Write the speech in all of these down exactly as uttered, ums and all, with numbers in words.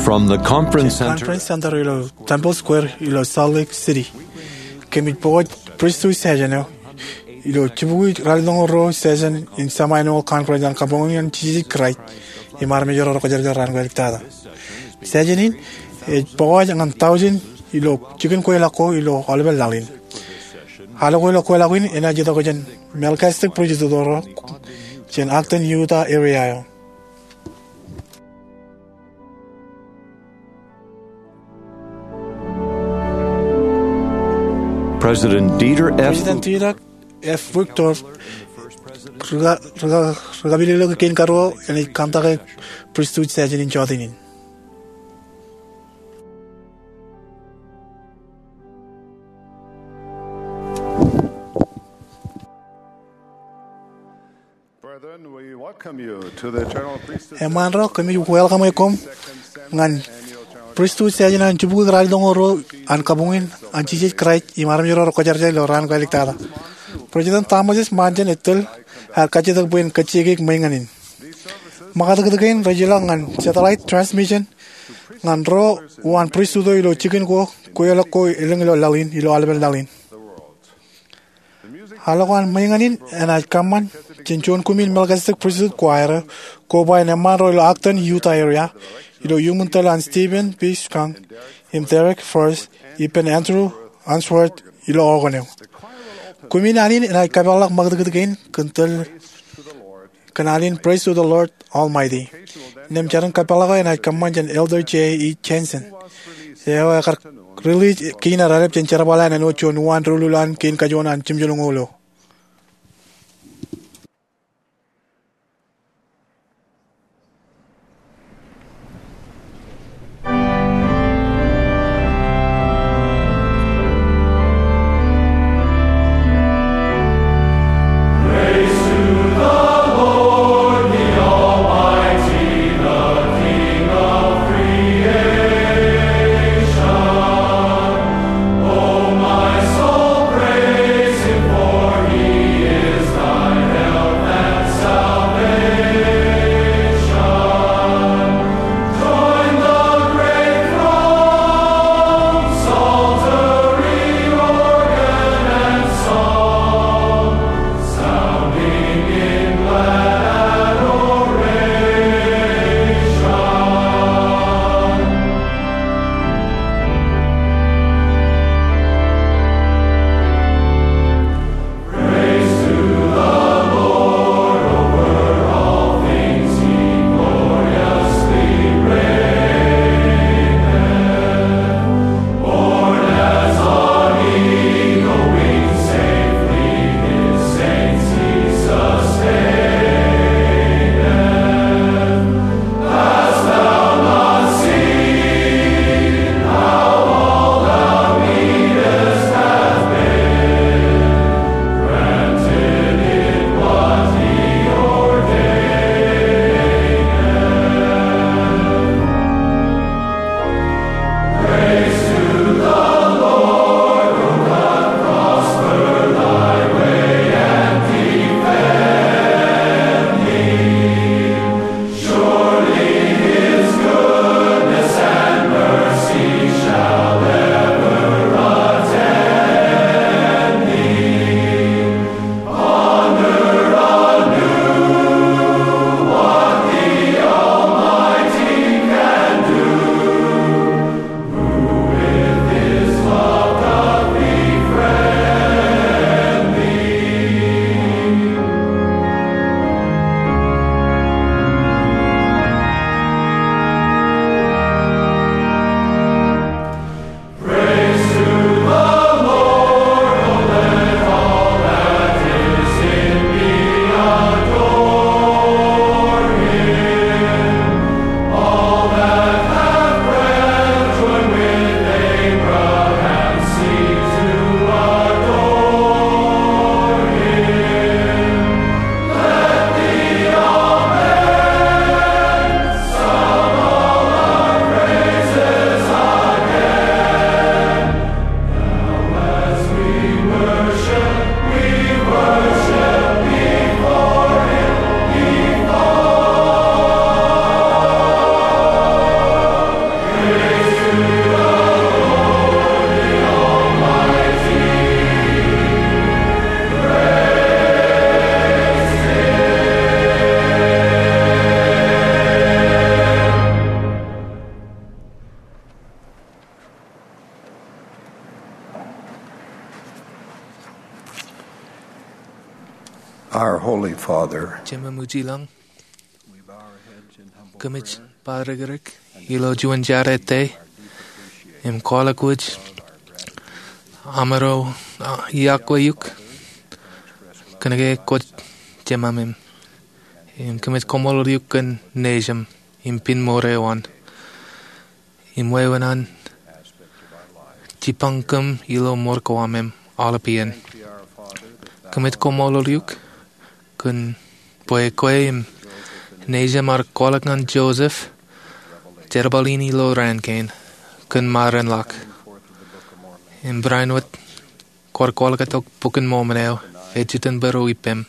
From the Conference Center. Conference Center ilo Temple Square ilo Salt Lake City. Kōmij pokoj pristut session eo ilo jibukwi ralitōñoul ruo session in semi-annual conference an Kabuñ an Jisōs Kraist im Armej ro Kwōjarjar Raan Kōjeḷāḷọkjeḷā. Session in ej pokoj ñan tọujin ilo jikin kweilọk ko ilo aolepen laḷ in. Al ko ilo kweilọk in enaaj itok jān Melchizedek Priesthood ro jān Ogden, Utah area eo. President Dieter F. President Dieter F. Uchtdorf, rika-, rika-, rikapilōklōk kein karuo, enaaj kōmtak e pristut session in jota in. Brethren, we welcome you to the eternal priesthood. Eṃṃaan ro, kōmij welcome e koṃ ñan pristut session an jibukwi ralitōñoul ruo an Kabuñ an Jisōs Kraist im Armej ro Kwōjarjar ilo Raan Kōjeḷāḷọkjeḷā. President Thomas S. Monson ej tōl aer kajjitōk bwe en kajjioñ ṃōñā in. Ṃakūtkūt kein rej ilọk ñan satellite transmission ñan ro uwaan pristut eo ilo jikin ko kweilọk ko elōñ ilo laḷ in, ilo aolepen laḷ in. Al ko an ṃōñā in enaaj kōṃṃan jān juon kumi in Melchizedek Priesthood Choir eo, koba in eṃṃaan ro ilo Ogden, Utah area, ilo iuṃwin tōl an Stephen B. Skunk im Derek Furst, ippān Andrew Unsworth ilo organ eo. Kumi in eo enaaj kōpeḷḷọk ṃakūtkūt kein kōn tōl kōn alen Praise to the Lord Almighty. Innām jar in kōpeḷḷọk eo enaaj kōṃṃan jān Elder Jay E. Jensen, eo ekar release kein raelep jān jerbal eo an āinwōt juon uwaan doulul an kein kajoor an jimjuonñoul eo. Our Holy Father, Jemem eo ilañ, kōmij bar rikirek ilo juon jar ettā im kwaḷọk wōj amro, ah, iọkwe eok kōnke kwōj jemāmem. Im kōmij koṃṃool eok kōn nejūṃ im piñ ṃoor eo an im wāween an jibboñ kōm ilo ṃoor ko am im aolep iien. Kōmij koṃṃool eok kōn bwe kwe im nejūṃ ar kwaḷọk ñan Joseph jerbal in ilo raan kein kōn maroñ ḷọk. Im barāinwōt kwaar kwaḷọk tok Bok in Mormon eo ej jitōnbōro ippem.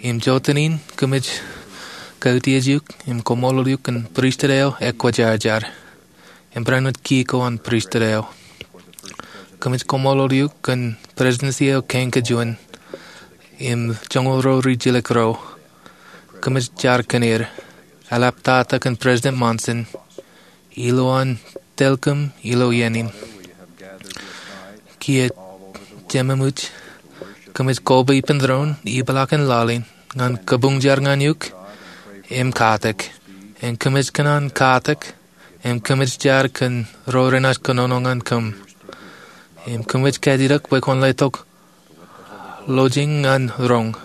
Im jota in kōmij kautiej eok im koṃṃool eok kōn pristut eo ekwōjarjar im barāinwōt kiiō ko an pristut eo. Kōmij koṃṃool eok kōn presidency eo kein kajuon im joñoul ro rijilōk ro. Kōmij jar kōn er, eḷaptata kōn President Monson, ilowaan tōl kōm ilo iien in. Kiiō jemāmwōj, kōmij koba ippān doon ipḷaak in laḷ in ñan kabuñ jar ñan eok im katak. Im kōmij kōṇaan katak im kōmij jar kōn ro renaaj kōnono ñan kōm. Im kōmij kajjitōk bwe kwōn letok lọjien ñan roñ.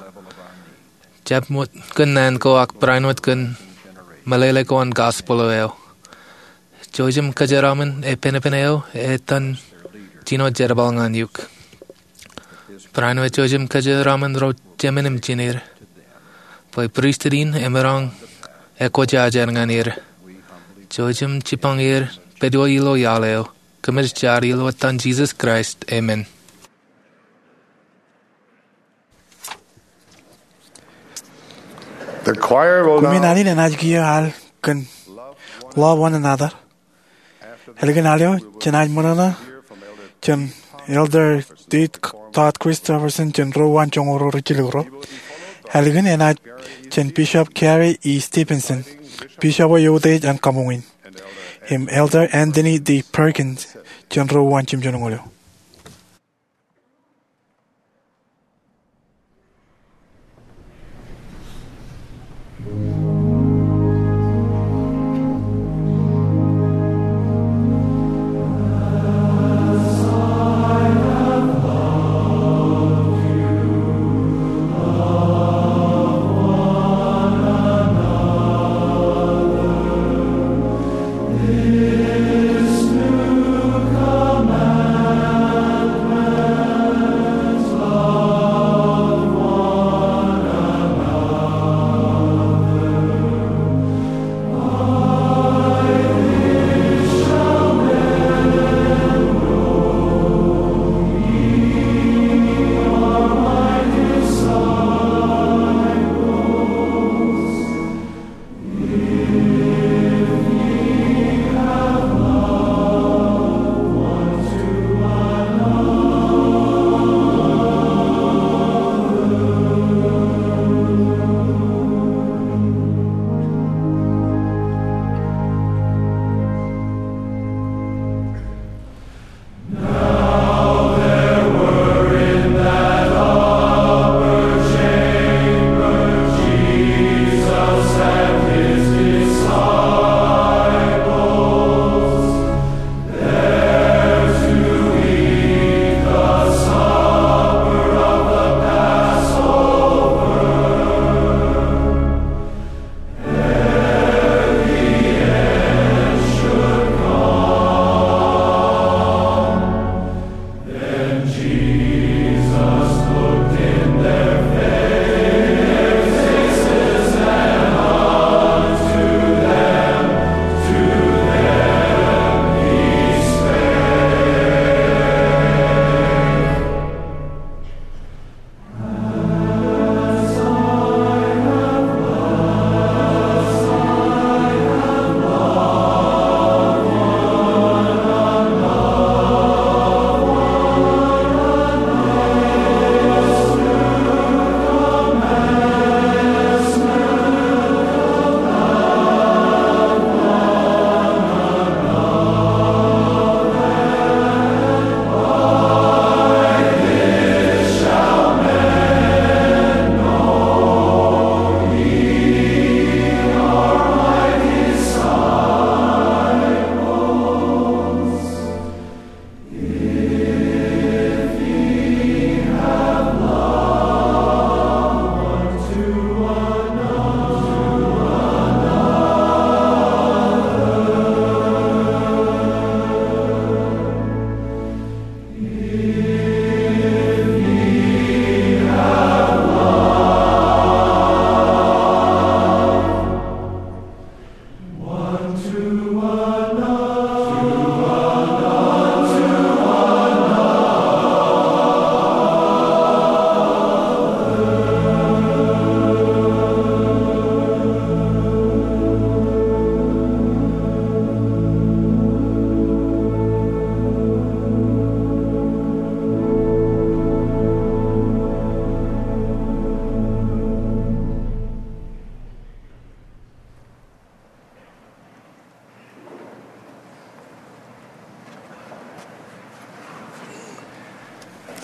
Jab wōt kōn naan ko ak barāinwōt kōn meḷeḷe ko an gospel eo. Jouj im kōjeraaṃṃan epenepen eo etan jino jerbal ñan eok. Barāinwōt jouj im kōjeraaṃṃan ro jemān im jined bwe pristut in emaroñ ekwōjarjar ñan er. Jouj im jibboñ er pād ilo iaḷ eo. Kōmij jar ilo etan Jisōs Kraist, amen. The choir will Koṃwin now ālikin enaaj kiiō al kōn Love One Another. Ālikin al eo, jenaaj ṃōṇōṇō jān Elder Todd Christofferson jān ro uwaan joñoul ro rijilōk ro. Ālikin enaaj jān Bishop Gary E. Stevenson, Bishop eo eutiej an kabuñ in, im Elder Anthony D. Perkins jān ro uwaan jimjuonñoul eo.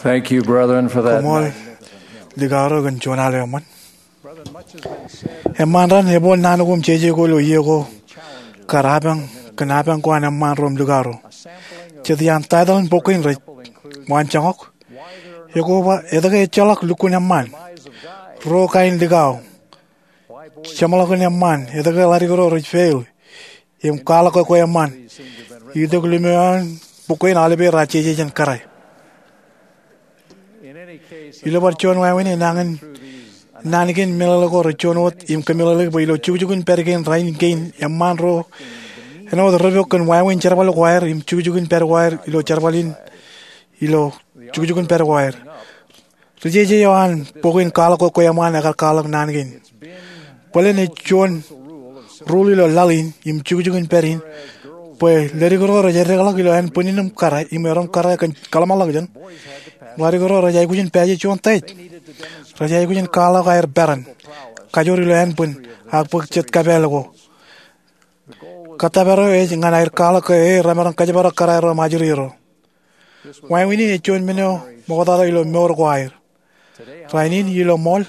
Thank you, brethren, for that. Koṃṃool likao ro kōn juon al eo eṃṃan. Eṃṃan raṇ, ebooḷ naan ko im jeje ko ilo iiō ko kar apañ, kōn apañ ko an eṃṃaan ro im likao ro. Jet iaan taitōḷ in bok kein rej waanjoñak. Ekoba, etke ejjeḷọk lukkuun eṃṃaan? Ruo kain likao. Jeṃḷọkin eṃṃaan, etke ḷadik ro rej fail, im kwaḷọk ke kwe eṃṃaan. Itok limo eo an bok kein aolepen raar jeje jān kōrā. Ilo bar juon wāween, enañin naan kein meḷeḷe ko rej juon wōt im kōmeḷeḷeik bwe ilo jukjukin pād kein rainin kein, eṃṃaan ro āinwōt rej pok kōn wāween jerbal ko aer im jukjukin pād ko aer ilo jerbal in, ilo jukjukin pād ko aer. Ri jeje eo an bok in Kwaḷọk Kwe Eṃṃaan ekar kwaḷọk naan kein. Bōlen ej juon rule ilo laḷ in im jukjukin pād in bwe ledik ro rej eddekḷọk ilo ānbwinnin im kōrā im erom kōrā kōn kōḷmānḷọkjeṇ. Ḷadik ro rej aikuj in pāje juon test. Rej aikuj in kwaḷọk aer peran kajoor ilo ānbwin ak bōk jet kapeel ko. Kōttōpar eo ej ñan aer kwaḷọk ke e remaroñ kōjparok kōrā ro im ajri ro. Wāween in ej juon men eo ṃoktata ilo mour ko aer. Rainin ilo ṃool,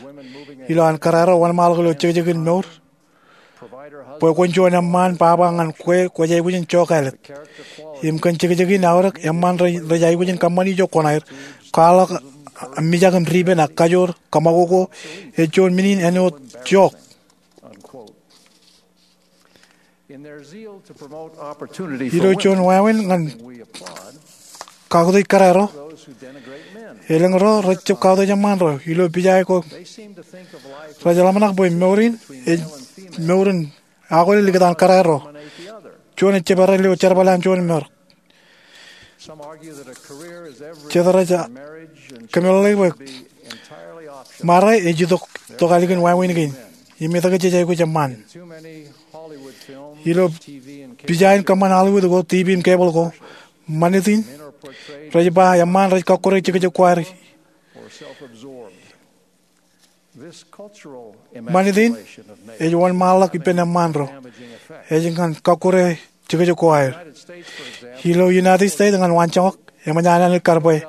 ilo an kōrā ro wōnṃaanḷọk ilo jekjekin mour, bwe kwōn juon eṃṃaan baba ñan kwe kwōj aikuj in jokālet. Im kōn jekjekin aorōk, eṃṃaan rej, rej aikuj in kōṃṃani ijo kwōnaer, kwaḷọk, mijak im dipen ak kajoor kōṃakoko, ej juon men in āinwōt jook. Ilo juon wāween ñan kautiej kōrā ro, elōñ ro rej jab kautiej eṃṃaan ro ilo pija ko. Rej ḷōmṇak bwe mour in ej mour in akwe likūt an kōrā ro. Juon ej jab errā ilo jerbal an juon im errā. Jet rej kōmeḷeḷeik bwe ṃare ej itok, itok alikin wāween kein. Im etke jej aikuj eṃṃaan? Ilo pija in kōṃṃan Hollywood ko, TV im cable ko, ṃanit in rej ba eṃṃaan rej kọkkure jekjek ko aer. Ṃanit in ej wōnṃaanḷọk ippān eṃṃaan ro. Ej ñan kọkkure jekjek ko aer. Ilo United States ñan waanjoñak, eṃōj an Anij kar bwe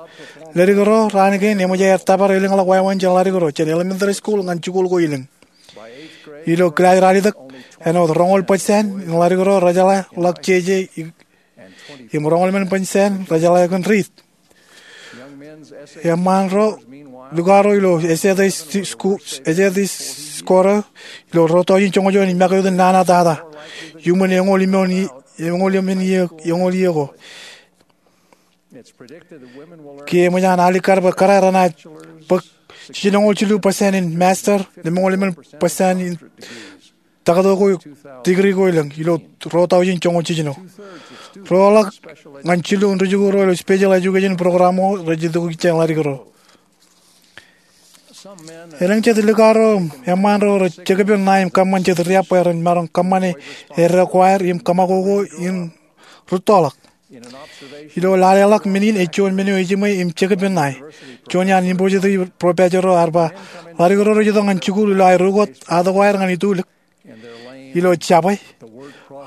ledik ro raan kein eṃōj aer tōpar elōñḷọk wāween jān ḷadik ro jān elementary school ñan jikuuḷ ko elōñ. Ilo kilaaj ralitōk, āinwōt roñoul percent in ḷadik ro rejeḷā ḷọk jeje, im roñoul emān percent rejeḷā kōn riit. Eṃṃaan ro, likao ro ilo essay, essay ko ro ilo ruo tọujin joñoul juon im make wōt nana tata. Iuṃwin eñoul emān, eñoul emān iiō, eñoul iiō ko. Kiiō eṃōj an alikkar bwe kōrā renaaj bōk jiljinoñoul jilu percent in master, lemñoul emān percent in taktō ko, degree ko elōñ ilo ruo tọujin joñoul jiljino. Ruoḷọk ñan jilu in ri-jikuuḷ ro ilo special education program ko rej itok jān ḷadik ro. Elōñ jet likao ro, eṃṃaan ro rej jekpen ṇae im kōṃṃan jet riab bwe ren maroñ kōṃṃane eddek ko aer im kōṃakoko im rūttoḷọk. Ilo laleḷọk men in ej juon men eo ejiṃwe im jekpen ṇae. Juon iaan university professor ro ear ba, ḷadik ro rej itok ñan jikuuḷ ilo aer ukot ato ko aer ñan itulik. Ilo jabwe,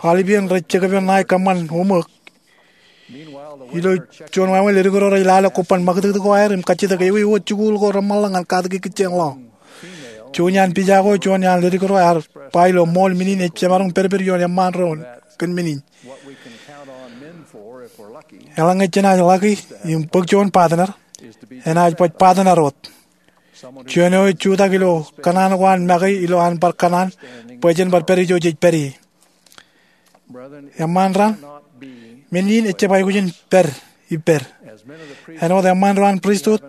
aolepān rej jekpen ṇae kōṃṃan homework. Ilo juon wāween ledik ro rej lale kobban ṃakūtkūt ko aer im kajjitōk ewi wōt jikuuḷ ko reṃṃanḷọk ñan katak ikijjien ḷọk. Juon iaan pija ko, juon iaan ledik ro ear ba ilo ṃool men in ej jemaroñ pedped ioon eṃṃaan ro kōn men in. Eḷaññe jenaaj ḷaki im bōk juon partner, enaaj baj partner wōt. Juon eo ej jutak ilo kōṇaan ko an make ilo an bar kōṇaan bwe jen bar pād ijo jej pād ie. Eṃṃaan raṇ, men in ejjab aikuj in pād ippād. Āinwōt eṃṃaan ro an pristut,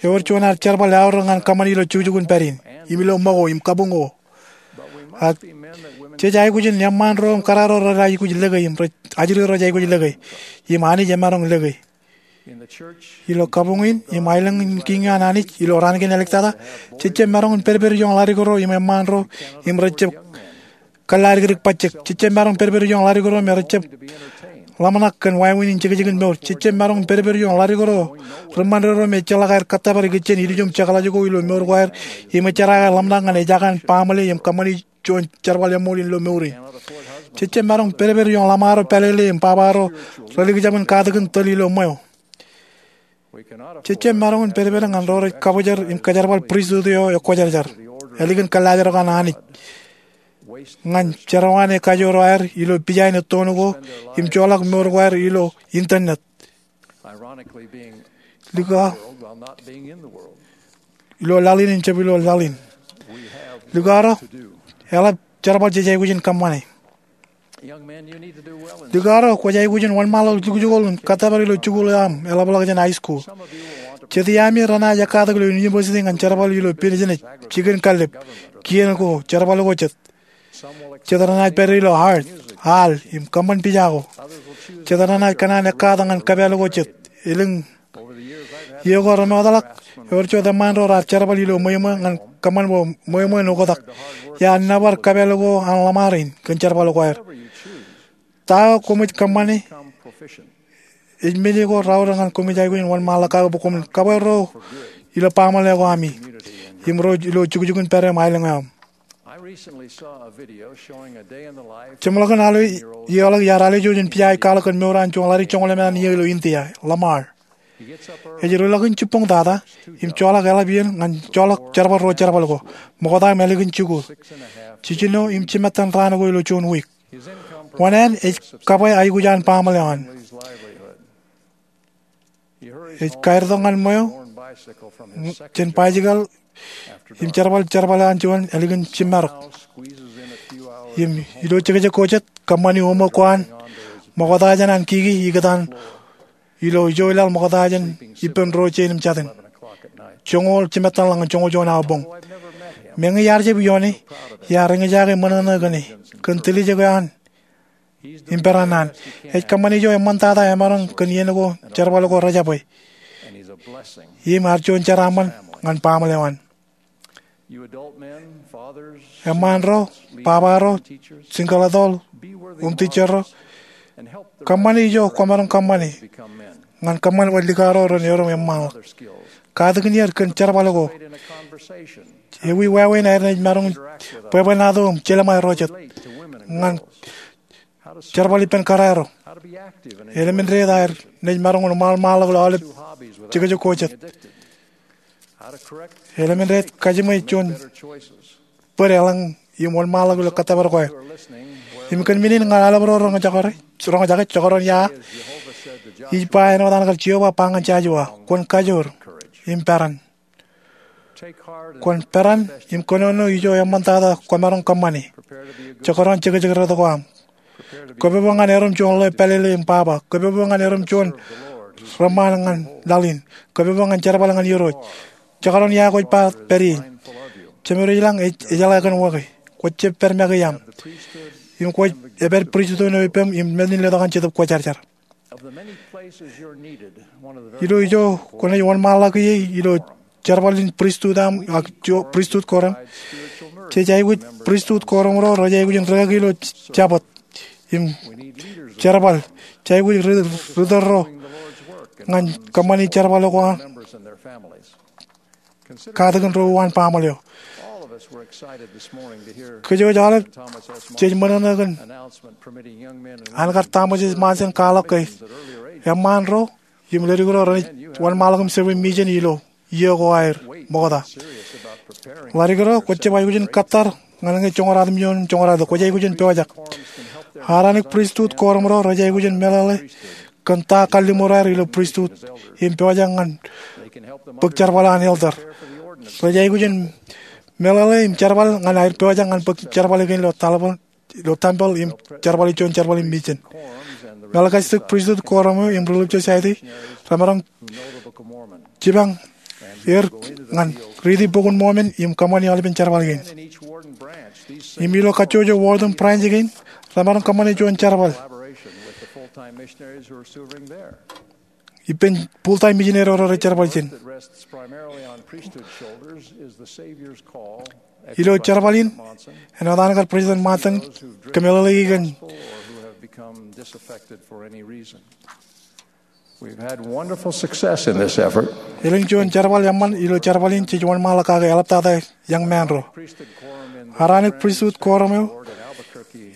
ewōr juon ad jerbal eaorōk ñan kōṃṃani ilo jukjuk in pād in, im ilo ṃōko im kabuñ ko. Ak jej aikuj in eṃṃaan ro im kōrā ro rej aikuj lōke im rej, ajri ro rej aikuj lōke, im Anij emaroñ lōke. Ilo kabuñ in im aelōñ in kiiñ an Anij ilo raan kein āliktata, jej jab maroñ in pedped ioon ḷadik ro im eṃṃaan ro im rej jab kōllaadikdik bajjek. Jej jab maroñ pedped ioon ḷadik ro im rej jab ḷōmṇak kōn wāween in jekjekin mour. Jej jab maroñ pedped ioon ḷadik ro ri ṃanderedo im ejjeḷọk aer kōttōpar ikijjien ilju im jekḷaj ko ilo mour ko aer im ejjeḷọk aer ḷōmṇak ñan ejakan baaṃle im kōṃṃani juon jerbal eṃool in ilo mour in. Jej jab maroñ pedped ioon ḷōṃaro pālele im baba ro relikjab in katakin tōl ilo ṃweo. Jej jab maroñ in pedped ñan ro rej kabōjrak im kajerbal pristut eo ekwōjarjar, ālikin kōllaajrak an Anij, ñan jerọwiwi eo ej kajoor aer ilo pijain ettoon ko im joḷọk mour ko aer ilo internet, likao, ilo laḷ in im jab ilo laḷ in. Likao ro, eḷap jerbal jej aikuj in kōṃṃane. Likao ro, kwōj aikuj in wōnṃaanḷọk jukjuk eo im kōttōpar ilo jikuuḷ eo aṃ eḷapḷọk jān high school. Jet iaami renaaj ekkatak ilo university ñan jerbal ilo business, jikin kallib, kien ko, jerbal ko jet. Jet renaaj pād ilo art, al, im kōṃṃan pija ko. Jet renaaj kōṇaan ekkatak ñan kōpāl ko jet. Elōñ iiō ko remotḷọk, ewōr juon eṃṃaan ro raar jerbal ilo ṃweo ṃweo ñan kōṃṃan bwe ṃweo ṃweo en oktak. Iar nōbar kōpāl ko an ḷōṃaro in kōn jerbal ko aer. Ta eo koṃij kōṃṃane, ej men ko raorōk ñan koṃij aikuj in wōnṃaanḷọk kake bwe koṃwin kabwe ro ilo baaṃle ko ami im ro ilo jukjukun pād eo im aelōñ eo aṃ. Jeṃḷọkin al eo ioḷọk iar alwōj in pija eo ej kwaḷọk kōn mour an juon ḷadik joñoul emān iiō ilo India, Lamar. Ej ruḷọkin jibboñ tata im joḷọk eḷap iien ñan joḷọk jerbal ro jerbal ko, ṃokta im ālikin jikuuḷ, jiljino im jimettan raan ko ilo juon wiik. Wōṇāān ej kabwe aikuj an baaṃle eo an. Ej kaertok ñan ṃweo jān baijikōḷ im jerbal jerbal eo an juon ālikin jimmarok. Im ilo jekjek ko jet, kōṃṃani oṃōk ko an ṃokta jān an kiki ikōtaan ilo ijo laḷ ṃokta jān ippān ro jein im jatin, joñoul jimettanḷọk ñan joñoul juon awa boñ. Meñe iar jab ioone, iar eñjake ṃōṇōṇō kōn e, kōn tiljek eo an im peran an. Ej kōṃṃane ijo eṃṃantata emaroñ kōn iien ko jerbal ko rejabwe. Im ear juon jeraaṃṃan ñan baaṃle eo an. Eṃṃaan ro, baba ro, jinkleḷḷọk, im tijjer ro, kōṃṃane ijo kwōmaroñ kōṃṃane ñan kōṃṃan bwe likao ro ren erom eṃṃanḷọk. Katakin er kōn jerbal ko. Ewi wāween aer naaj maroñ bwebwenato im jelṃae ro jet ñan jerbal ippān kōrā ro? Elemended aer naaj maroñ wōnṃaanḷọk ilo aolep jekjek ko jet? Elemended kajiṃwe juon bōd eḷaññe im wōnṃaanḷọk ilo kōttōpar ko aer? Im kōn men in ñan aolep ro roñjake, jekdọọn ia, ij ba āinwōt an kar Jeova ba ñan Jojua, kwōn kajoor im peran. Kwōn peran im kōnono ijo eṃṃantata kwōmaroñ kōṃṃane. Jekdọọn jekjek rot ko aṃ. Kōpopo ñan erom juon ḷeo pālele im baba. Kōpopo ñan erom juon reṃṃaan ñan laḷ in. Kōpopo ñan jerbal ñan Irooj. Jekdọọn ia kwōj ba pād ie, Jemed ej lañ, ej, ejeḷā kōn wōke. Kwōj jab pād make iaṃ. Im kwōj, epād pristut eo eo ippem im men in letok an Jetōb Kwōjarjar. Ilo ijo kwōnaaj wōnṃaanḷọk ie ilo jerbal in pristut aṃ ak ijo pristut koreṃ, jej aikuj pristut koreṃ ro rej aikuj in rikaki ilo jabōt im jerbal. Jej aikuj ri-, ri-tōl ro ñan kōṃṃani jerbal ko an katakin ro an baaṃle eo. Kōj aolep jej ṃōṇōṇō kōn an kar Thomas S. Monson kwaḷọk ke eṃṃaan ro im ledik ro renaaj wōnṃaanḷọk im serve mission ilo iiō ko aer ṃokta. Ḷadik ro, kwōj jab aikuj in kōttar ñan ñe joñoul ratimjuon, joñoul ralitōk, kwōj aikuj in pojak. Aaronic pristut koreṃ ro rej aikuj in meḷeḷe kōn ta kalliṃur aer ilo pristut im pojak ñan bōk jerbal an elder. Rej aikuj in meḷeḷe im jerbal ñan aer pojak ñan bōk jerbal kein ilo tempeḷ im jerbal, juon jerbal in mission. Melchizedek pristut koreṃ eo im Relief Society remaroñ jipañ er ñan riiti Bok in Mormon im kōṃṃani aolepen jerbal kein. Im ilo kajjojo ward im branch kein, remaroñ kōṃṃane juon jerbal ippān full-time missionary ro rej jerbal ijin. Ilo jerbal in, āinwōt an kar President Monson kōmeḷeḷeiki kōn We've had wonderful success in this effort. Elōñ juon jerbal eṃṃan ilo jerbal in jej wōnṃaanḷọk kake eḷaptata young man ro. Aaronic pristut koreṃ eo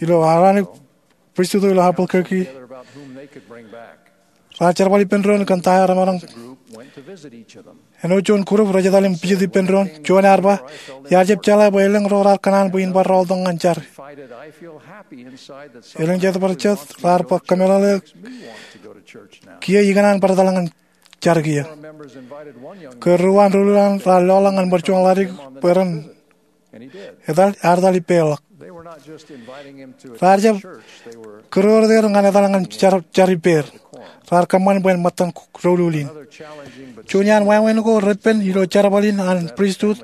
ilo Aaronic pristut eo ilo Albuquerque raar jerbal ippān doon kōn ta eo remaroñ. Āinwōt juon group rej etal im visit ippān doon, juon ear ba, iar jab jeḷā bwe elōñ ro raar kōṇaan bwe in bar rọọltok ñan jar. Elōñ jet bar jet raar ba, kōmeḷeḷe, kiiō ikōṇaan bar etal ñan jar kiiō. Ke ruo an doulul an raar lọḷọk ñan ṃōr juon ḷadik bwe ren etal, ear etal ippāerḷọk. Raar jab kūror er ñan etal ñan jar, jar ippāer. Raar kōṃṃan bwe en ṃōttan doulul in. Juon iaan wāween ko repen ilo jerbal in an pristut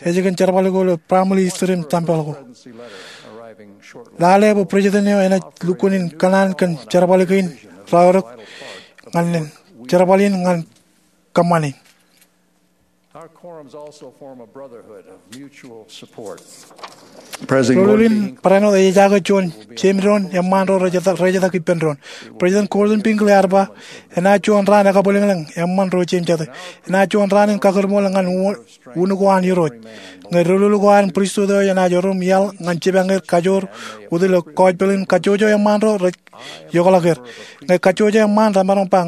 ej kōn jerbal ko ilo family history im tempel ko. Lale bwe president eo enaaj lukkuun in kōṇaan kōn jerbal kein raorōk ñan jerbal in ñan kōṃṃan in. Doulul in barāinwōt ej ejaake juon jeiū doon eṃṃaan ro rej etak, rej etak ippān doon. President Gordon B. Hinckley ear ba, enaaj juon raan ekabwilōñlōñ eṃṃan ro jeiū jatū. Enaaj juon raan in kakūrṃool ñan u-, un ko an Irooj. Ñe doulul ko an pristut eo enaaj erom iaḷ ñan jipañ er kajoor wōt ilo gospel in, kajjojo eṃṃaan ro rej iokḷọk er. Ñe kajjojo eṃṃaan remaroñ ba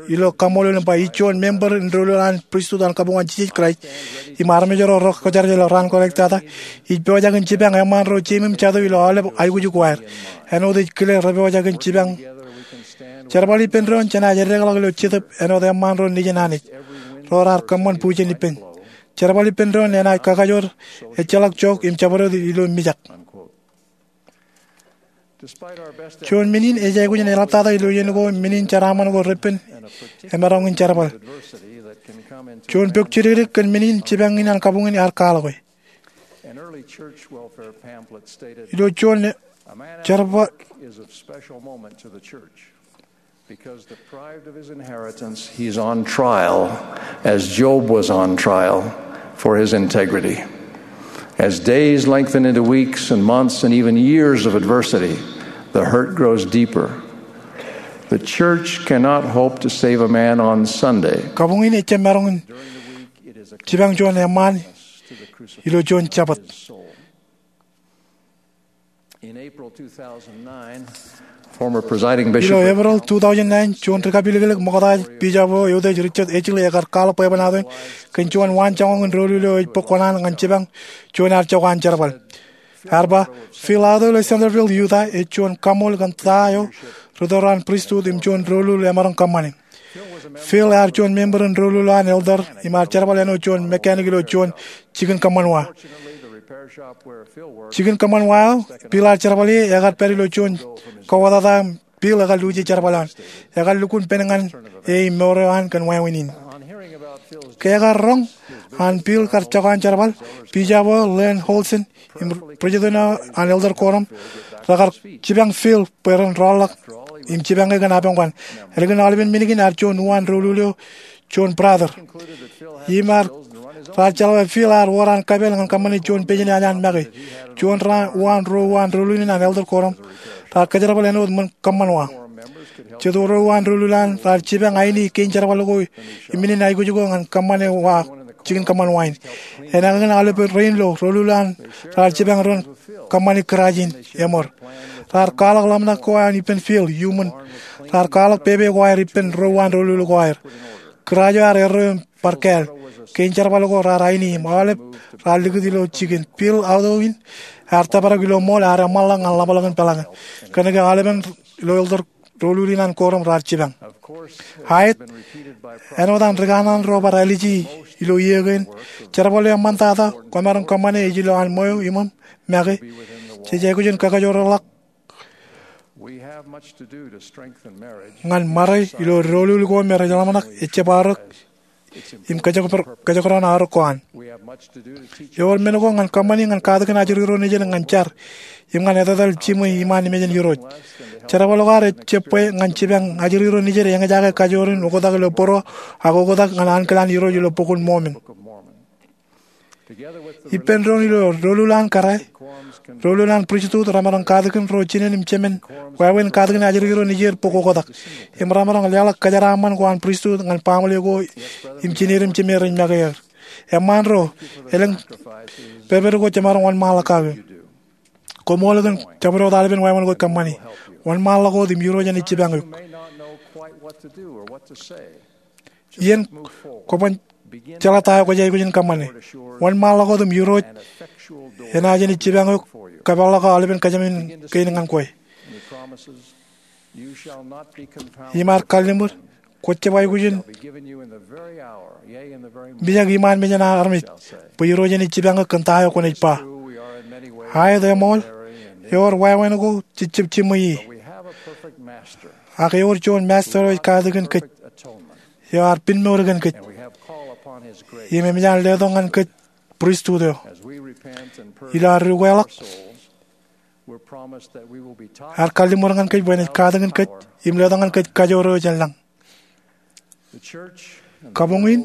ilo kaṃṃoolol im ba ij juon member in doulul an pristut an kabuñ an Jisōs Kraist im armej ro rekōjjeraje ilo raan kwōnaaj tata, ij pojak in jipañ eṃṃaan ro jeiū im jatū ilo aolep aikuj ko aer. Āinwōt ej kile repojak in jipañ. Jerbal ippān doon jenaaj eddekḷọk ilo Jetōb āinwōt eṃṃaan ro nejin Anij ro raar kōṃṃan bujen ippān. Jerbal ippān doon enaaj kakajoor, ejjeḷọk jook im jabdewōt ilo mijak. Juon men in ej aikuj in eḷaptata ilo iien ko, men in jeraaṃṃan ko repen emaroñ in jerbal. Juon pok jidikdik kōn men in jipañ in an kabuñ in ear kwaḷọk e. Ilo juon jerbal Because deprived of his inheritance, he's on trial, as Job was on trial, for his integrity. As days lengthen into weeks and months and even years of adversity, the hurt grows deeper. The church cannot hope to save a man on Sunday. Kabuñ in ejjab maroñ in jipañ juon eṃṃaan ilo juon Jabōt. In April two thousand nine, former presiding bishop Ilo Eprel two thousand nine, juon rikapiliklik ṃokta, Bishop eo eutiej Richard H. Lee, ekar kwaḷọk bwebwenato in kōn juon waanjoñak in doulul eo ej bōk kōṇaan ñan jipañ juon ear jokwan jerbal. Ear ba, Phil Auto ilo Centerville, Utah, ej juon kaṃool kōn ta eo ri tōl an pristut im juon doulul emaroñ kōṃṃane. Phil ear juon member in doulul eo an elder im ear jerbal āinwōt juon mechanic ilo juon jikin kōṃṃan wa. Jikin kōṃṃan wa eo Phil ear jerbal ie ekar pād ilo juon kowōtata im Phil ekar luuji jerbal eo an. Ekar lukkuun pen ñan e im mour eo an kōn wāween in. Ke ekar roñ an Phil kar jokwan jerbal, Bishop eo Lane Holson im president eo an elder quorum rekar jipañ Phil bwe ren rọọlḷọk im jipañ e kōn apañ ko an. Ālikin aolepen men kein ear juon uwaan doulul eo juon brother. Im ear, raar jeḷā bwe Phil ear wōr an kapeel ñan kōṃṃane juon pejin eo an make. Juon raan, uwaan, ruo uwaan doulul in an elder quorum raar kōjerbal āinwōt ṃōn kōṃṃan wa. Jet ro uwaan doulul an raar jipañ aini kein jerbal ko im men in aikuj ko ñan kōṃṃane wa, jikin kōṃṃan wa in. Enakōkin aolepān rein ilo doulul an raar jipañ ren kōṃṃane kūraaj in eṃor. Raar kwaḷọk ḷōmṇak ko an ippān Phil iuṃwin. Raar kwaḷọk pepe ko aer ippān ro uwaan doulul ko aer. Kūraaj eo ear erreo im bar kāāl. Kein jerbal ko raar aini im aolep raar likūt ilo jikin. Phil auto in ear tōprak ilo ṃool, ear eṃṃanḷọk ñan ḷapḷọk in peḷaakin. Kōnke aolepān ilo elder doulul in an quorum raar jipañ. Aet, āinwōt an ri kanaan ro bar āliji ilo iiō kein, jerbal eo eṃṃantata kwōmaroñ kōṃṃane ej ilo an ṃweo iṃōṃ make. Jej aikuj in kakajoorḷọk ñan ṃare ilo doulul ko me rej ḷōmṇak ejjab aorōk im kōjekdọọn aorōk ko an. Ewōr men ko ñan kōṃṃani ñan katakin ajri ro nejid ñan jar im ñan etetal jiṃwe iṃaan mejān Irooj. Jerbal ko ad ejjab bwe ñan jipañ ajri ro nejid eñjake kajoor in oktak ilo bōro ak oktak ñan ankilaan Irooj ilo Bok in Mormon. Ippān doon ilo doulul an kōrā, doulul an pristut remaroñ katakin ro jinen im jemān wāween katakin ajri ro nejier bok oktak. Im remaroñ leḷọk kōjeraaṃṃan ko an pristut ñan baaṃle ko im jined im jemād rej make er. Eṃṃaan ro, elōñ pedped ko jemaroñ wōnṃaanḷọk kake. Koṃṃool kōn jabdewōt aolepān wāween ko kōṃṃani. Wōnṃaanḷọk wōt im Irooj enaaj jipañ eok. Iien kwōban jeḷā ta eo kwōj aikuj in kōṃṃane. Wōnṃaanḷọk wōt im Irooj enaaj jenaaj jipañ eok kōpeḷḷọk aō ḷap in kōjām kein ñan kwe. Im ear kalliṃur, kwōj jab aikuj in mijak iṃaan mejān armej, bwe Irooj enaaj jipañ eok kōn ta eo kwōnaaj ba. Aet, eṃool, ewōr wāween ko jej jab jiṃwe e. Ak ewōr juon Master eo ej katakin kōj, eo ear pinmour kōn kōj, im emōj an letok ñan kōj pristut eo. Ilo ad ukeḷọk, ear kalliṃur ñan kōj bwe enaaj katakin kōj im letok ñan kōj kajoor eo jān lañ. Kabuñ in,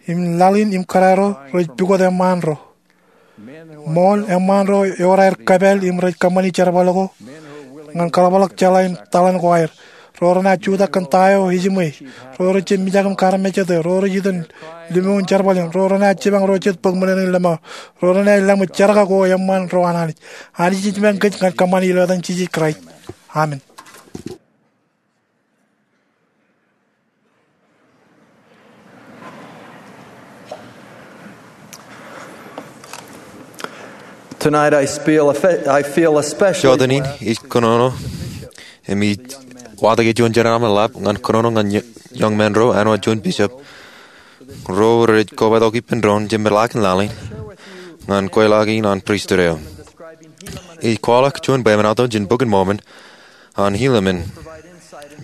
im laḷ in im kōrā ro rej pukot eṃṃaan ro. Ṃool eṃṃaan ro ewōr aer kōpāl im rej kōṃṃani jerbal ko ñan kaḷapḷọk jeḷā in taḷan ko aer. Ro renaaj jutak kōn ta eo ejiṃwe. Ro rej jab mijak im kaarmejete. Ro rej itok limoun jerbal in. Ro renaaj jipañ ro jet bōk ṃōṇōṇō in lōṃaō. Ro renaaj laṃōj jerkak ko eṃṃaan ro an Anij. Anij ej jipañ kōj ñan kōṃṃani ilo etan Jisōs Kraist. Amen. Tonight I feel, I feel especially Jotenin ij kōnono im ij watōk juon jeraaṃṃan ḷap ñan kōnono ñan young men ro āinwōt juon bishop ro rej kobatok ippān doon jemān ḷakin laḷ in ñan kweilọk in an pristut eo. Ij kwaḷọk juon bwebwenato jān Bok in Mormon an Helaman,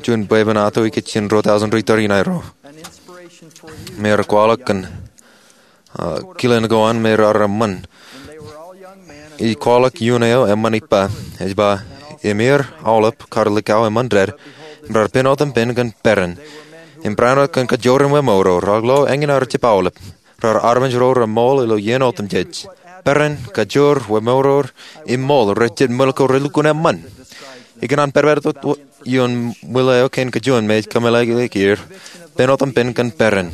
juon bwebwenato ikijjien ruo tọujin ri tōre in aerro. Im ear kwaḷọk kōn kilen ko an me raar eṃṃan. Ij kwaḷọk iuun eo eṃṃan ippa, ej ba, im er aolep kar likao eṃṃan dād, im raar pen otempen kōn peran. Im barāinwōt kōn kajoor in wōmour ro, raar lo eñin aer jab aolep. Raar armej ro reṃool ilo iien otemjej. Peran, kajoor, wōmour, im ṃool rej jet ṃwil ko relukkuun eṃṃan. Ikōṇaan pād wōt ioon ṃwil eo kein kajuon me ej kōmeḷeḷeik er, pen otempen kōn peran.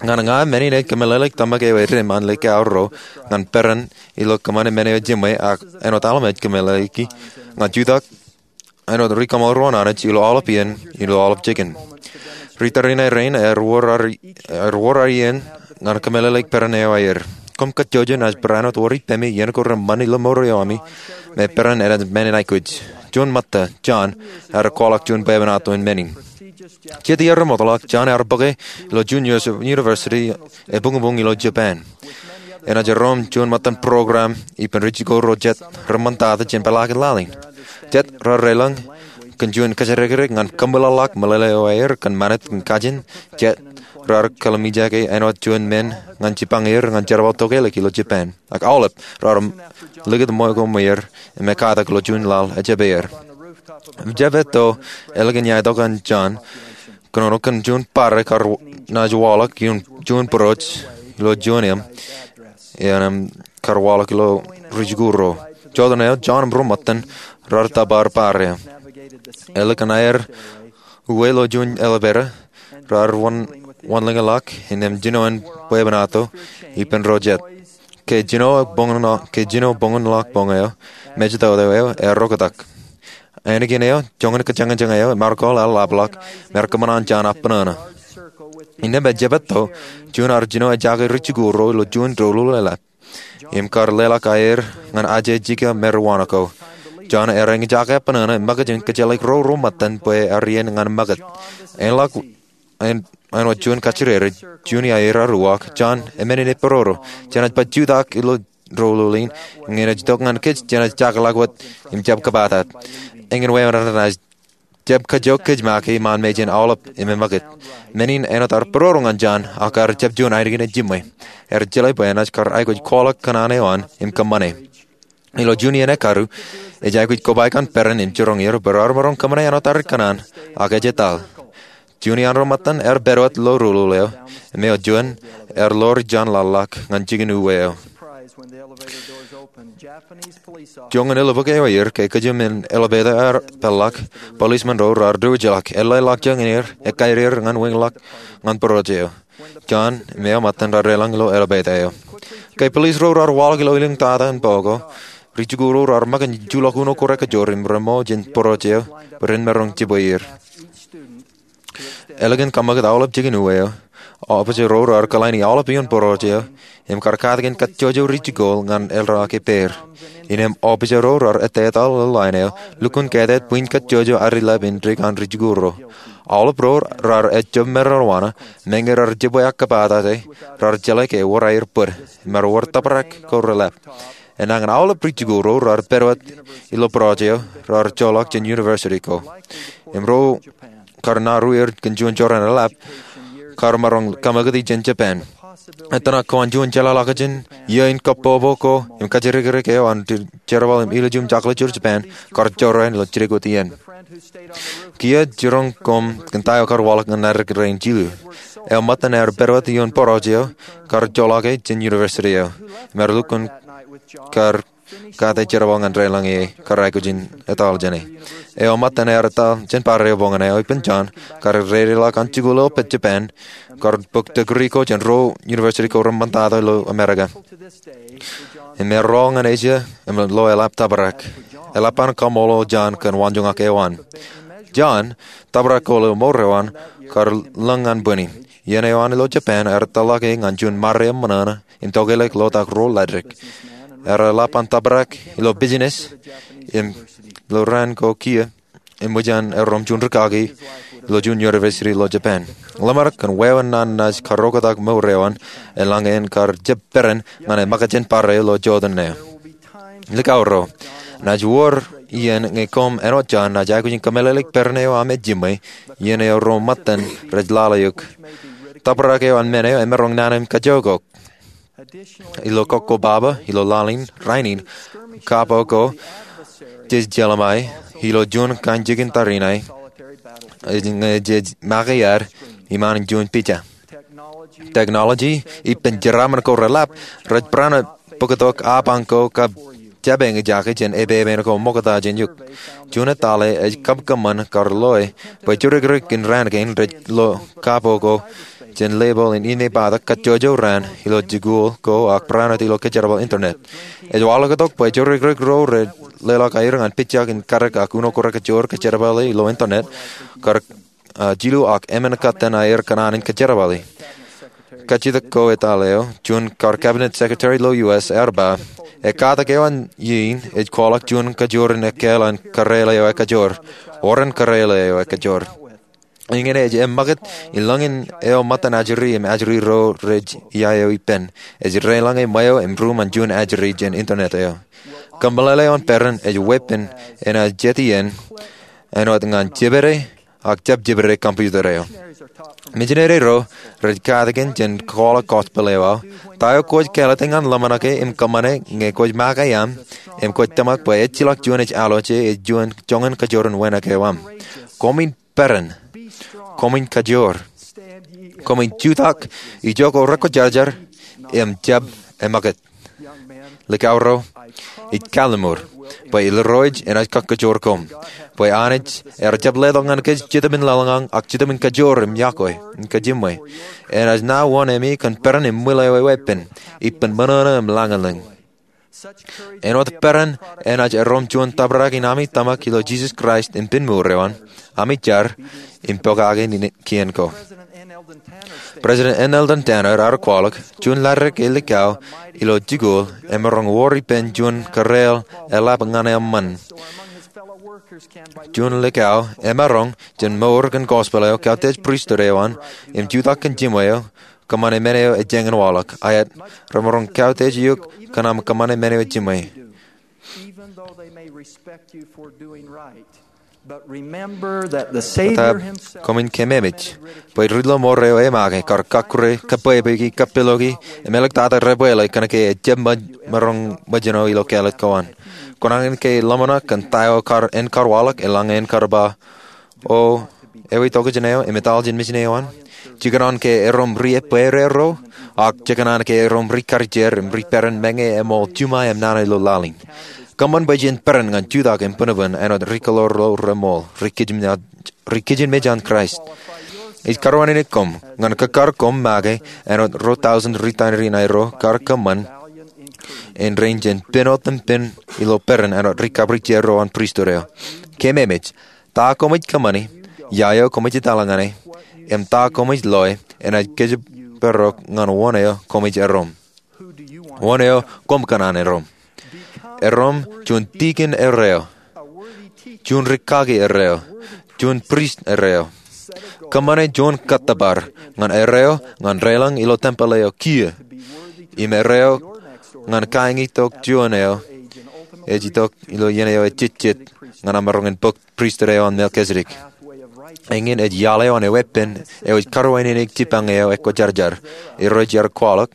Ñan ña, men in ej kōmeḷeḷeik tōmak eo edim an likao ro ñan peran ilo kōṃṃane men eo ejiṃwe ak āinwōt aolep ej kōmeḷeḷeiki ñan jutak āinwōt ri kaṃṃoolol ro an Anij ilo aolep iien, ilo aolep jikin. Ri tōre in aer rein, ear wōr ad iien ñan kōmeḷeḷeik peran eo aer. Koṃ kajjojo naaj barāinwōt wōr ippemi iien ko reṃṃan ilo mour eo ami me peran enaaj men in aikuj. Juon ṃōtta, John, ear kwaḷọk juon bwebwenato in men in. Jet iiō remootḷọk, John ear bōke ilo juon university ebuñbuñ ilo Japan. Enaaj erom juon ṃōttan program ippān ri jikuuḷ ro jet reṃṃantata jān pālakin laḷ in. Jet raar deḷọñ kōn juon kōjatdikdik ñan kōmeḷeḷeḷọk meḷeḷe eo aer kōn ṃanit im kajin. Jet raar kōḷmānḷọke āinwōt juon men ñan jipañ er ñan jerbal tokālik ilo Japan. Ak aolep raar likūt ṃweo ko ṃweer im ekkatak ilo juon laḷ ejjepaer. Im jab etto ālikin iaitok an John kōnono kōn juon pare kar naaj waḷọk ioon juon būrooj ilo juon eṃ, eṃ kar waḷọk ilo ri jikuuḷ ro. Jọteen eo, John im ro ṃōttan raar tōpar pare eo. Ālikin aer uwe ilo juon elevator, raar wōnlōñḷọk innām jino an bwebwenato ippān ro jet. Ke jino boñōn, ke jino boñōnḷọk boñ eo, mejatoto eo ear roktak. Ānkiin eo, joñan kōjañjañ eo, im ear kōḷḷāḷḷapḷọk, im ear kōṃṃan an John appānana. Innām ejjab etto, juon ar jino ejjaake ri jikuuḷ ro ilo juon doulul eḷap im kar leḷọk aer ñan aje jika marijuana ko. John ear eñjake appānana im ṃōkaj in kōjeḷāik ro ro ṃōttan bwe ear iien ñan ṃōkaj. Āinḷọk āinwōt juon kajjidikdik, juon iaer ear uwaak, John, eṃṃan in epororo. Jenaaj bar jutak ilo doulul in, ñe enaaj itok ñan kōj jenaaj jakeḷọk wōt im jab kōbatat. Eñin wāween enaaj jab kajjo kōj make iṃaan mejān aolep im eṃōkaj. Men in āinwōt ear pororo ñan John, ak ear jab juon ainikien ejiṃwe. Ear jeḷā bwe enaaj kar aikuj kwaḷọk kōṇaan eo an im kōṃṃane. Ilo juon iien ekkar, ej aikuj kobaik an peran im jiroñ er bwe raar maroñ kōṃṃane āinwōt aer kōṇaan, ak ej etal. Juon iaan ro ṃōttan ear pād wōt ilo doulul eo, im eo juon ear ḷoor John laḷḷọk ñan jikin uwe eo. Joñan elbōk eo aer, ke kōjām in elevator ear peḷḷọk, policemen ro raar diwōjḷọk, eḷḷāḷọkjeṇ er, ekkaid er ñan wāween ḷọk ñan būrooj eo. John im eo ṃōttan raar deḷọñ ilo elevator eo. Ke police ro raar waḷọk ilo ilōñ tata in bōk ko, ri jikuuḷ ro raar ṃōkaj in juḷọk uno ko rekajoor im reṃṃoo jān būrooj eo bwe ren maroñ jibwe er. Ālikin kaṃṃakūt aolep jikin uwe eo, opijer ro raar kōḷaini aolep ioon būrooj eo im kar katakin kajjojo ri jikuuḷ ñan el raan ke pād. Innām opijer ro raar ettā etal ilo line eo, lukkuun kātāt bwijin kajjojo ad ilap in dān ri jikuuḷ ro. Aolep ro raar ejjab maroñ wōṇāān, meñe raar jibwe ak kōpaatata, raar jeḷā ke ewōr aer bōd, im ewōr tōprak ko relap. Enañin aolep ri jikuuḷ ro raar pād wōt ilo būrooj eo, raar joḷọk jān university ko. Im ro kar naruer kōn juon jorrāān eḷap, kar maroñ kōṃakūt jān Japan. Ettōṇak ko an juon jeḷāḷọkjeṇ iiō in kōpopo ko im kajjirikdik eo an jerbal im ilju im jokḷọk ro Japan, kar jorrāān ilo jidik wōt iien. Kiiō jiroñ koṃ kōn ta eo kar waḷọk ñan aer rein jilu. Eo ṃōttan ear pād wōt ioon būrooj eo, kar joḷọke jān university eo. Im ear lukkuun kar kate jerbal ñan deḷọñ e kar aikuj in etal jāne. Eo ṃōttan ear etal jān bar eo boñōn eo ippān John, kar reideḷọk an jikuuḷ eo pād Japan, kar bōk degree ko jān ruo university ko reṃṃantata ilo Amerika. Im ear rool ñan Asia im lo eḷap tōprak. Eḷap an kaṃṃoolol John kōn waanjoñak eo an. John, tōprak ko ilo mour eo an, kar lōñ ñan bwini. Iien eo an ilo Japan ear tōḷọke ñan juon ṃare eṃṃan im tokālik lotak ro ḷaddik. Ear eḷap an tōprak ilo business im ilo raan ko kiiō, im ṃōj an erom juon rūkaki ilo juon university ilo Japan. Ḷōmṇak kōn wāween naan naaj karooktak mour eo an, eḷaññe en kar jab peran ñan e ṃōkaj jān bar eo ilo joteen eo. Likao ro, naaj wōr iien ñe koṃ āinwōt John naaj aikuj in kōmeḷeḷeik peran eo aṃ ej jiṃwe, iien eo ro ṃōttan rej lale eok. Tōprak eo an men eo emaroñ naan in kajjookok. Ilo kọkkobaba, ilo laḷ in, rainin, kapo ko jej jeḷā ṃae, ilo juon kain jikin tariṇae, ñe jej make ad iṃaan in juon pija. Technology ippān jeraaṃṃan ko reḷap rej barāinwōt bōktok apañ ko kab jab eñjake jān epepen ko ṃokta jān eok. Juon etale ej kab kōṃṃan kar loe bwe jidikdik in raan kein rej lo kapo ko jān label in inepata kajjojo raan ilo jikuuḷ ko ak barāinwōt ilo kōjerbal internet. Ej waḷọktok bwe jidikdik ro rej leḷọk aer ñan pijak in kadik ak uno ko rekajoor kōjerbale ilo internet kar jilu ak emān kōttan aer kōṇaan in kōjerbale. Kajjitōk ko etale eo, juon kar cabinet secretary ilo U S ear ba, ekkatak eo an iien ej kwaḷọk juon kajoor in ekkāāl an kōrāle eo ekajoor, oran kōrāle eo ekajoor. Iññā ej eṃṃakūt in lōñin eo ṃōttan ajri im ajri ro rej ia eo ippān. Ej deḷọñe ṃweo im ruuṃ an juon ajri jān internet eo. Kōmeḷeḷe eo an peran ej weeppān enaaj jet iien āinwōt ñan jepede ak jab jepede computer eo. Mijineri ro rej katakin jān kwaḷọk gospel eo aō. Ta eo kwōj kāālōt ñan ḷōmṇake im kōṃṃane ñe kwōj make aṃ im kwōj tōmak bwe ejjeḷọk juon ej alwōje ej juon joñan kajoor in wānōk eo aṃ? Koṃwin peran. Koṃwin kajoor. Koṃwin jutak, ijo ko rekwōjarjar, im jab eṃṃakūt. Likao ro, ij kalliṃur bwe Irooj enaaj kakajoor koṃ, bwe Anij ear jab letok ñan kōj Jetōb in laḷ ñan ak Jetōb in kajoor im yokwe im kajiṃwe. Enaaj ṇa wōn ami kōn peran im ṃwilaḷ eo eweeppān, ippān ṃōṇōṇō im lañlōñ. Āinwōt peran enaaj erom juon tōprak in ami tōmak ilo Jisōs Kraist im pen mour eo an, ami jar im pokake kien ko. President N. Eldon Tanner ear kwaḷọk, juon ḷaddik ej likao ilo jikuuḷ emaroñ wōr ippān juon kōrāāl eḷap ñan eṃṃan. Juon likao emaroñ jān mour kōn gospel eo, kautiej pristut eo an, im jutak kōn jiṃwe eo, kōṃṃane men eo ejāñin waḷọk. Aet, remaroñ kautiej eok kōn aṃ kōṃṃane men eo ejiṃwe. Etaab, koṃwin kememej bwe ri ḷōṃoor eo emake kar kakkure, kabwebweki, kapeḷḷọki, im āliktata debwāāle kōnke ejab maroñ ṃōjṇọ ilo kāālōt ko an. Kwōnañin ke ḷōmṇak kōn ta eo kar, en kar waḷọk eḷaññe en kar ba, O, ewi tokjān eo im etal jān mijin eo an? Jekōṇaan ke erom ri ebbeer ro, ak jekōṇaan ke erom ri karijer im ri peran meñe eṃool juṃae im nana ilo laḷ in? Kōṃṃan bwe jen peran ñan jutak im bōnbōn āinwōt ri kōḷoḷḷo reṃool, ri kijinmej an Kraist. Ij karuwaineneik koṃ ñan kōkkar koṃ make āinwōt ruo tọujin ri tariṇae ro kar kōṃṃan in rein jen pen otempen ilo peran āinwōt ri kabwilōñ ro an pristut eo. Kememej, ta koṃij kōṃṃani ia eo koṃij etale ñan e, im ta koṃij loe enaaj kōjparok ñan wōn eo koṃij erom. Wōn eo koṃ kōṇaan erom? Erom juon tikin erreo, juon rikaki erreo, juon prist erreo. Kōṃṃane juon kōttōpar ñan erreo ñan deḷọñ ilo tempel eo kiiō, im erreo ñan kañitok juon eo ej itok ilo iien eo ejejjet ñan aṃ maroñ in bōk pristut eo an Melkisedek. Eñin ej iaḷ eo an eweeppān eo ej karuwainene jipañ eo ekwōjarjar. Irooj ear kwaḷọk,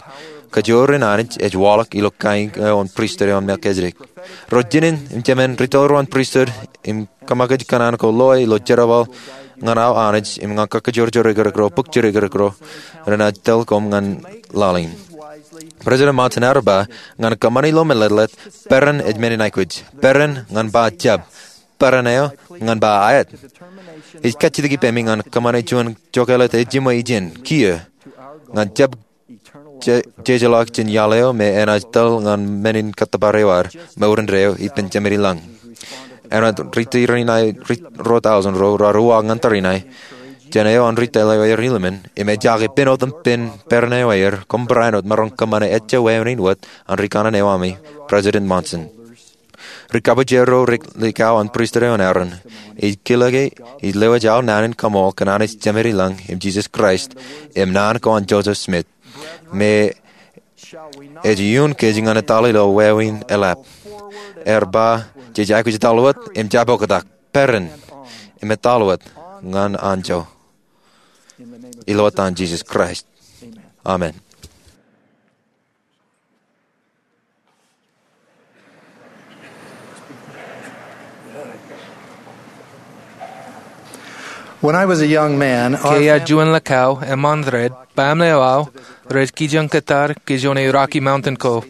kōjro ri-Anij ej waḷọk ilo kain eo an pristut eo an Melkisedek. Ro jinōn im jemān ri-tōl ro an pristut im kōṃakūt kōṇaan ko loe ilo jerbal ñan aō Anij im ñan kakajoor ro, bōk ro, renaaj tōl koṃ ñan laḷ in. President Monson ear ba ñan kōṃṃani ilo meletlet, peran ej men in aikuj. Peran ñan ba jab. Peran eo ñan ba aet. Ij kajjitōk ippemi ñan kōṃṃane juon jokālet ejiṃwe ijin kiiō ñan jab jejeḷọk jān iaḷ eo me enaaj tōl ñan men in kōttōpar eo ad mour indeeo ippān Jemān ilañ. Enaaj ri-tōl ro tọujin ro raar uwaak ñan tariṇae jān eo an ri-tōl eo aer ilmen im ejaake pen otempen peran eo aer koṃ barāinwōt maroñ kōṃṃane ejja wāween in wōt an ri-kanaan eo ami, President Monson. Ri-kabwilōñ ro ri-likao an pristut eo an Aaron, ij kile ke ij lewōj aō naan in kaṃool kōn Anij Jemān ilañ im Jisōs Kraist im naan ko an Joseph Smith, me ej iuun kōj ñan etale ilo wāween eḷap. Ear ba, jej aikuj etal wōt im jab oktak, peran im etal wōt ñan anjọ. Ilo etan Jisōs Kraist, amen. Ke iar juon likao eṃṃan red, baaṃle eo aō rej kijoñ kōttar kōj juon e Rocky Mountain ko.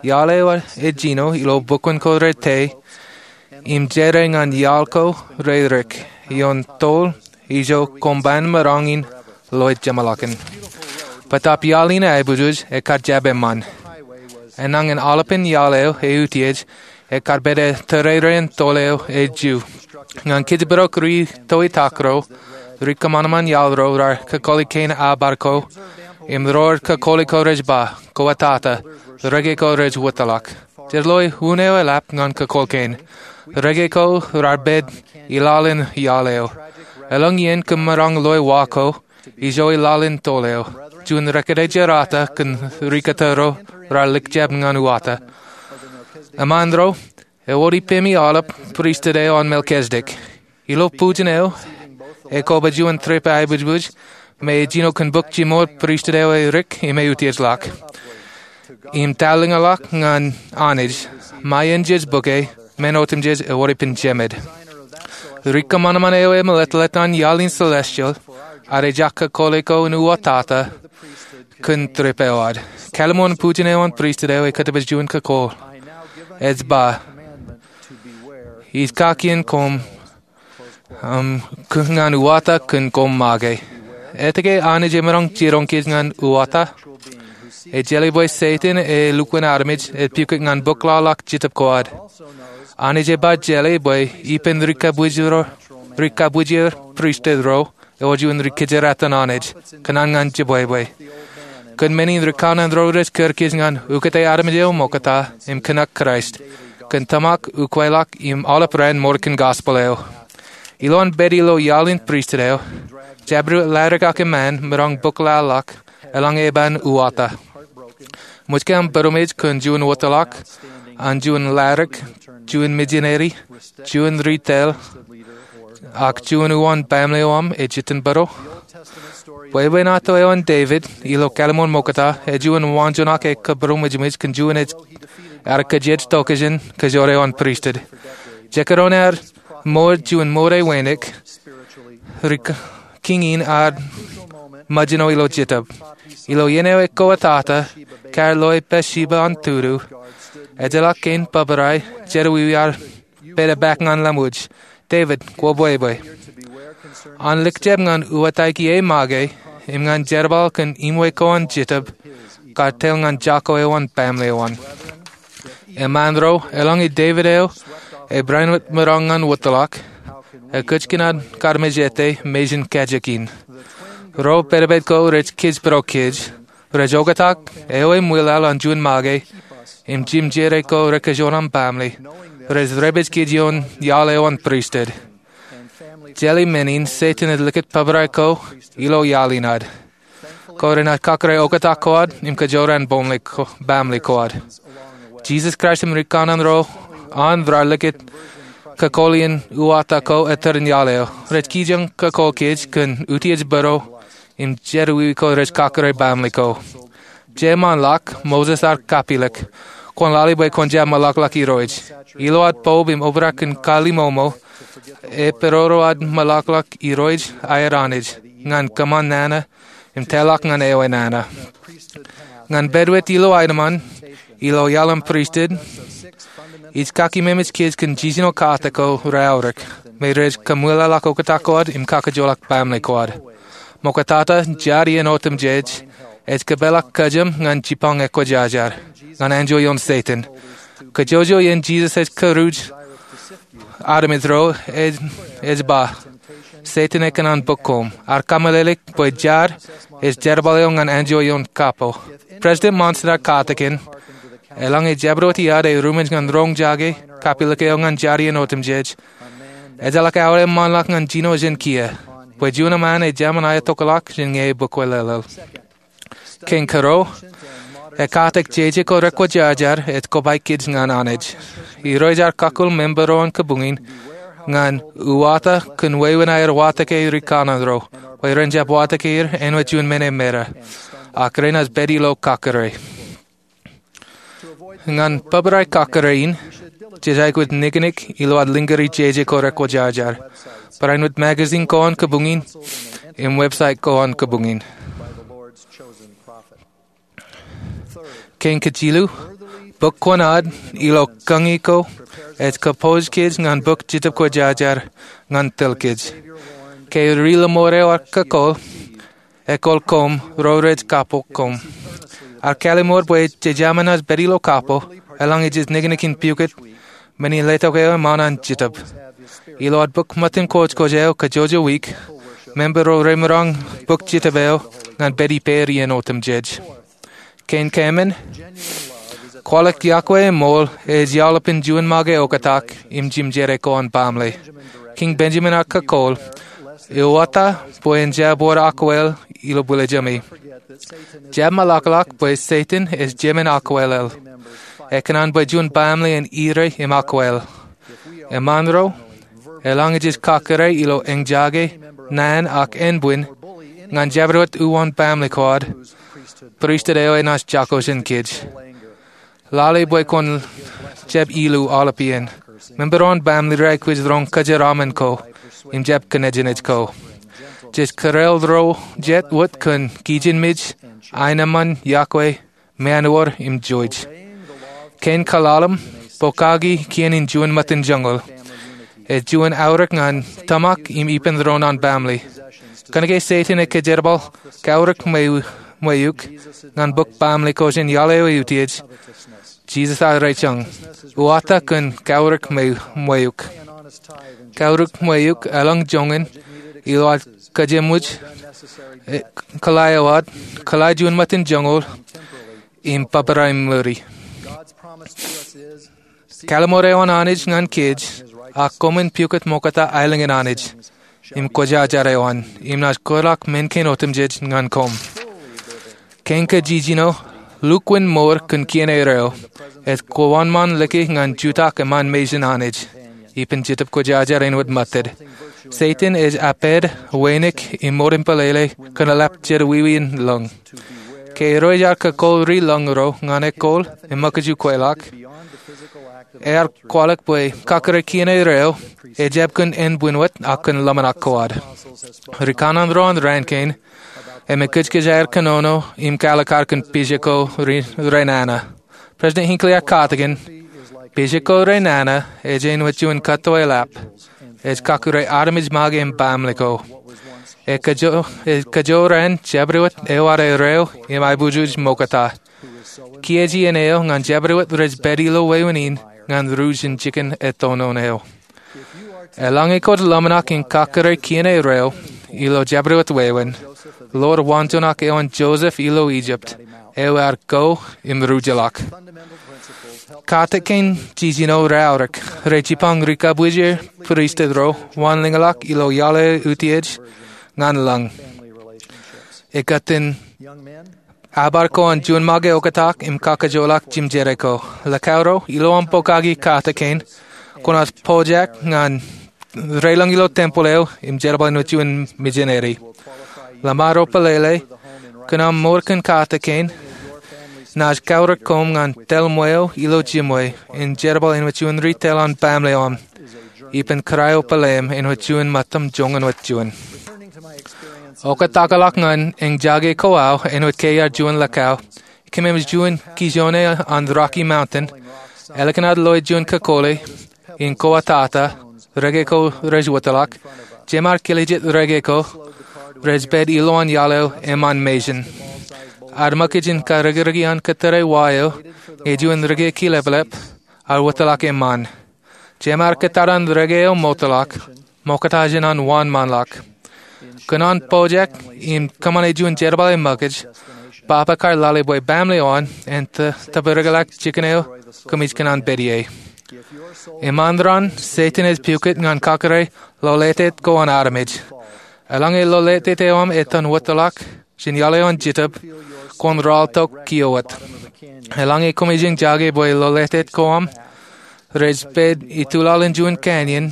Iaḷ eo ej jino ilo bukwen ko rete im jere ñan iaḷ ko rerik ioon tōl ijo koṃ ban maroñ in loe jeṃḷọkin. Bōtab iaḷ in aebwijbwij ekar jab eṃṃan. Enañin aolepen iaḷ eo eutiej ekar pād tōrerein tōl eo ej ju. Ñan kōjparok ri toitak ro, ri kōṃanṃan iaḷ ro raar kakōḷḷe kein abar ko, im ro rej kakōḷḷe ko rej ba, kwō ettata, reke ko rej wōtlọk. Jej loe unin eo eḷap ñan kakōḷḷe kein. Reke ko raar pād ilaḷ in iaḷ eo. Eḷaññe kōm maroñ loe wa ko, ijo ilaḷ in tōl eo, juon rekōjerato kōn ri kōto ro raar likjab ñan uwata. Eṃṃan ro, ewōr ippemi aolep pristut eo an Melkisedek. Ilo bujen eo ekoba juon trip aebwijbwij me ejino kōn bōk jiṃor pristut eo erik im eutiejḷọk im talōñḷọk ñan Anij, ṃae in jej bōke, men otemjej ewōr ippān jemed. Ri kōṃanṃan eo emeletlet an iaḷ in celestial ad ejak kakōḷḷe ko in uwatata kōn trip eo ad. Kalimon bujen eo an pristut eo ekkatipej juon kakōḷḷe. Ej ba, ij kakien koṃ ñan uwata kōn koṃ make. Etke Anij emaroñ jiroñ kōj ñan uwata? Ej jeḷā bwe Setan e lukkuun armej ej pukot ñan bōk laḷ ḷọk Jetōb ko ad. Anij eba jeḷā bwe ippān ri kabwilōñ ro, ri kabwilōñ pristut ro, ewōr juon ri kōjeraaton Anij, kōṇaan ñan jebwebwe. Kōn men in ri kanaan ro rej kūr kōj ñan ukōte armej eo ṃokta im kōṇak Kraist, kōn tōmak ukweḷọk im aolep raan ṃōṇōṇō in gospel eo. Ilo an pād ilo iaḷ in pristut eo, jabdewōt ladik ak eṃṃan maroñ bōk laḷ ḷọk, eḷaññe eban uwata. Ṃōj ke aṃ būroṃōj kōn juon wōtlọk, an juon ladik, juon mijineri, juon ri-tōl, ak juon uwaan baaṃle eo aṃ ej itok būro? Bwebwenato eo an Devid ilo Kalimon Ṃokta ej juon waanjoñak eo kōbūroṃōjṃōj kōn juon eo ear kōjej tokjān kōjro eo an pristut. Jekdọọn ear mour juon mour eo wānōk, ri kiiñ in ad ṃōjṇọ ilo jetōb. Ilo iien eo ekwōtata, kar loe Bathsheba an tudu, ejjeḷọk kein bōbrae jerawiwi ear pād epaak ñan lewōj, Devid, kwō bwebwe? An likjab ñan uwataiki e make im ñan jerbal kōn iṃwe ko an jetōb, kar tōl ñan jako eo an baaṃle eo an. Eṃṃan ro, eḷaññe Devid eo ebarāinwōt maroñ ñan wōtlọk, ekōjkan ad karmejete mejān kajjik in. Ro pedped ko rej kōjparok kōj, rej oktak ewi ṃwilaḷ an juon make im jimjere ko rekajoor aṃ baaṃle, rej repej kōj ioon iaḷ eo an pristut. Jeḷā men in, Setan ej likūt bōbrae ko ilo iaḷ in ad. Kwōj renaaj kakōrā oktak ko ad im kajoor an baaṃle ko ad. Jisōs Kraist im rikaṇan ro an raar likūt kakōḷḷe in uwaakta ko ettōr in iaḷ eo. Rej kijoñ kakōḷḷe kōj kōn utiej bōro im jerọwiwi ko rej kakōrā baaṃle ko. Jeṃaan ḷọk, Moses ear kapilōk, kwōn lale bwe kwōn jab meḷọkḷọk Irooj. Ilo ad poub im obrak in kallimōṃō, epidodo ad meḷọkḷọk Irooj aer Anij ñan kōṃṃan nana im tōlḷọk ñan ewi nana. Ñan pād wōt ilo aenōṃṃan ilo iaḷ an pristut, ij kakeememej kōj kōn jiljino katak ko reaorōk me rej kaṃwilaḷọk oktak ko ad im kakijolọk baaṃle ko ad. Ṃoktata, jar iien otemjej ej kōpeḷḷọk kōjām ñan jipañ ekwōjarjar, ñan enjeḷ ioon Setan. Kōjwōj iien Jisōs ej kūruj armej ro, ej ba, Setan ekōṇaan bōk koṃ. Ear kameḷeḷeik bwe jar ej jerbal eo ñan enjeḷ ioon kapo. President Monson ear katakin, eḷaññe jabdewōt iaad ej ruṃwij ñan roñjake kapilōk eo ñan jar iien otemjej, ejjeḷọk aolep ṃaanḷọk ñan jino jān kiiō, bwe juon eṃṃan ej jāmin aetokḷọk jān ñe ebōkwōleḷeḷ. Kein kōrā, ekkatak jeje ko rekwōjarjar ej kobaik kōj ñan Anij. Irooj ear kakkōl member ro an kabuñ in ñan uwaakta kōn wāween aer watōke rikaṇan ro, bwe ren jab watōke er āinwōt juon men emera, ak renaaj pād ilo kakōrā. Ñan bōbrae kakōrā in, jej aikuj niknik ilo ad lōñri jeje ko rekwōjarjar, barāinwōt magazine ko an kabuñ in, im website ko an kabuñ in. Kein kajilu, bōk kuṇaad ilo kañi ko ej kōpooj kōj ñan bōk Jetōb Kwōjarjar ñan tōl kōj. Ke ri-lọmọọr eo ear kakōḷḷe, ekōḷḷe koṃ, ro rej kappok koṃ. Ear kallimur bwe jej jab naaj pād ilo kapo, eḷaññe jej niknik in pukot, men in letok eo eṃṃan an Jetōb. Ilo ad bōk ṃōttan kōjkōj eo kajjojo wiik, member ro remaroñ bōk Jetōb eo ñan pād ippāer iien otemjej. Kein kaemān, kwaḷọk yokwe eṃool ej iaḷ ippān juon make oktak im jimjere ko an baaṃle. Kiiñ Benjamin ear kakōḷḷe, uwaakta bwe en jab wōr akwāāl ilo bwilōjami. Jab meḷọkḷọk bwe Setan ej jemān akwāālel. Ekōṇaan bwe juon baaṃle en ire im akwāāl. Eṃṃaan ro, eḷaññe jej kakōrā ilo eñjake, naan ak ānbwin, ñan jabdewōt uwaan baaṃle ko ad, pristut eo enaaj jako jān kōj. Lale bwe kwōn jab ilu aolep iien. Member ro an baaṃle ro aikuj roñ kōjeraaṃṃan ko im jab kōnejnej ko. Jej kōrā ro jet wōt kōn kijenmej, aenōṃṃan, yokwe, māāṇuwōr im jouj. Kein kaḷalem, pokaki kien in juon ṃōttan joñoul. Ej juon aorōk ñan tōmak im ippān ro an baaṃle. Kōnke Setan ej kōjerbal kaorōk ṃweiuk ñan bōk baaṃle ko jān iaḷ eo eutiej, Jisōs ear rej jañ, uwaakta kōn kaorōk ṃweiuk. Kaorōk ṃweiuk eḷap joñan ilo ad kōjeṃwōj, e, kōḷḷā eo ad, kōḷḷā juon ṃōttan joñoul, im bōbrae ṃuri. Kallimur eo an Anij ñan kōj, ak koṃwin pukot ṃokta aelōñ in Anij im kwōjarjar eo an, im naaj kōtḷọk men kein otemjej ñan koṃ. Kein kajiljino, lukkuun mour kōn kien erreo, ej kwōwōnṃaan lōke ñan jutak eṃṃan mejān Anij, ippān Jetōb Kwōjarjar āinwōt ṃōttid. Setan ej apād, wānōk im mour in pālele kōn eḷap jerọwiwi in lōñ. Ke Irooj ear kakōḷḷe ri-lōñ ro ñan ekkoḷ im ṃōkajkweḷọk, ear kwaḷọk bwe kakōrā kien erreo ejjab kōn ānbwin wōt ak kōn ḷōmṇak ko ad. Rikaṇan ro an raan kein, im ekōjkōj aer kōnono im kwaḷọk ad kōn pejeko ri-, renana. President Hinckley ear katakin, pejeko renana ej āinwōt juon kōtto eḷap, ej kakōrā armej make im baaṃle ko. Ej kajo-, ej kajoor an jabdewōt eo ad erreo im aiboojoj ṃokta. Kiiō ej iien eo ñan jabdewōt rej pād ilo wāween in ñan ruj in jikin etonon eo. Eḷaññe kwōj ḷōmṇak in kakōrā kien eo ilo jabdewōt wāween, ḷoor waanjoñak eo an Joseph ilo Egypt, eo ear ko im ruj ḷọk. Katakin jiljino raorōk rej jipañ rikabbwiljeer pristut ro wanlōñḷọk ilo iaḷ eo utiej ñan lañ. Ekōttan abar ko an juon make oktak im kakajoḷọk jimjede ko. Lakauj ro, ilo aṃ pokake katakin, kwōnaaj pojak ñan reilañ ilo tempeḷ eo im jerbal āinwōt juon mijineri. Ḷōṃaro pelele, kōn aṃ mour kōn katakin, naaj kaorōk koṃ ñan tōl ṃweo ilo jimwe im jerbal āinwōt juon ri tōl an baaṃle eo aṃ, ippān kōrā eo pāleim āinwōt juon ṃōttan joñan wōt juon. Oktakḷọk ñan eñjake ko aō āinwōt ke iar juon lakauj, kōmij juon kijoone an Rocky Mountain, ālikin ad loe juon kakole in koba tata, reke ko rej wōtlọk. Jeṃaar kile jet reke ko rej pād ilowaan iaḷ eo eṃṃan mejān. Ad ṃōkaj in karrekreki an kōttar wa eo ñe juon reke kileplep ar wōtlọk eṃṃan. Jeṃaar kōttar an reke eo ṃootḷọk, ṃokta jān an waan ṃaanḷọk. Kōn an pojak im kōṃṃane juon jerbale ṃōkaj, baba kar lale bwe baaṃle eo an en tōprak jikin eo kōmij kōṇaan pād ie. Eṃṃan raṇ, Setan ej pukot ñan kakōrā ḷoletet ko an armej. Eḷaññe ḷoletet eo aṃ etan wōtlọk jān iaḷ eo an Jetōb, kwōn ralitōk kiiō wōt. Eḷaññe koṃij eñjake bwe ḷoletet ko aṃ rej pād itulaḷ in juon canyon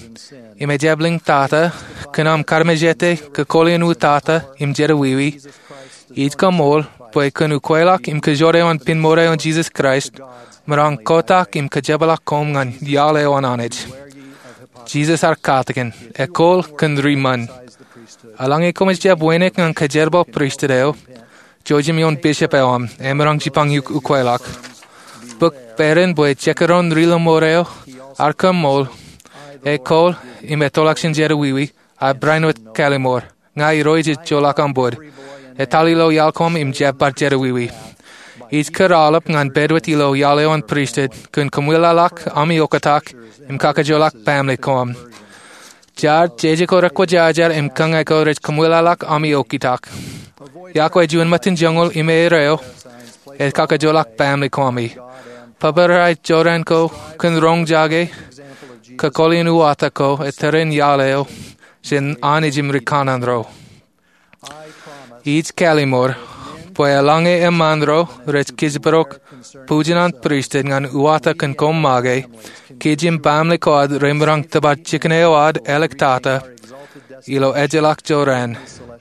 im ejablik tata, kōn aṃ kaarmejete kōkole in u tata im jerawiwi, ij kaṃool bwe kōn ukweḷọk im kajjojo eo an pinmour eo an Jisōs Kraist, ṃōrọñ kotak im kajepḷọk koṃ ñan iaḷ eo an Anij. Jisōs ear katakin, ekkool kōn ri ṃōn. Eḷaññe koṃij jab wānōk ñan kajerbal pristut eo, jouj im ioon bishop eo aṃ, emaroñ jipañ ukweḷọk. Bōk bōran bwe jekdọọn ri lọmọọr eo ear kaṃool, ekkool im etolọk jān jerawiwi, ak barāinwōt kallim̧ur. Ña Irooj ij joḷọk aṃ bōd. Etal ilo iaḷ ko aṃ im jab bar jerawiwi. Ij kōrọọlḷap ñan pād wōt ilo iaḷ eo an pristut kōn kōmwilōñḷọk ami oktak im kakajoḷọk baaṃle ko aṃ. Jar, jeje ko rekwōjarjar im kōñā ko rej kōmwilōñḷọk ami oktak. Iọkwe juon ṃōttan joñoul im eor eo ej kakajoḷọk baaṃle ko ami. Bōbrae jorrāān ko kōn roñjake kōkole in uwatak ko ettōr in iaḷ eo jān Anij im ri kanaan ro. Ij kallim̧ur bwe eḷaññe eṃṃaan ro rej kijbrok bujin an pristut ñan uwatak kōn koṃ make, kij im baaṃle ko ad remaroñ tōpar jikin eo ad āliktata ilo ejjeḷọk jorrāān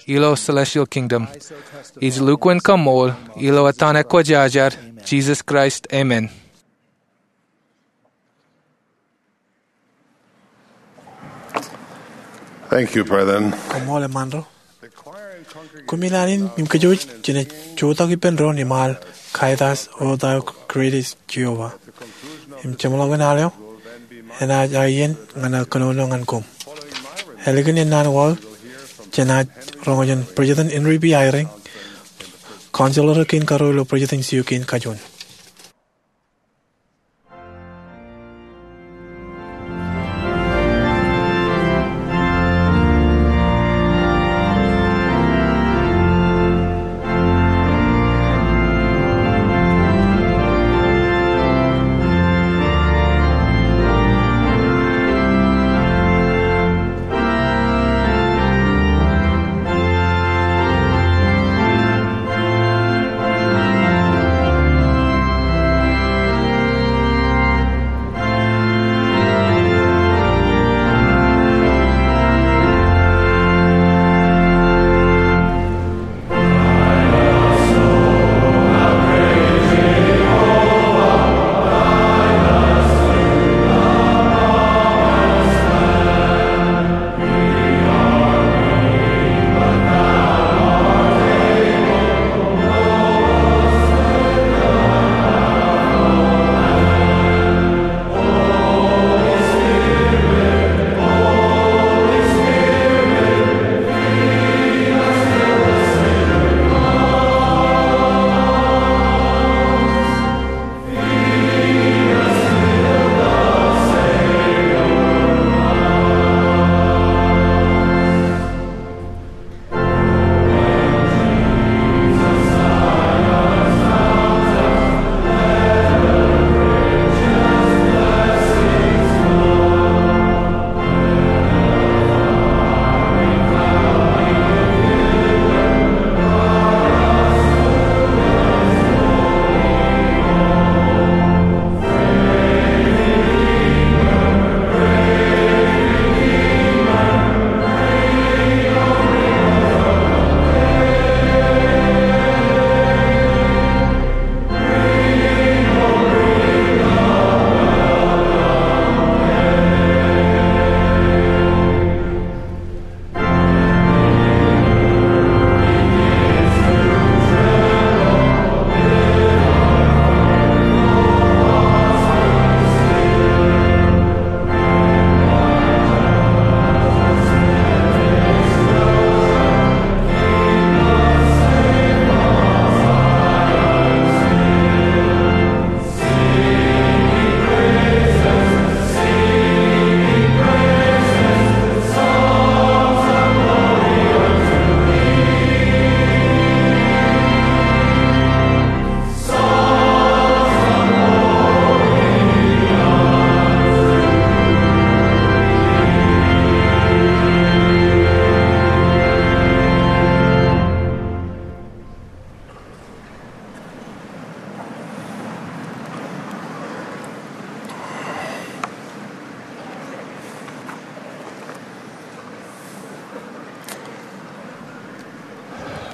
ilo celestial kingdom. Ij lukkuun kaṃool ilo etan ekwōjarjar Jisōs Kraist, amen. Thank you, brethren. Koṃṃool eṃṃaan ro. Koṃṃil an in im kōjwōj jenaaj jutak ippān doon im al Kai Thou Art Great, Jehovah. Im jeṃḷọkin al eo enaaj aō iien ñan aō kōnono ñan koṃ. Ālikin ennaan wōt, jenaaj roñjake President Henry B. Eyring, Counselor kein karuo ilo President's Sioux kein kajuon.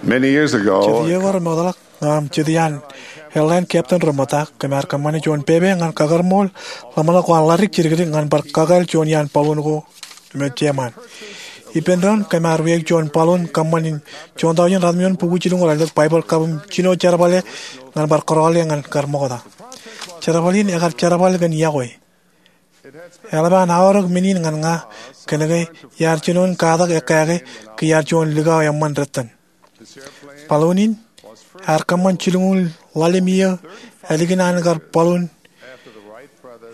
Jet iiō ko remootḷọk ña im jet iaan airline captain reṃōta, kōm ar kōṃṃane juon pepe ñan kakōrmool ḷōmṇak ko an ḷaddik jidikdik ñan bar kakāāl juon iaan balloon ko im eo jeṃaan. Ippān doon kōm ar wiaik juon balloon kōṃṃan in juon tọujin ratimjuon bukwi jilñuul aolep Baibōḷ kab im jino jerbale ñan bar kōrọọle ñan kar ṃokta. Jerbal in ekar jerbal kōn iọkwe. Eḷap an aorōk men in ñan ña kōnke iar jinoin katak ekkāke ke iar juon likao eṃṃan dettan. Balloon in ear kōṃṃan jilñuul ḷalem iiō ālikin an kar balloon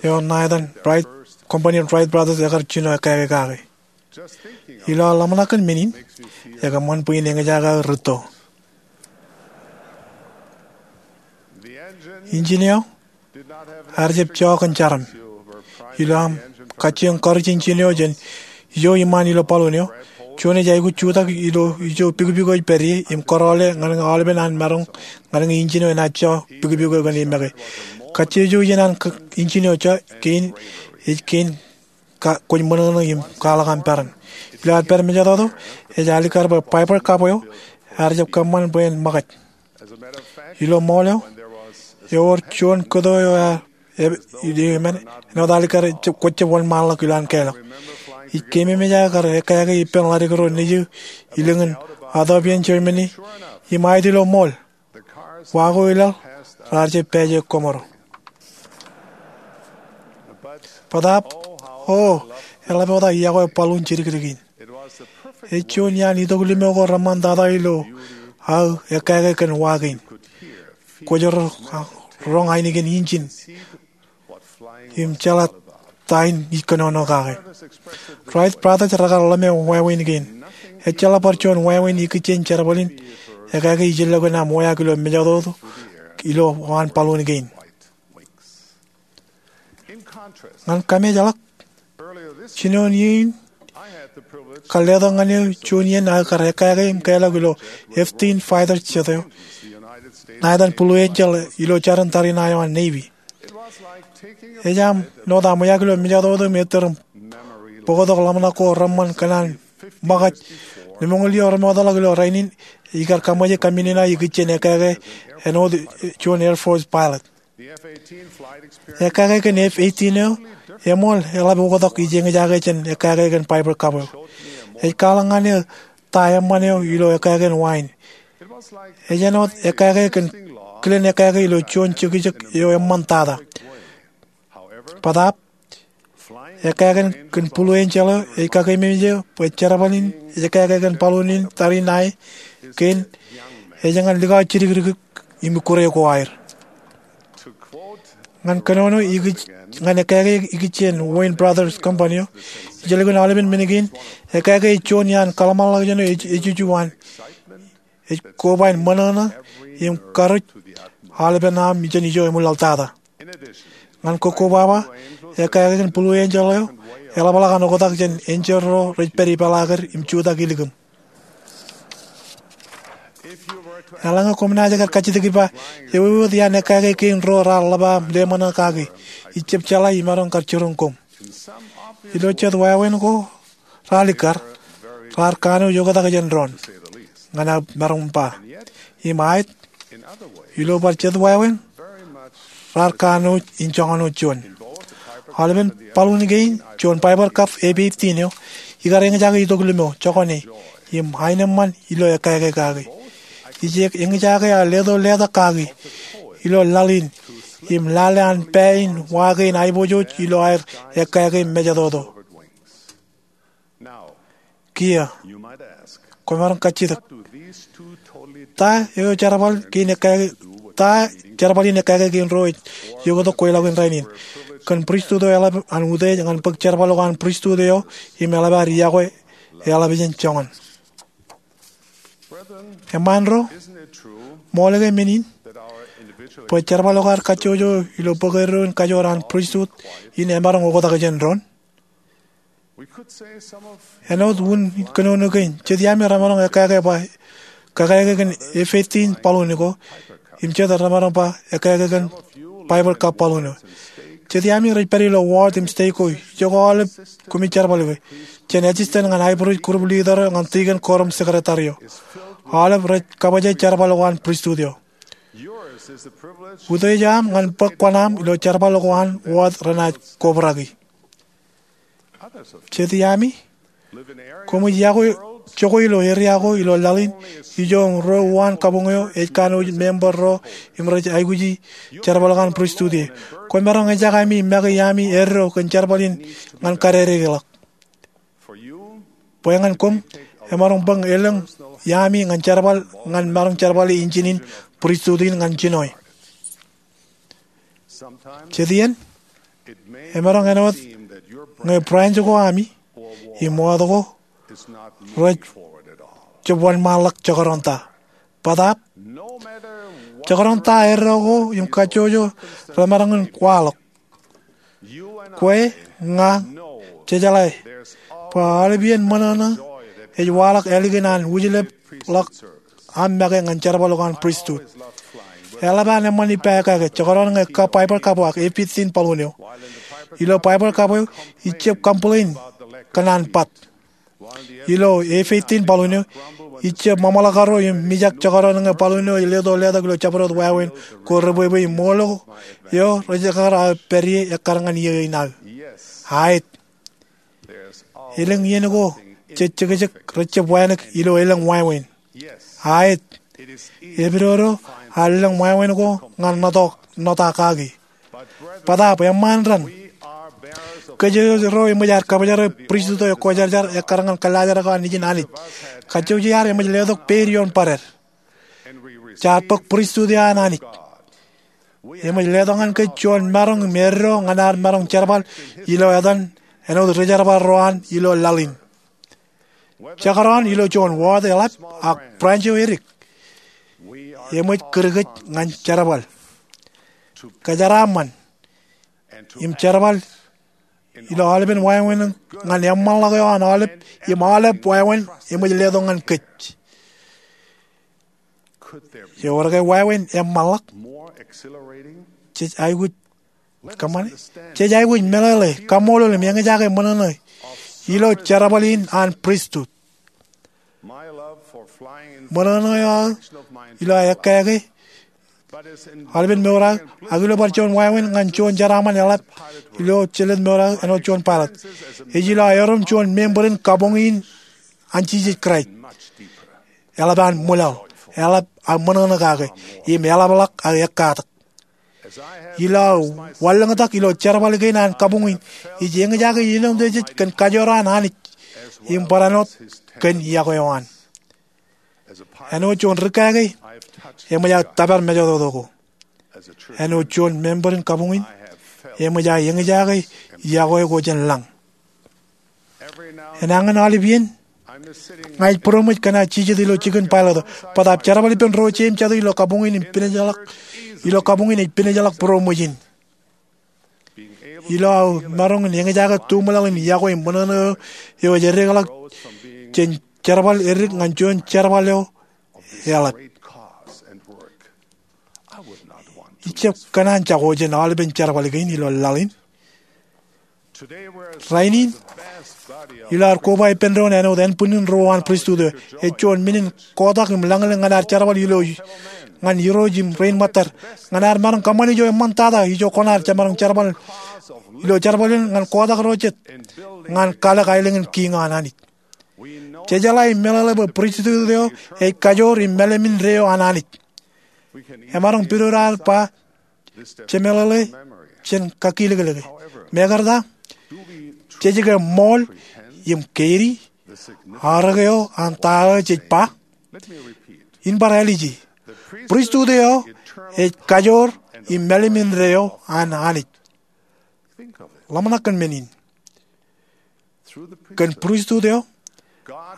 eo ṇa etan Wright, company Wright Brothers ekar jino ekkāke kake. Ilo aō ḷōmṇak kōn men in, ekōṃṃan bwe in eñjake aō rūtto. Engine eo ear jab jọọk kōn jarom. Ilo aṃ kajjioñ kọrij engine eo jān ijo iṃaan ilo balloon eo, juon ej aikuj jutak ilo ijo pikpik eo ej pād ie im kōrọọle ñan ñe aolepen an maroñ ñan ñe engine eo enaaj jọọk pikpik eo kōn e make. Kajjiojo iien an engine eo jọọk kein ej kein kwōj ṃōṇōṇō im kwaḷọk aṃ peran. Ilo ad pād mejatoto, ej alikkar bwe Piper Cub eo ear jab kōṃṃan bwe en ṃōkaj. Ilo ṃool eo, ewōr juon kōto eo ear, āinwōt alikkar kwōj jab wōnṃaanḷọk ilo an kālọk. Ij keememej aō kar ekkāke ippān ḷaddik ro nejū ilōñin Otthofen, Germany, im aet ilo ṃool, wa ko ilaḷ raar jab pāāje koṃro. Bōtaab, o, eḷap oktak iọkwe balloon jidikdik in. Ej juon iaan itok limo ko reṃṃantata ilo aō ekkāke kōn wa kein. Kwōj roñ ainikien engine im jeḷā ta in ij kōnono kake. Wright Brothers rekar ḷōme wāween kein. Ejjeḷọk bar juon wāween ikijjien jerbal in ekkāke ijellọkin aṃ wāween ilo mejatoto ilo an balloon kein. Ñan kameejḷọk, jinoin iiō in, kar letok ñan eō juon iien aō kar ekkāke im kālọk ilo F fifteen fighter jet eo ṇa etan Blue Angel ilo jarin tariṇae eo an Navy. Ej aṃ note aṃ wōj ilo mejatoto im ettōr im bōktok ḷōmṇak ko reṃṃan kōn an ṃōkaj. Lemñoul iiō remootḷọk ilo rainin, ikar kaṃōje kaminina ikijjien ekkāke āinwōt juon Air Force pilot. Ekkāke kōn F fifteen eo eṃool eḷap oktak ij eñjake jān ekkāke kōn Piper Cub eo. Ej kwaḷọk ñan eō ta eṃṃan eo ilo ekkāke kōn wa in. Ej āinwōt ekkāke kōn kilen ekkāke ilo juon jekjek eo eṃṃantata. Bōtaab, ekkāke kōn Blue Angel eo ej kakeememej eō bwe jerbal in ej ekkāke kōn balloon in tariṇae kein ej ñan likao jidikdik im ikkure ko aer. Ñan kōnono ñan ekkāke ikijjien Wayne Brothers Company eo, ij likin aolepen men kein, ekkāke ej juon iaan kōḷmānḷọkjeṇ eo ej ejuju an, ej koba in ṃōṇōṇō im karuj aolepen aṃ jān ijo eṃwilaḷtata. Ñan kokkobaba, ekkāke kōn Blue Angel eo eḷapḷọk an oktak jān enjeḷ ro rej pād ipeḷaaker im jutak ilikim. Eḷaññe koṃ naaj kar kajjitōk ippa, ewōr wōt iaan ekkāke kein ro raar ḷap aṃ leṃōṇō kaki, ij jab jeḷā imaroñ kar jiroñ koṃ. Ilo jet wāween ko raar likkar, raar kanooj oktak jān doon, ñan aō maroñ ba. Im aet, ilo bar jet wāween, raar kanooj in joñan wōt juon. Aolepen balloon kein, juon Piper Cub F fifteen eo, ikar eñjake itok limo, jokane, im aenōṃṃan ilo ekkāke kaki. Ij eñjake aō leto letak kaki ilo laḷ in, im lale an pā in wa kein aiboojoj ilo aer ekkāke mejatoto. Kiiō, kwōmaroñ kajjitōk, ta eo jerbal kein ekkāke, ta jerbal in ekkāke kein ro ej ioktak kweilọk in rainin? Kōn pristut eo eḷap an utiej ñan bōk jerbal ko an pristut eo im eḷap ad iọkwe, eḷap jān joñan. Eṃṃan ro, ṃool ke men in, bwe jerbal ko ad kajjojo ilo bōk eddo in kajoor an pristut in emaroñ oktak jān doon? Āinwōt un kōnono kein, jet iaami remaroñ ekkāke ba ekkāke kōn F fifteen balloon ko, im jet remaroñ ba ekkāke kōn Piper Cub balloon eo. Jet iaami rej pād ilo ward im state ko, ijoko aolep koṃij jerbal ke, jān assistant ñan aebruj, group leader eo ñan deacon, quorum secretary eo. Aolep rej kabōjoj jerbal ko an pristut eo. Utiej aṃ ñan bōk kuṇaaṃ ilo jerbal ko an wōt renaaj kobrak ie. Jet iaami, koṃij iọkwe jokwe ilo eria ko ilo laḷ in, ijo im ruo uwaan kabuñ eo ej kanooj member ro im rej aikuji jerbal ko an pristut ie. Kwōmaroñ eñjake ami make iaami eddo kōn jerbal in ñan kadedeḷọk. Bwe ñan koṃ, emaroñ bōk elōñ iaami ñan jerbal ñan maroñ jerbale injin in pristut in ñan jinoe. Jet iien, emaroñ āinwōt ñe branch ko ami im wōt ko rej jab wōnṃaanḷọk jekdọọn ta. Bōtaab, jekdọọn ta eddo ko im kajjojo remaroñ in waḷọk, kwe, ña, jejeḷā bwe aolepān ṃōṇōṇō ej waḷọk ālikin an wūjlepḷọk aṃ make ñan jerbal ko an pristut. Eḷap an eṃṃan ippa ekkā ke jekdọọn ñe kab Baibōḷ kabwak efit in baḷuun eo. Ilo Baibōḷ kabwak eo, ij jab complain kōn an bat. Ilo efit in baḷuun eo, ij jab ṃōṃaḷọk karo im mijak jekdọọn ñe baḷuun eo ej leto letok ilo jabdewōt wāween ko rebwebwe im ṃool eo rej ekkar aō pād ie ekkar ñan iiō in aō. Aet. Elōñ iien ko jej jekjek rej jab wānōk ilo elōñ wāween. Aet. Epidodo ad lōñ wāween ko ñan ṇoto, ṇota kaki. Bōtaab eṃṃaan raṇ, kōj ro eṃōj ad kabōjrak pristut eo ekwōjarjar ekkar ñan kōllaajrak eo an ijin Anij. Kajjojo ad eṃōj letok peid ioon barād. Jaar bōk pristut eo an Anij. Eṃōj letok ñan kōj juon maroñ im eddo ñan ad maroñ jerbal ilo etan āinwōt rijerbal ro an ilo laḷ in. Jekdọọn ilo juon wōt eḷap ak branch eo edik, eṃōj kūr kōj ñan jerbal, kōjeraaṃṃan im jerbal ilo aolepān wāween ñan eṃṃanḷọk eo an aolep im aolep wāween eṃōj letok ñan kōj. Ewōr ke wāween eṃṃanḷọk? Jej aikuj kōṃṃane, jej aikuj meḷeḷe, kaṃṃoolol im eñjake ṃōṇōṇō ilo jerbal in an pristut. Ṃōṇōṇō eo aō ilo aō ekkā ke aolepān mour aō, ak ilo bar juon wāween ñan juon jeraaṃṃan eḷap ilo jelōt mour aō āinwōt juon pilot, ej ilo aō erom juon member in kabuñ in an Jisōs Kraist. Eḷap an ṃwilaḷ, eḷap aō ṃōṇōṇō kake, im eḷapḷọk aō ekkatak. Ilo aō wanlōñtak ilo jerbal kein an kabuñ in, ij eñjake ilo ṃōttan kōn kajoor an Anij im barāinwōt kōn iọkwe eo an. Āinwōt juon ri kake, eṃōj aō tōpar mejototo ko. Āinwōt juon member in kabuñ in, eṃōj aō eñjake iọkwe ko jān lañ. Enañin aolepān, ña ij būroṃōj kōn aō jijet ilo jikin pilot eo. Bōtaab jerbal ippān ro jeiū im jatū ilo kabuñ in ej pinejeḷọk, ilo kabuñ in ej pinejeḷọk būroṃōj in. Ilo aō maroñ in eñjake tuṃwilaḷ im iọkwe im ṃōṇōṇō eo ej edekḷọk jān jerbal edik ñan juon jerbal eo eḷap. Ij jab kōṇaan jako jān aolepān jerbal kein ilo laḷ in. Rainin, ilo ad koba ippān doon āinwōt ānbwinnin ruo an pristut eo, ej juon men in kotak im lañlōñ ñan ad jerbal ilo, ñan irooj im rein ṃōttad, ñan ad maroñ kōṃṃane ijo eṃṃantata ijo koṇaad jemaroñ jerbal ilo jerbal in ñan kotak ro jet ñan kalōk aelōñ in kiiñ eo an Anij. Jejeḷā im meḷeḷe bwe pristut eo ej kajoor im mālim indeeo an Anij. Emaroñ pidodo ad ba jemeḷeḷe jān kakilōklōke. Mekarta, jej ke ṃool im keidi arōk eo an ta eo jej ba? In bar ālije. Pristut eo ej kajoor im mālim indeeo an Anij. Ḷōmṇak kōn men in. Kōn pristut eo,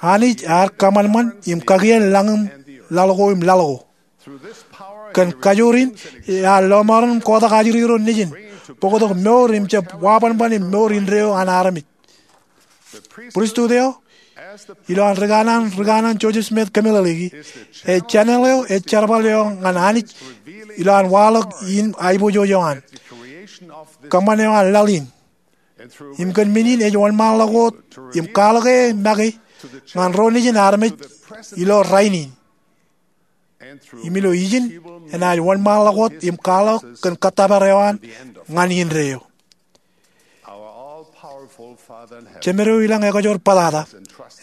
Anij ear kōṃanṃan im kakien lañ in laḷ ko im laḷ ko. Kōn kajoor in, ear lọmọọren im kotak ajri ro nejin, bōktok mour im jab wabanban im mour indeeo an armej. Pristut eo, ilo an ri kanaan, ri kanaan Joseph Smith kōmeḷeḷeiki, ej channel eo ej jerbal eo ñan Anij ilo an waḷọk in aiboojoj eo an kōṃṃan eo an laḷ in. Im kōn men in ej wōnṃaanḷọk wōt im kwaḷọke make ñan ro nejin armej ilo rainin. Im ilo ijin, enaaj wōnṃaanḷọk wōt im kwaḷọk kōn kōttōpar eo an ñan indeeo. Jemedeo ilañ ekajoor bōtata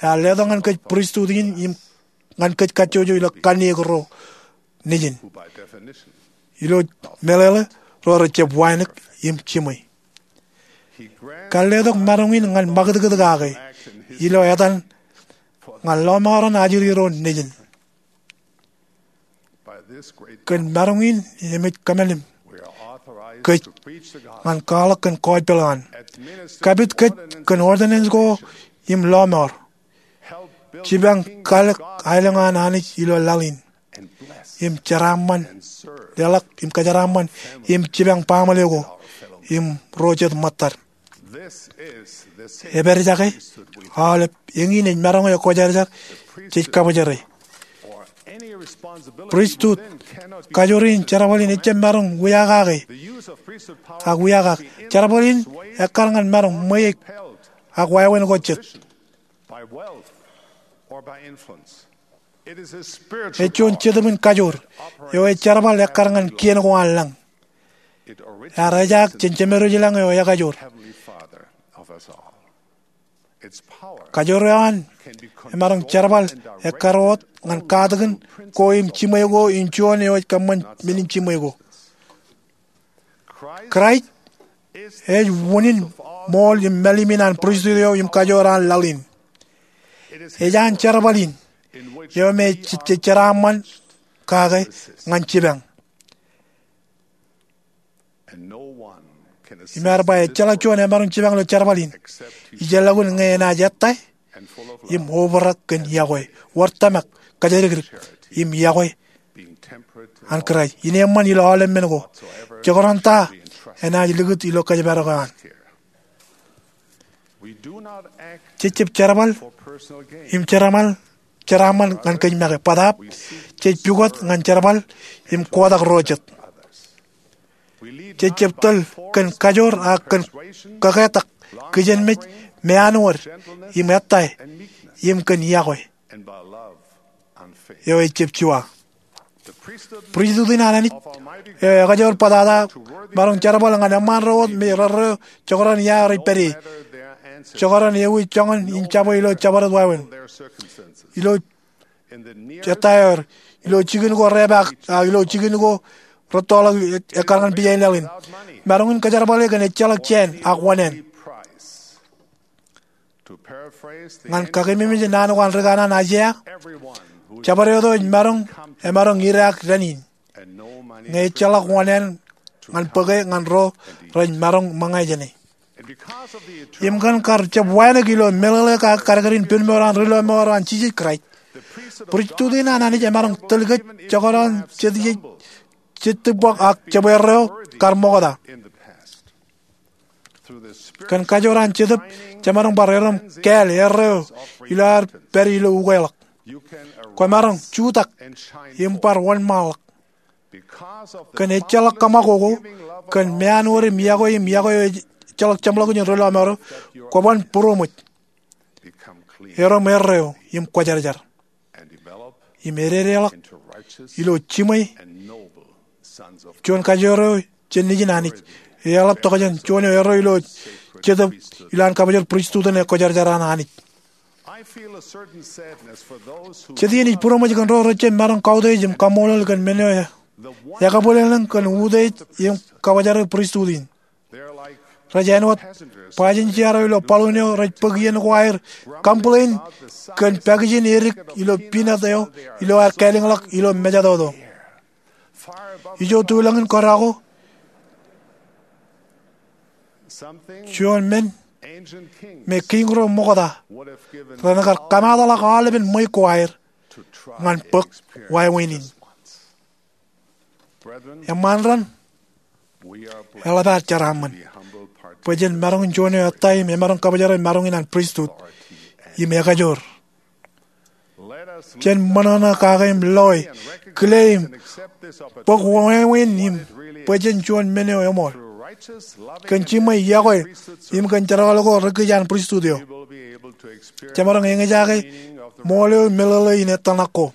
ear letok ñan kōj pristut in im ñan kōj kajjojo ilo kanniōk ro nejin, ilo meḷeḷe ro rej jab wānōk im jiṃwe. Kar letok maroñ in ñan ṃakūtkūt kake ilo etan ñan lọmọọren ajri ro nejin. Kōn maroñ in eṃōj kōṃṃan kōj ñan kwaḷọk kōn gospel an, kapit kōj kōn ordinance ko im lọmọọr, jipañ kalōk aelōñ an Anij ilo laḷ in, im jeraaṃṃan, leḷọk im kōjeraaṃṃan im jipañ baaṃle ko im ro jet ṃōttad. Epād jake aolep eñin ej maroñ eo Kwōjarjar jej kabōjere. Pristut kajoor in jerbal in ejjab maroñ wiakake ak wiakak. Jerbal in ekkar ñan maroñ ṃweiuk ak wāween ko jet. Ej juon jetōbin kajoor eo ej jerbal ekkar ñan kien ko an lañ. Ear ejaak jān Jemedwōj ilañ eo ekajoor. Kajoor eo an emaroñ jerbal ekkar wōt ñan katakin ko im jiṃwe ko in juon eo ej kōṃṃan men in jiṃwe ko. Kraist ej unin ṃool im mālim in an pristut eo im kajoor an laḷ in. Ej an jerbal in eo me jej jeraaṃṃan kake ñan jipañ. Im ear ba ejjeḷọk juon emaroñ jipañ ilo jerbal in ijelọkun ñe enaaj ettā im obrak kōn iọkwe, wōr tōmak, kōjatdikdik im iọkwe an Kraist in eṃṃan ilo aolep men ko, jekdọọn ta enaaj likūt ilo kōjparok eo an. Jejjab jerbal im jeraaṃṃan ñan kōj make. Bōtaab, jej pukot ñan jerbal im kotak ro jet. Jejjab tōl kōn kajoor ak kōn kaketak, kijenmej, meanwōd im ettā, im kōn iọkwe eo ejjab juwa. Pristut in an Anij eo ekajoor bōtata emaroñ jerbal ñan eṃṃaan ro wōt me rerreo jekdọọn ia rej pād ie, jekdọọn ewi joñan in jabwe ilo jabdewōt wāween, ilo ettā eo er, ilo jikin ko repaak, ak ilo jikin ko rettoḷọk ekkar ñan pija in laḷ in. Maroñ in kōjerbale kōn ejjeḷọk jāān ak wōṇāān. Ñan kakememej naan ko an ri kanaan Aiseia, jabdewōt eo ej maroñ, emaroñ idaak dān in, ñe ejjeḷọk wōṇāān ñan bōke ñan ro rej maroñ ṃōñā jāne. Im kōn kar jab wānōk ilo meḷeḷe kake kadkadin pen mour an ri lọmọọr eo an Jisōs Kraist, pristut in an Anij emaroñ tōl kōj jekdọọn jet iej, jet tibwọk ak jebwe erreo kar ṃokta. Kōn kajoor an Jetōb, jemaroñ bar erom kāāl erreo ilo ad pād ilo ukeḷọk. Kwōmaroñ jutak im bar wōnṃaanḷọk. Kōn ejjeḷọk kōṃakoko, kōn meanwōd im iọkwe im iọkwe eo ejjeḷọk jeṃḷọkin ri lọmọọr eo, kwōban būroṃōj, erom erreo im kwōjarjar, im ededeḷọk ilo jiṃwe juon kajoor eo jān nejin Anij, eḷap tokjān juon eo erreo ilo Jetōb ilo an kabōjor pristut in ekwōjarjar an Anij. Jet iien ij būroṃōj kōn ro rej jab maroñ kautiej im kaṃṃoolol kōn men eo ekabwilōñlōñ kōn utiej im kakwōjarjar pristut in. Rej āinwōt bajinjea ro ilo balloon eo rej bōk iien ko aer, complain kōn pakijin edik ilo peanut eo ilo ad kālōñḷọk ilo mejatoto. Ijo tulōñ in kōdọ ko, juon men me kiiñ ro ṃokta renaaj kar kamaatḷọk aolepen ṃweiuk ko aer ñan bōk wāween in. Eṃṃaan raṇ, eḷap ad jeraaṃṃan bwe jen maroñ in juon eo ettā im emaroñ kabōjere maroñ in an pristut im ekajoor. Jen ṃōṇōṇō kake im loe, kile im bōk wāween in im bwe jen juon men eo eṃool kōn jiṃwe, iọkwe, im kōn jerbal ko ri kij an pristut eo. Jemaroñ eñjake ṃool eo meḷeḷe in ettōṇak ko.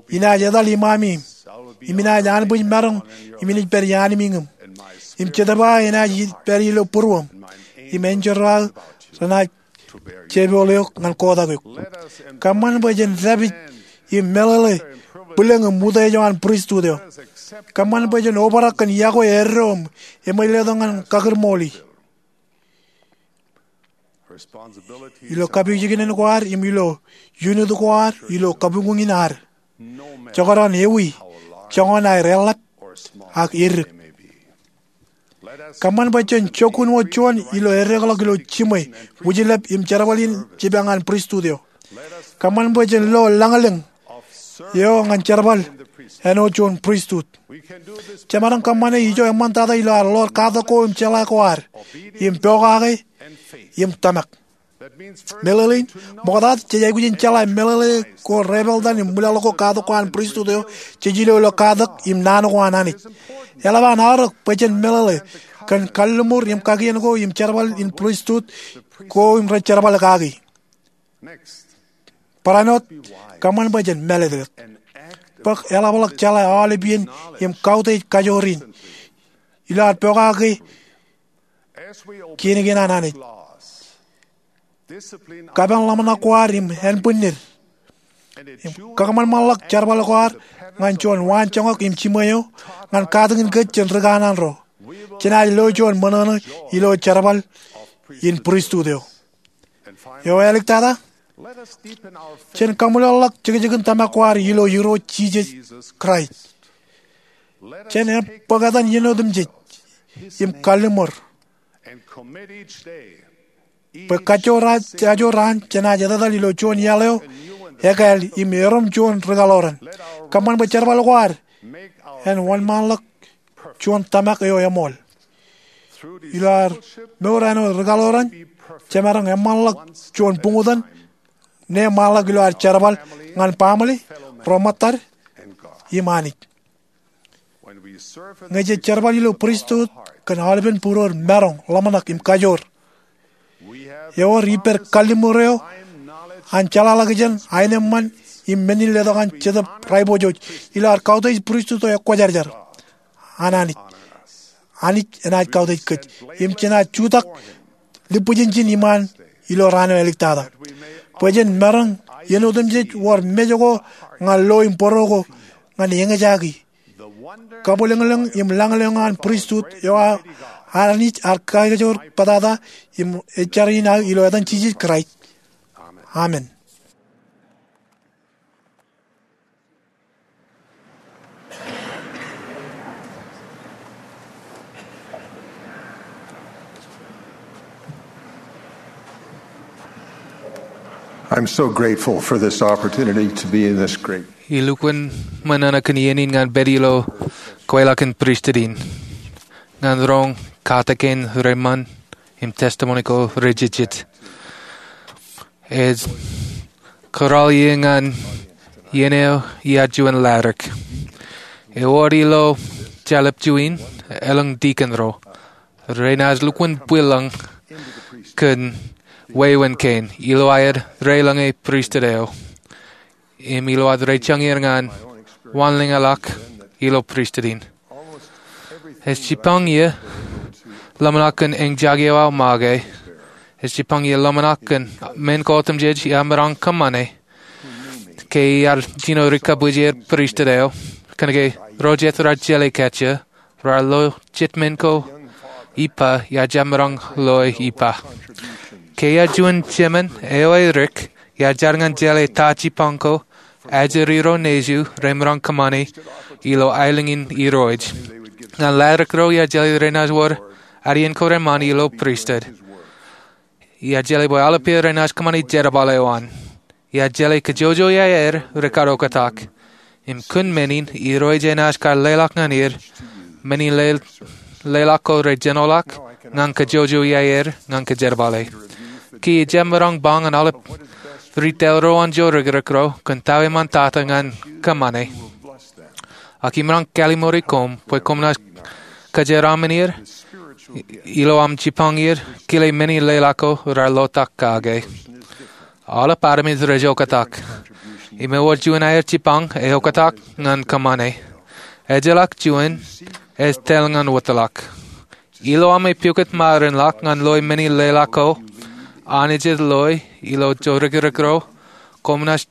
Inaaj etal iṃaṃ im inaaj anbwijmaroñ im inaaj pād iaan miñūṃ. Im Jetōb aō enaaj pād ilo būruōṃ. Im enjeḷ aō renaaj jepool eok ñan kotak eok. Kōṃṃan bwe jen dāpij im meḷeḷe bwilōñ im utiej eo an pristut eo. Kōṃṃan bwe jen obrak kōn iọkwe eddo im eṃweiletok ñan kakūrmool. Ilo kapijuknen ko ad im ilo iuṇut ko ad ilo kabuñbuñ in ad, jekdọọn ewi joñan aer eḷap ak edik. Kōṃṃan bwe jen jokkuṇ wōt juon ilo edekḷọk ilo jiṃwe, wūjlep im jerbal in jipañ an pristut eo. Kōṃṃan bwe jen lo lañlōñ eo ñan jerbal āinwōt juon pristut. Jemaroñ kōṃṃane ijo eṃṃantata ilo ad ḷoor katak ko im jeḷā ko ad im pokake im tōmak. Meḷeḷein, ṃokta jej aikuj in jeḷā meḷeḷe ko, repeḷtan im ṃwilaḷ ko, katak ko an pristut eo jej ilo ilo katak im naan ko an Anij. Eḷap an aorōk bwe jen meḷeḷe kōn kalliṃur im kakien ko im jerbal in pristut ko im rej jerbal kaki. Barāinwōt, kōṃṃan bwe jen mālōtlōt. Bōk eḷapḷọk jeḷā aolep iien im kautiej kajoor in ilo ad pokake kien kein an Anij. Kapen ḷōmṇak ko ad im ānbwinnid im kakōṃanṃanḷọk jerbal ko ad ñan juon waanjoñak im jiṃwe eo ñan katakin kōj jān ri kanaan ro. Jenaaj lo juon ṃōṇōṇō ilo jerbal in pristut eo. Eo āliktata, jen kaṃwilaḷḷọk jekjekin tōmak ko ad ilo Irooj Jisōs Kraist. Jen bōk etan iien otemjej im kalliṃur bwe kajjoor ajoor raan jenaaj etetal ilo juon iaḷ eo ekāāl im erom juon rikaḷoran. Kōṃṃan bwe jerbal ko ad en wōnṃaanḷọk juon tōmak eo eṃool. Ilo ad mour āinwōt rikaḷoran, jemaroñ eṃṃanḷọk juon buñtōn ṇe ṃaanḷọk ilo ad jerbal ñan baaṃle, ro ṃōttad, im Anij. Ñe jej jerbal ilo pristut kōn aolepen būruod maroñ, ḷōmṇak im kajoor, ewōr ippād kalliṃur eo an jeḷāḷọkjeṇ, aenōṃṃan im men in letok an Jetōb Raiboojoj ilo ad kautiej pristut eo ekwōjarjar an Anij. Anij enaaj kautiej kōj im jenaaj jutak lipbwijin ijin iṃaan ilo raan eo āliktata, bwe jen maroñ iien otemjej wōr mej ko ñan lo im bōro ko ñan eñjake kabwilōñlōñ im lañlōñ an pristut eo an Anij ad kajoor bōtata im ej jar in aō ilo etan Jisōs Kraist, amen. I'm so grateful for this opportunity to be in this great Ilukkuun ṃōṇōṇō kōn iien in ñan pād ilo kweilọk in pristut in. Ñan roñ katakin reiṃṃan im testimony ko rejejjet. Ej kōrā ie ñan iien eo iaar juon ladik. Ewōr ilo jalep juon elōñ dikon ro renaaj lukkuun bwilōñ kōn wāween kein ilo aer reiḷọñe pristut eo im ilo ad rejañin ñan wanlōñḷọk ilo pristut in. Ej jipañ ie ḷōmṇak kōn eñjake eo aō make. Ej jipañ ie ḷōmṇak kōn men ko otemjej iar maroñ kōṃṃane ke iar jino rikabwij er pristut eo. Kōnke ro jet raar jeḷā kajjien raar lo jet men ko ippa iar jab maroñ loe ippa. Ke iar juon jemān eo edik iar jar ñan jeḷā ta jipañ ko ajri ro nejiṃ remaroñ kōṃṃane ilo aelōñ in Irooj. Ñan ladik ro iar jeḷā renaaj wōr adein ko reṃṃan ilo pristut. Iar jeḷā bwe aolep er renaaj kōṃṃane jerbal eo an. Iar jeḷā kōjojoi aer rekaḷooktak. Im kōn men in Irooj enaaj kar leḷọk ñan er men in leḷọk ko rejenoḷọk ñan kōjojoi aer ñan kōjerbale. Ke ijab maroñ ba ñan aolep ri tōl ro an jorikrek ro kōn ta eo eṃṃantata ñan kōṃṃane. Ak imaroñ kalliṃuri koṃ bwe koṃ naaj kōjeraaṃṃan er ilo aṃ jipañ er kile men in leḷọk ko raar lotak kake. Aolep armej rej oktak. Im ewōr juon aer jipañ eoktak ñan kōṃṃane. Ejjeḷọk juon ej tōl ñan wōtlọk. Ilo ami pukot ṃarinḷọk ñan loe meni leḷọk ko, Anij ej loe ilo jorekrek ro koṃ naaj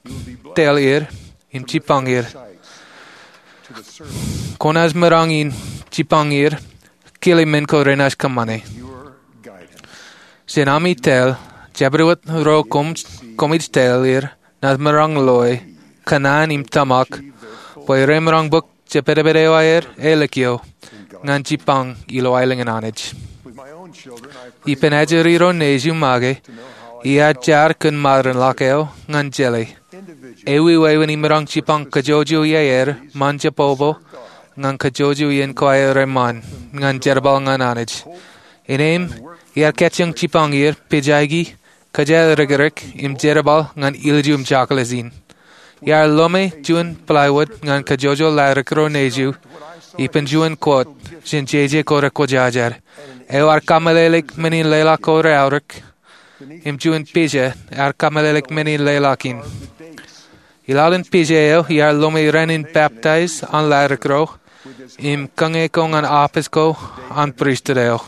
tōl er im jipañ er. Kwōnaaj maroñ in jipañ er kile men ko renaaj kōṃṃane. Jān ami tōl, jabdewōt ro koṃij tōl er naaj maroñ loe kōṇaan im tōmak bwe remaroñ bōk jepedped eo aer āliktata ñan jipañ ilo aelōñ in Anij. Ippān ajri ro nejū make, iar jar kōn ṃarinḷọk eo ñan jeḷā ewi wāween imaroñ jipañ kōjwōjwōj iaer ṃōn jebōbō ñan kōjwōjwōj iien ko aer ṃōn ñan jerbal ñan Anij. Innām, iar kajjioñ jipañ er pejaki, kōjā rekrek im jerbal ñan ilju im jokḷe in. Iar lōme juon plywood ñan kōjwōjwōj laerōk ro nejū ippān juon quote jān jeje ko rekwōjarjar. Eo ear kameḷeḷeik men in leḷọk ko reaorōk, im juon pija ear kameḷeḷeik men in leḷọk in. Ilaḷ in pija eo iar lōme ran in baptize an laerōk ro im kōñe ko ñan office ko an pristut eo.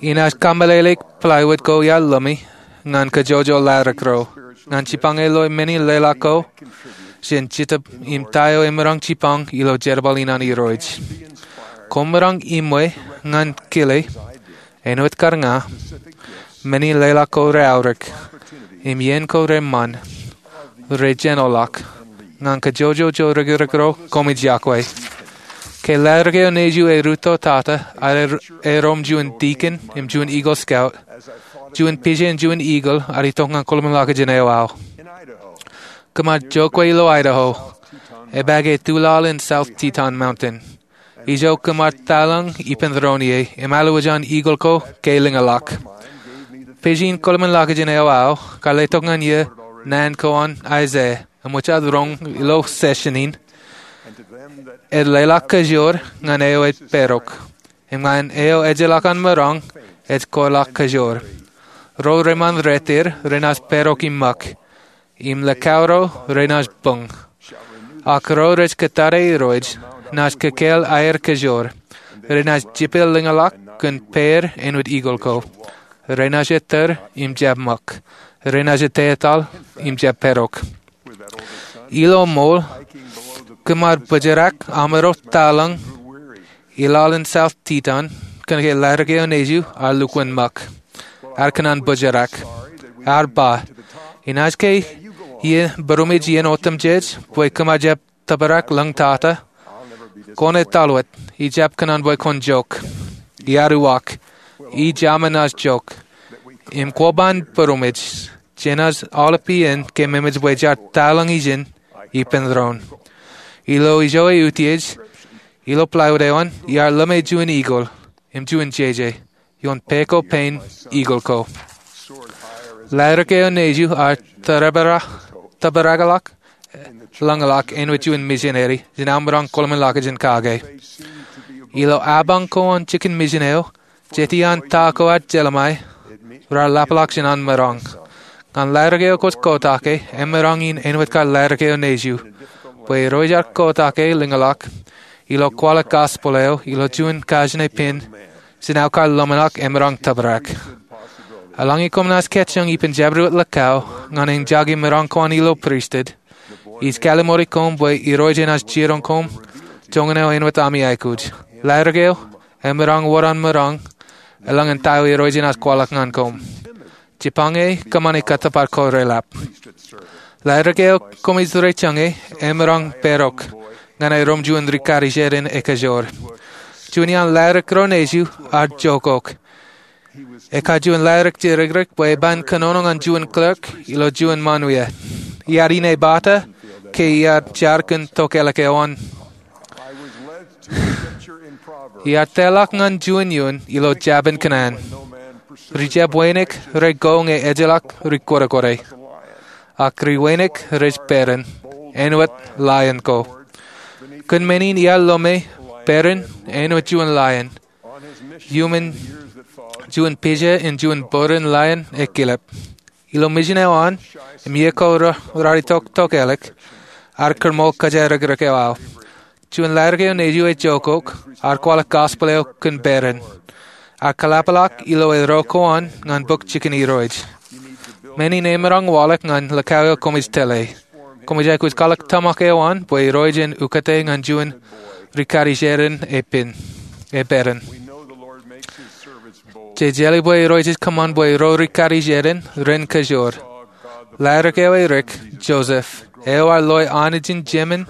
Inaaj kameḷeḷeik plywood ko iar lōme ñan kōjwōjwōj laerōk ro ñan jipañ loe men in leḷọk ko jān Jetōb im ta eo emaroñ jipañ ilo jerbal in an Irooj. Koṃ maroñ iṃwe ñan kile, āinwōt kar ña, men in leḷọk ko reaorōk im iien ko reṃṃan rejānḷọk ñan kōjwōjwōj jorekrek ro koṃij yokwe. Ke laerōk eo nejū erūtto tata, erom juon deacon im juon Eagle Scout, juon pija im juon eagle ear itok ñan kōḷmānḷọkjeṇ eo aō. Kōm ar jokwe ilo Idaho, epaake tuḷaḷ in South Teton Mountain. Ijo kōm ar taḷọñ ippān doon ie im alwōj an eagle ko ke lōñḷọk. Pija in kōḷmānḷọkjeṇ eo aō kar letok ñan iien naan ko an Isaiah im ej roñ ilo session in, ej leḷọk kōjoor ñan eo ej pedok, im ñan eo ejjeḷọk an maroñ ej kōḷọk kōjoor. Ro reṃṃan rot er renaaj pedok im ṃōk, im likao ro renaaj buñ. Ak ro rej kōttar Irooj naaj kōkāāl aer kōjoor, renaaj jepel lōñḷọk kōn pāer āinwōt eagle ko. Renaaj ettōr im jab ṃōk. Renaaj ettetaḷ im jab pedok. Ilo ṃool, kōm ar bōjrak aṃ ro taḷọñ ilaḷ in South Teton kōnke laerōk eo nejū ear lukkuun ṃōk. Ear kōṇaan bōjrak. Ear ba, inaaj ke iien būrmej iien otemjej bwe kōm ar jab tōprak lōñ tata? Kwōn etal wōt, ijjab kōṇaan bwe kwōn jok. Iar uwaak, ij aṃ enaaj jok. Im kwō ban būrmej, jenaaj aolep iien ke memej bwe jaar taḷọñ ijin ippān doon. Ilo ijo eutiej, ilo plywood eo an, iar lōme juon eagle im juon jeje ioon pā ko pein eagle ko. Laerōk eo nejū ear tōprakḷọk lōñḷọk āinwōt juon misineri jān aō maroñ kōḷmānḷọkjeṇ kake. Ilo apañ ko an jikin misin eo, jete an ta ko ad jelṃae raar ḷapḷọk jān an maroñ. Ñan laerōk eo kwōj kōtake, emaroñ in āinwōt kar laerōk eo nejū, bwe irooj ear kōtake lōñḷọk ilo kwaḷọk gospel eo ilo juon kajin pen jān aō kar ḷōmṇak emaroñ tōprak. Eḷaññe koṃ naaj kajjioñ ippān jabdewōt likao ñan eñjake maroñ ko an ilo pristut, ij kallimoni koṃ bwe Irooj enaaj jiroñ koṃ joñan eo āinwōt ami aikuj. Laerōk eo emaroñ wōr an maroñ eḷaññe ta eo Irooj enaaj kwaḷọk ñan koṃ. Jipañe kōṃṃane kōttōpar ko reḷap. Laerōk eo koṃij rej jañe emaroñ pedok ñan erom juon rikaki jān ekōjwōj. Juon iaan laerōk ro nejū ear jokok. Eka juon laerōk jerekrek bwe eban kōnono ñan juon clerk ilo juon ṃaan wia. Iar inepata ke iar jar kōn tokālik eo an. Iar tōlḷọk ñan juon iuun ilo jabōn kōṇaan. Ri jab wānōk rej go ñe ejjeḷọk ri kworekwote. Ak ri wānōk rej peran, āinwōt lion ko. Kōn men in iar lōme peran āinwōt juon lion. Iuṃwin juon pija in juon būruon lion ekkilep. Ilo misin eo an, im iiō ko raar itok tokālik, ear kōṃṃool kōjatdikdik eo aō. Juon laerōk eo nejiu ej jokok, ear kwaḷọk gospel eo kōn peran. Ear kōḷapḷọk ilo eddo ko an ñan bok jikin Irooj. Men in emaroñ waḷọk ñan likao eo koṃij tōl e. Koṃij aikuj kwaḷọk tōmak eo an bwe Irooj en ukōte ñan juon ri-kadijeran epen, e peran. Jej jeḷā bwe Irooj ej kōṃṃan bwe ro ri-kadijeran ren kajoor. Laerōk eo erik, Joseph, eo ear loe Anijin Jemān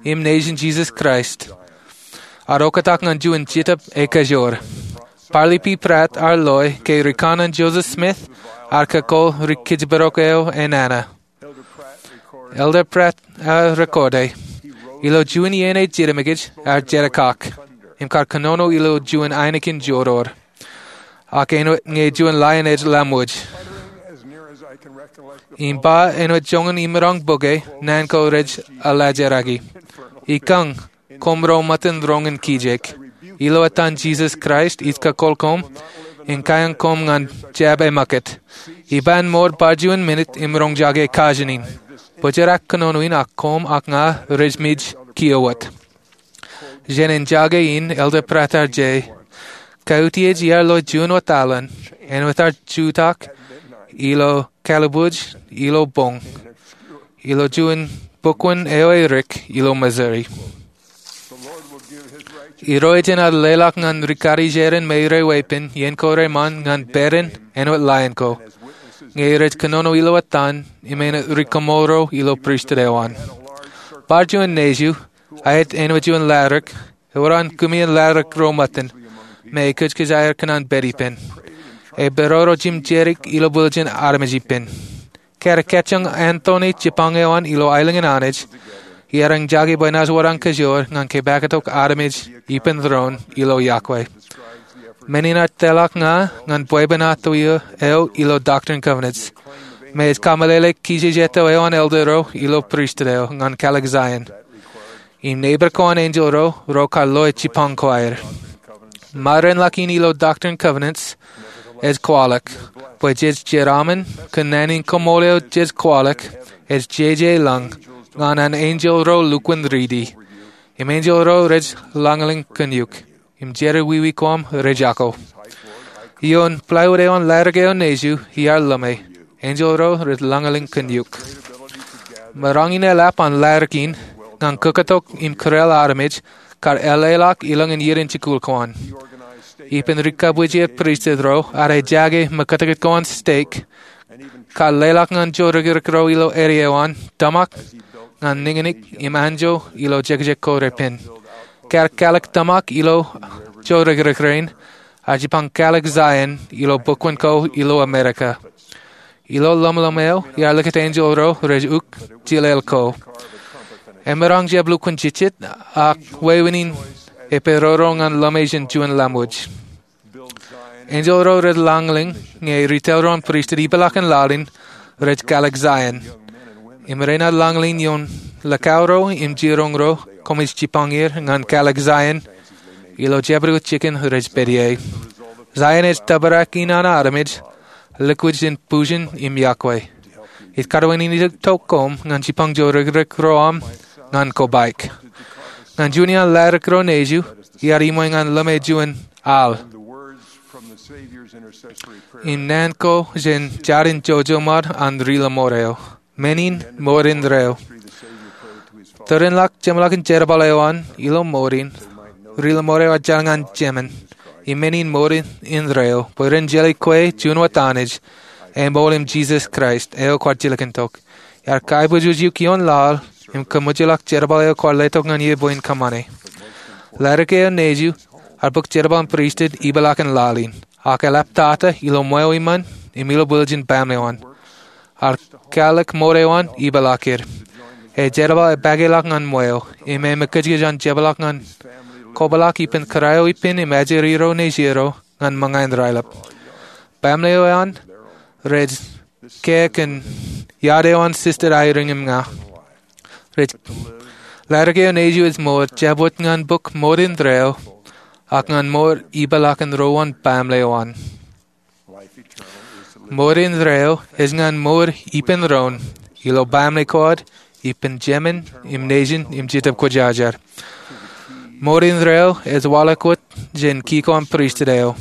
im Nejin Jisōs Kraist, ear oktak ñan juon Jetōb ekajoor. Parley P. Pratt ear loe ke rikanaan Joseph Smith ear kakōḷ ri-kōjparok eo enana. Elder Pratt ear rekote, ilo juon iien ej jidemikij ear jedik kak im kar kōnono ilo juon ainikien jodoor, ak āinwōt ñe juon ḷain ej laṃōj. Im ba āinwōt joñan imaroñ bōke, naan ko rej alajeraiki, Ikañ, koṃ ro mutōn roñin kijek, ilo etan Jisōs Kraist ij kakōḷ koṃ in kaiañ koṃ ñan jab emōkūt. Iban mour bar juon minit im roñjake kajin in. Bōjrak kōnono in ak koṃ ak ña rej mej kiiō wōt. Jān āne jake in, Elder Pratt ear jea, kautiej iar lo juon wōt aolep, āinwōt ear jutak ilo kalbuuj ilo boñ, ilo juon bukwōn eo erik ilo Missouri. Irooj enaaj leḷọk ñan ri-kadijeran me rej weeppān iien ko reṃṃan ñan peran āinwōt ḷain ko, ñe rej kōnono ilo etan im āinwōt ri-koṃṃool ro ilo pristut eo an. Bar juon nejiu, aet āinwōt juon laerōk, ewōr an kūmien laerōk ro mutōn, me ekōjkōj aer kōṇaan pād ippān. Eperoro jimjedik ilo bwiljin armej ippān. Kar kajjioñ antoone jipañ eo an ilo aelōñ in Anij, iar eñjake bwe enaaj wōr an kajoor ñan kōpaktok armej ippān doon ilo yokwe. Men in ear tōlḷọk ña ñan bwebwenato eo ilo Doctrine and Covenants, me ej kameḷeḷe kijejeto eo an elder ro ilo pristut eo ñan kālik Zion. Im neighbor ko an enjeḷ ro, ro kar loe jipañ ko aer. Mārein ḷọk in ilo Doctrine and Covenants ej kwaḷọk bwe jej jeraaṃṃan kōn naan in koṃṃool eo jej kwaḷọk ej jeje lañ ñan an enjeḷ ro lukkuun riiti. Im enjeḷ ro rej lañlōñ kōn eok. Im jerọwiwi ko aṃ rej jako. Ioon plywood eo an laerōk eo nejiu iar ḷōme, enjeḷ ro rej lañlōñ kōn eok. Maroñ in eḷap an laerōk in ñan kōkōtok im kūrāāl armej kar eḷḷāḷọk ilọk in iien in jikuuḷ ko an. Ippān ri-kabwijeer pristut ro ad ejake mekūtkūt ko an stek kar leḷọk ñan jodikdik ro ilo āne eo an tōmak ñan niñniñ im anjọ ilo jekjek ko repen. Kar kālik tōmak ilo jodikdik rein, ear jipañ kālik Zion ilo bukwōn ko ilo Amerika. Ilo ḷōmṇak eo iar likūt enjeḷ ro rej uk jilel ko. Emaroñ jab lukkuun jejjet ak wāween in eperoro ñan ḷōme jān juon laṃōj. Enjeḷ ro rej lañlōñ ñe ri-tōl ro an pristut ipeḷaakin laḷ in rej kālik Zion. Im renaaj lañlōñ ioon likao ro im jiroñ ro koṃij jipañ er ñan kālik Zion ilo jabdewōt jikin rej pād ie. Zion ej tōprak in an armej lukkuun pujin im yokwe. Ij karuwainene tok koṃ ñan jipañ jodikdik ro aṃ ñan kobaik. Ñan juon iaan laerōk ro nejiu, iar iṃwe ñan ḷōme juon al. Im naan ko jān jatin jojoṃar an ri-lọmọọr eo. Men in mour indeeo. Tōre in ḷak jeṃḷọkin jerbal eo an ilo mour in, ri-lọmọọr eo ear jar ñan Jemān. Im men in mour indeeo bwe ren jeḷā kwe juon wōt Anij, eṃool im Jisōs Kraist eo kwaar jilkintok. Iar kaibwijwij eok ioon laḷ im kōṃōjḷọk jerbal eo kwaar letok ñan eō bwe en kōṃṃane. Laerōk eo nejiu ear bōk jerbal in pristut ipeḷaakin laḷ in, ak eḷap tata ilo ṃweo iṃaan im ilo bwiljin baaṃle eo an. Ear kālik mour eo an ipeḷaaked. E jerbal epakeḷọk ñan ṃweo im e mekūtkūt an jepḷaak ñan kōpeḷaak ippān kōrā eo ippān im ajri ro nejier eo ñan ṃōñā in raelep. Baaṃle eo an rej ke kōn iad eo an Sister Eyring im ña. Rej, laerōk eo nejiu ej mour jabdewōt ñan bōk mour indeeo ak ñan mour ipeḷaakin ruo an baaṃle eo an. Mour indeeo ej ñan mour ippān doon ilo baaṃle ko ad, ippān jemān im nejin im Jetōb Kwōjarjar. Mour indeeo ej waḷọk wōt jān key ko an pristut eo,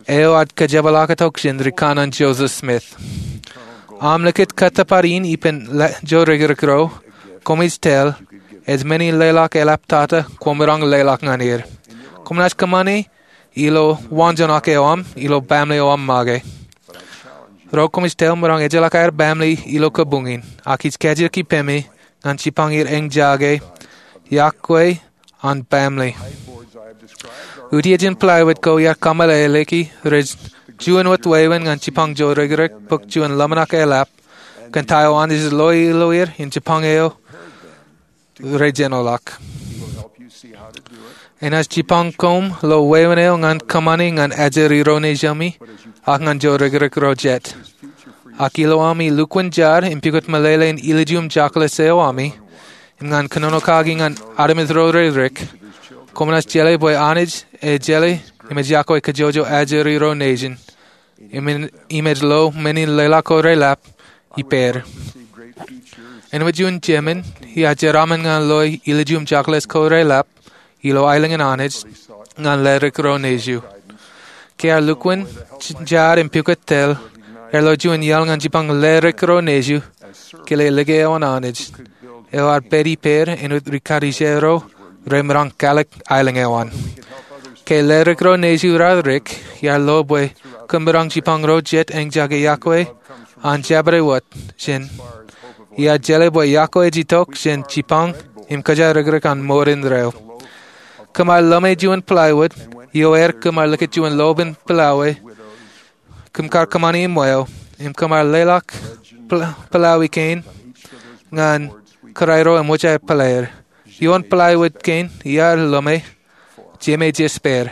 eo ad kōjepḷaaktok jān ri kanaan Joseph Smith. Aṃ likūt kōttōpar in ippān joorōkrōk ro, koṃij tōl, ej men in leḷọk eḷap tata kwōmaroñ leḷọk ñan er. Koṃ naaj kōṃṃane ilo waanjoñak eo aṃ ilo baaṃle eo aṃ make. Ro koṃij tōl maroñ ejjeḷọk aer baaṃle ilo kabuñ in, ak ij kajjitōk ippemi ñan jipañ er eñjake iọkwe an baaṃle. Utiejin plywood ko iar kameḷeḷeiki rej juon wōt wāween ñan jipañ joorōkrōk bōk juon ḷōmṇak eḷap kōn ta eo Anij ej lo ilo er im jipañ eo rejenoḷọk. Enaaj jipañ koṃ lo wāween eo ñan kōṃṃane ñan ajri ro nejūṃ ak ñan joorōkrōk ro jet. Ak ilo ami lukkuun jar im pukot meḷeḷe in ilju im jokḷas eo ami im ñan kōnono kaki ñan armej ro rerik, koṃ naaj jeḷā bwe Anij ej jeḷā im ej iọkwe kōjwōjwo ajri ro nejin im ej lo men in leḷọk ko reḷap ippāer. Āinwōt juon jemān, iar jeraaṃṃan ñan loe ilju im jokḷas ko reḷap ilo aelōñ in Anij ñan ledik ro nejū. Ke ear lukkuun jar im pukot tōl, ear lo juon iaḷ ñan jipañ ledik ro nejū kile like eo an Anij eo ear pād ippāer āinwōt ri karijer ro remaroñ kōḷḷā aelōñ eo an. Ke ledik ro nejū raar dik, iar lo bwe kōm maroñ jipañ ro jet eñjake iọkwe an jabdewōt jān iar jeḷā bwe iọkwe ej itok jān jipañ im kōjarrikrōk an mour indeeo. Kōm ar ḷōme juon plywood, iọkwe er kōm ar likūt juon lopen pilawā kōm kar kōṃṃane im wōj, im kōm ar leḷọk pilawā kein ñan kōrā ro im wōj aer pālōt. Ioon plywood kein iar ḷōme, jemān ej ej pād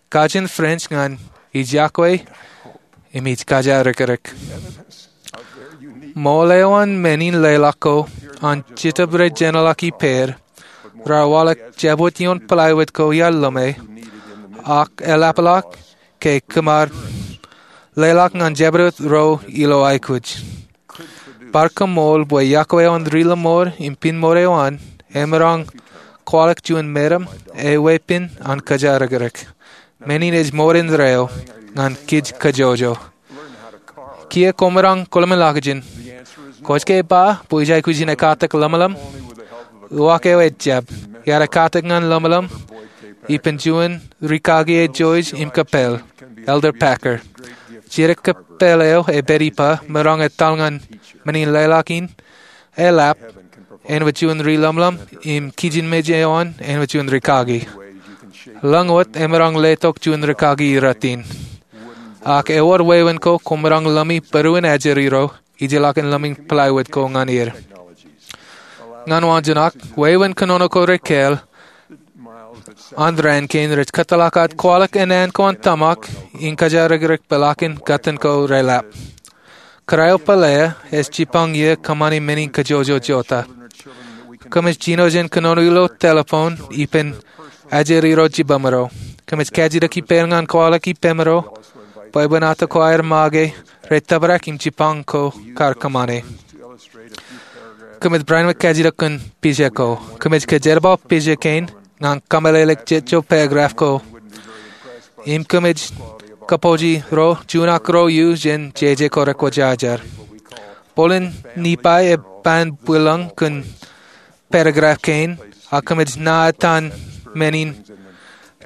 kajin French ñan ij iọkwe im ij kōjarrikrōk. Ṃool eo an men in leḷọk ko an Jetōb rejenoḷọk ippāer raar waḷọk jabdewōt ioon plywood ko iar ḷōme, ak eḷapḷọk ke kōm ar leḷọk ñan jabdewōt ro ilo aikuj. Bar koṃṃool bwe iọkwe eo an ri-lọmọọr im pinemour eo an emaroñ kwaḷọk juon meram eo weeppān an kōjarrikrōk. Men in ej mour indeeo ñan kij kōjwōjwo. Kiiō kwōmaroñ kwōḷmānḷọkjeṇ. Kwōj ke ba bwe ij aikuj in ekkatak ḷōmṇak? Uwaak eo ejjab. Iar ekkatak ñan ḷōmṇak ippān juon ri kaki eo jej ippān kōppāl, Elder Packer. Jidik kōppāl eo ej pād ippa maroñ etal ñan men in leḷọk in eḷap āinwōt juon ri-ḷōmṇak im kijenmej eo an āinwōt juon ri kaki. Ḷōñwōt emaroñ letok juon ri kaki iretin. Ak ewōr wāween ko kwōmaroñ ḷōmi būruon ajri ro ijellọkin ḷōmi plywood ko ñan er. Ñan waanjoñak, wāween kōnono ko rekāāl an raan kein rej kōtḷọk aō kwaḷọk ennaan ko an tōmak in kōjarrikrōk peḷaakin kōttan ko reḷap. Kōrā eo pālele ej jipañ ie kōṃṃani men in kōjwōjwo jota. Kōmij jino jān kōnono ilo telephone ippān ajri ro jibboñro. Kōmij kajjitōk ippāer ñan kwaḷọk ippemro bwebwenato ko aer make rej tōprak im jipañ ko kar kōṃṃane. Kōmij barāinwōt kajjitōk kōn pija ko. Kōmij kōjerbal pija kein ñan kōmeḷeḷeik jet jo paragraph ko. Im kōmij kōpooje ro juon ak ro iu jān jeje ko rekwōjarjar. Bōlen Nifai ej ban bwilōñ kōn paragraph kein, ak kōmij ṇa etan men in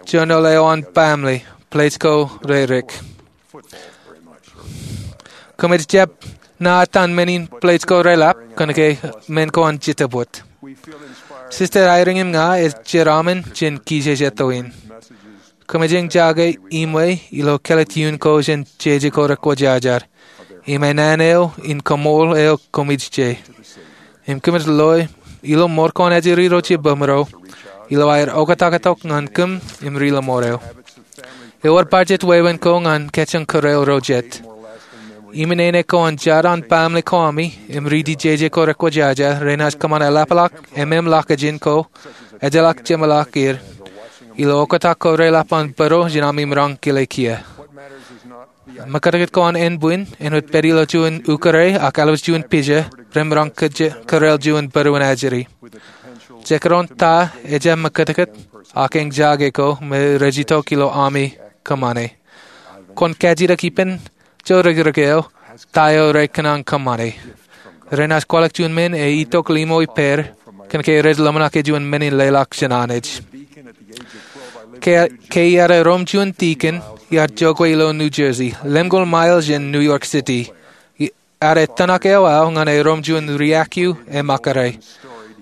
journal eo an baaṃle, plej ko redik. Kōmij jab ṇa etan men in plej ko reḷap kōnke men ko an Jetōb wōt. Sister Eyring im ña ej jeraaṃṃan jān kijeje eo in. Kōmij eñjake iṃwe ilo kāālōt iien ko jān jeje ko rekwōjarjar im ennaan eo in kaṃool eo kōmij je. Im kōmij loe ilo ṃor ko an ajri ro jibboñro ilo aer oktak tok ñan kōm im ri-lọmọọr eo. Ewōr bar jet wāween ko ñan kōjjeḷọk kōrā ro jet. Im āne ko an jar an baaṃle ko ami im riiti jeje ko rekwōjarjar renaaj kōṃṃan eḷapḷọk ememḷọkjeṇ ko ejjeḷọk jeṃḷọk er ilo oktak ko reḷap an būruon jān ami maroñ kile kiiō. Mōkātkāt ko an ānbwin āinwōt pād ilo juon ukōrā ak alwōj juon pija remaroñ kōjeraoḷ juon būruon ajri. Jekdọọn ta ejjab mōkātkāt ak eñjake ko me rej itok ilo ami kōṃṃane. Kwōn kajjitōk ippān joorōkrōk eo ta eo rekōṇaan kōṃṃane. Renaaj kwaḷọk juon men ej itok ḷimo ippāer kōn ke rej ḷōmṇak juon men in leḷọk jān Anij. Ke, ke iar erom juon dikon, iar jokwe ilo New Jersey, lemñoul mile jān New York City. Ear etōṇak eo aō ñan erom juon riakiu emakare.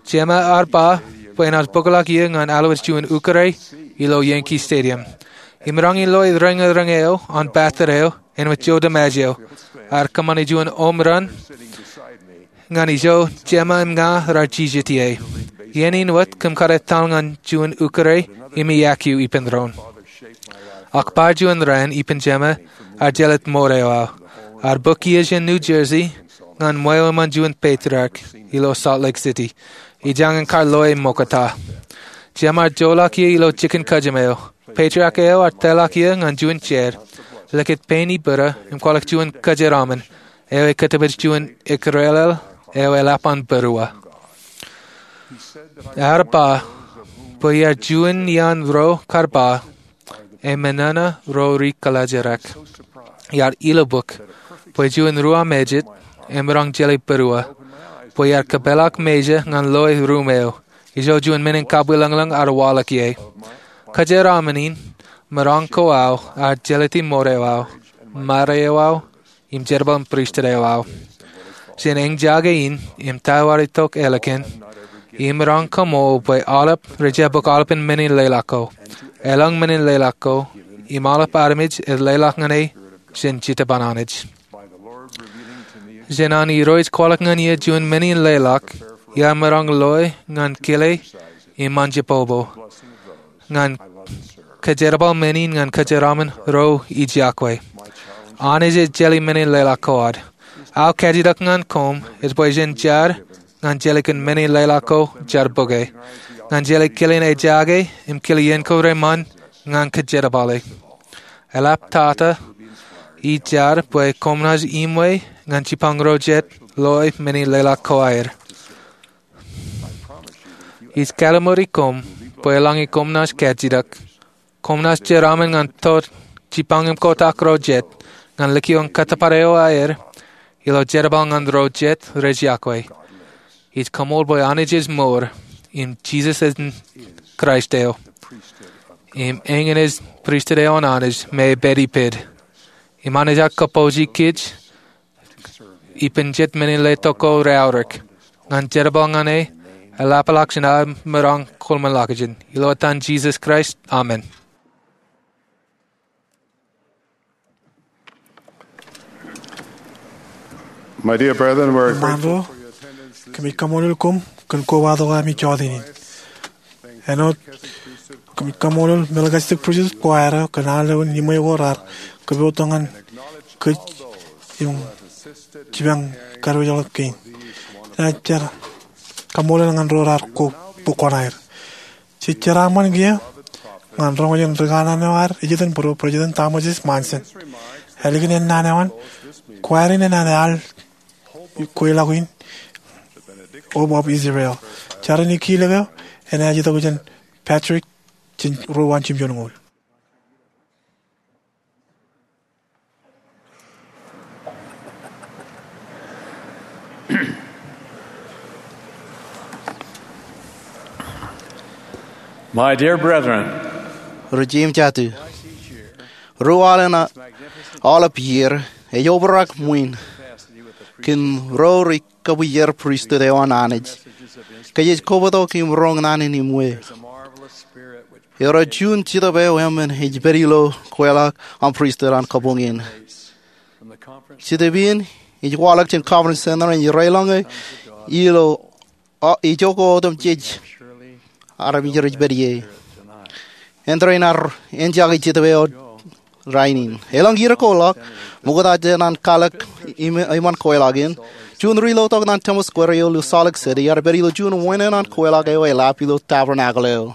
Jema ear ba bwe enaaj bōkḷọk ie ñan alwōj juon ukōrā ilo Yankee Stadium. Im maroñ in loe reñereñ eo an batter eo āinwōt Joe DiMaggio. Ear kōṃṃane juon home run ñan ijo Jema im ña rar jijet ie. Iien in wōt kōm kar etal ñan juon ukōrā im iakiu ippān doon. Ak bar juon raan ippān Jema ear jelōt ṃoot eo aō. Ear bōk ie jān New Jersey ñan ṃweo iṃaan juon patriarch ilo Salt Lake City. Ijañin kar loe ṃokta. Jema ear joḷọk ie ilo jikin kajjim eo. Patriarch eo ear tōlḷọk ie ñan juon jeid, likūt pein ibūrō im kwaḷọk juon kōjeraaṃṃan eo ekōtōpōj juon ekdọọlel eo eḷap an būruō. Ear ba bwe iar juon iaan ro kar ba, eṃōṇōṇō ro ri kōḷaajrak. Iar ilubuk bwe juon ruo mejād emaroñ jelōt būruō, bwe iar kōpeḷḷọk mejā ñan loe ruum eo. Ijo juon men in kabwilōñlōñ ear waḷọk ie. Kōjeraaṃṃan in maroñ ko aō ear jelōti ṃoot eo aō, ṃare eo aō, im jerbal in pristut eo aō. Jān eñjake in im ta eo ear itok ālikin, imaroñ kōṃṃool bwe aolep rej jab bōk aolepen men in leḷọk ko. Elōñ men in leḷọk ko, im aolep armej ej leḷọk ñan e jān Jetōb an Anij. Jān an Irooj kwaḷọk ñan ie juon men in leḷọk, iar maroñ loe ñan kile im anjepọpọ ñan kōjerbal men in ñan kōjeraaṃṃan ro ijjab kwe. Anij ej jelōt men in leḷọk ko ad. Aō kajjitōk ñan koṃ ej bwe jen jar ñan jelōt kōn men in leḷọk ko jar bōke, ñan jelōt kilen ejake im kile iien ko reṃṃan ñan kōjerbale. Eḷap tata ij jar bwe koṃ naaj iṃwe ñan jipañ ro jet loe men in leḷọk ko aer. Ij kalimjek koṃ bwe eḷaññe koṃ naaj kajjitōk, koṃ naaj jeraaṃṃan ñan jipañ im kotak ro jet ñan likioñ kōttōpar eo aer ilo jerbal ñan ro jet rej iakwe. Ij koṃṃool bwe Anij ej ṃool, im Jisōs ej Kraist eo, im eñin ej pristut eo an Anij me ej pād ippād. Im Anij ear kōpooje kōj ippān jet men in letok ko reaorōk ñan jerbal ñan e eḷapḷọk jān aō maroñ kōḷmānḷọkjeṇ. Ilo etan Jisōs Kraist, amen. My dear brethren, we're grateful for your attendance this evening. Kōmij kaṃṃoolol koṃ kōn kobatok ami jọteen in. Āinwōt kōmij kaṃṃoolol Melchizedek Priesthood Choir eo kōn aolepen iṃwe ko raar kōpooj ñan kōj im jipañ kōjparok kein. Inaaj jar kaṃṃoolol ñan ro raar bōk kuṇaer. Jej jeraaṃṃan kiiō ñan roñjake ri kanaan eo ad ejitōnbōro, President Thomas S. Monson. Ālikin ennaan eo an, choir in enaaj al kweilọk in Hope of Israel. Jar in ikijjeen eo enaaj itok jān Patrick jān ruo an jimjuonñoul. My dear brethren, ri jeiū im jatū, ruo aolep iiō ej obrak ṃwiin kōn ro rej kōpooje pristut eo an Anij. Kōj ej kobatok im roñ naan in iṃwe. Ewōr juon Jetōb eo eṃṃan ej pād ilo kweilọk an pristut an kabuñ in. Jetōb in ej waḷọk jān Conference Center in Rālōñe ilo, a, ijoko otemjej armej rej pād ie. Āindein ar eñjake Jetōb eo rainin. Elōñ iiō ko ḷọk, ṃokta jān an kalōk iṃōn kweilọk in, juon ri lotok ñan Temple Square eo ilo Salt Lake City ear pād ilo juon wāween an kweilọk eo eḷap ilo tabernacle eo.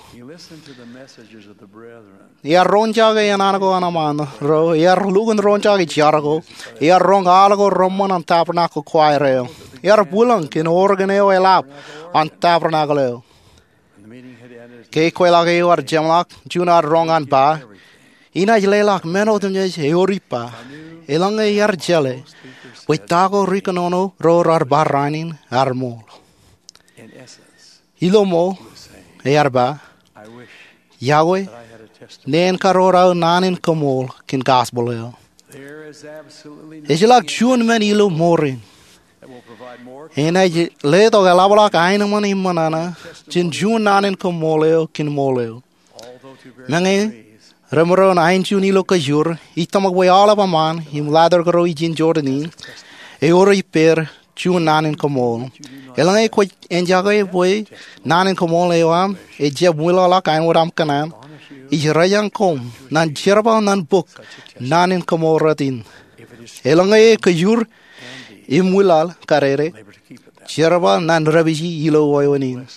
Ear roñjake enana ko an eṃṃan ro, ear lukkuun roñjake jar ko, ear roñ al ko reṃṃan an tabernacle choir eo. Ear bwilōñ kōn organ eo eḷap an tabernacle eo. Ke kweilọk eo ear jeṃḷọk, juon ear roñ an ba, inaaj leḷọk men otemjej ewōr ippa. Eḷaññe ear jeḷā bwe ta ko ri kōnono ro raar ba rainin ear ṃool. Ilo ṃool, ear ba, iọkwe neen kar wōr aō naan in koṃṃool kōn gospel eo. Ejjeḷọk juon men ilo mour in enaaj letok eḷapḷọk aenōṃṃan im ṃōṇōṇō jān juon naan in koṃṃool eo kōn ṃool eo. Meñe remaroñ aenjuon ilo kōjur, ij tōmak bwe aolep eṃṃan im ḷadik ro ijin Jordan in ewōr ippāer juon naan in koṃṃool. Eḷaññe kwōj enjake bwe naan in koṃṃool eo aṃ ejjab ṃwilaḷḷọk āinwōt aṃ kōṇaan, ij rōjañ koṃ ñan jerbal ñan bok naan in koṃṃool rot in. Eḷaññe e kōjur im ṃwilaḷ kadede, jerbal ñan dāpiji ilo wāween in.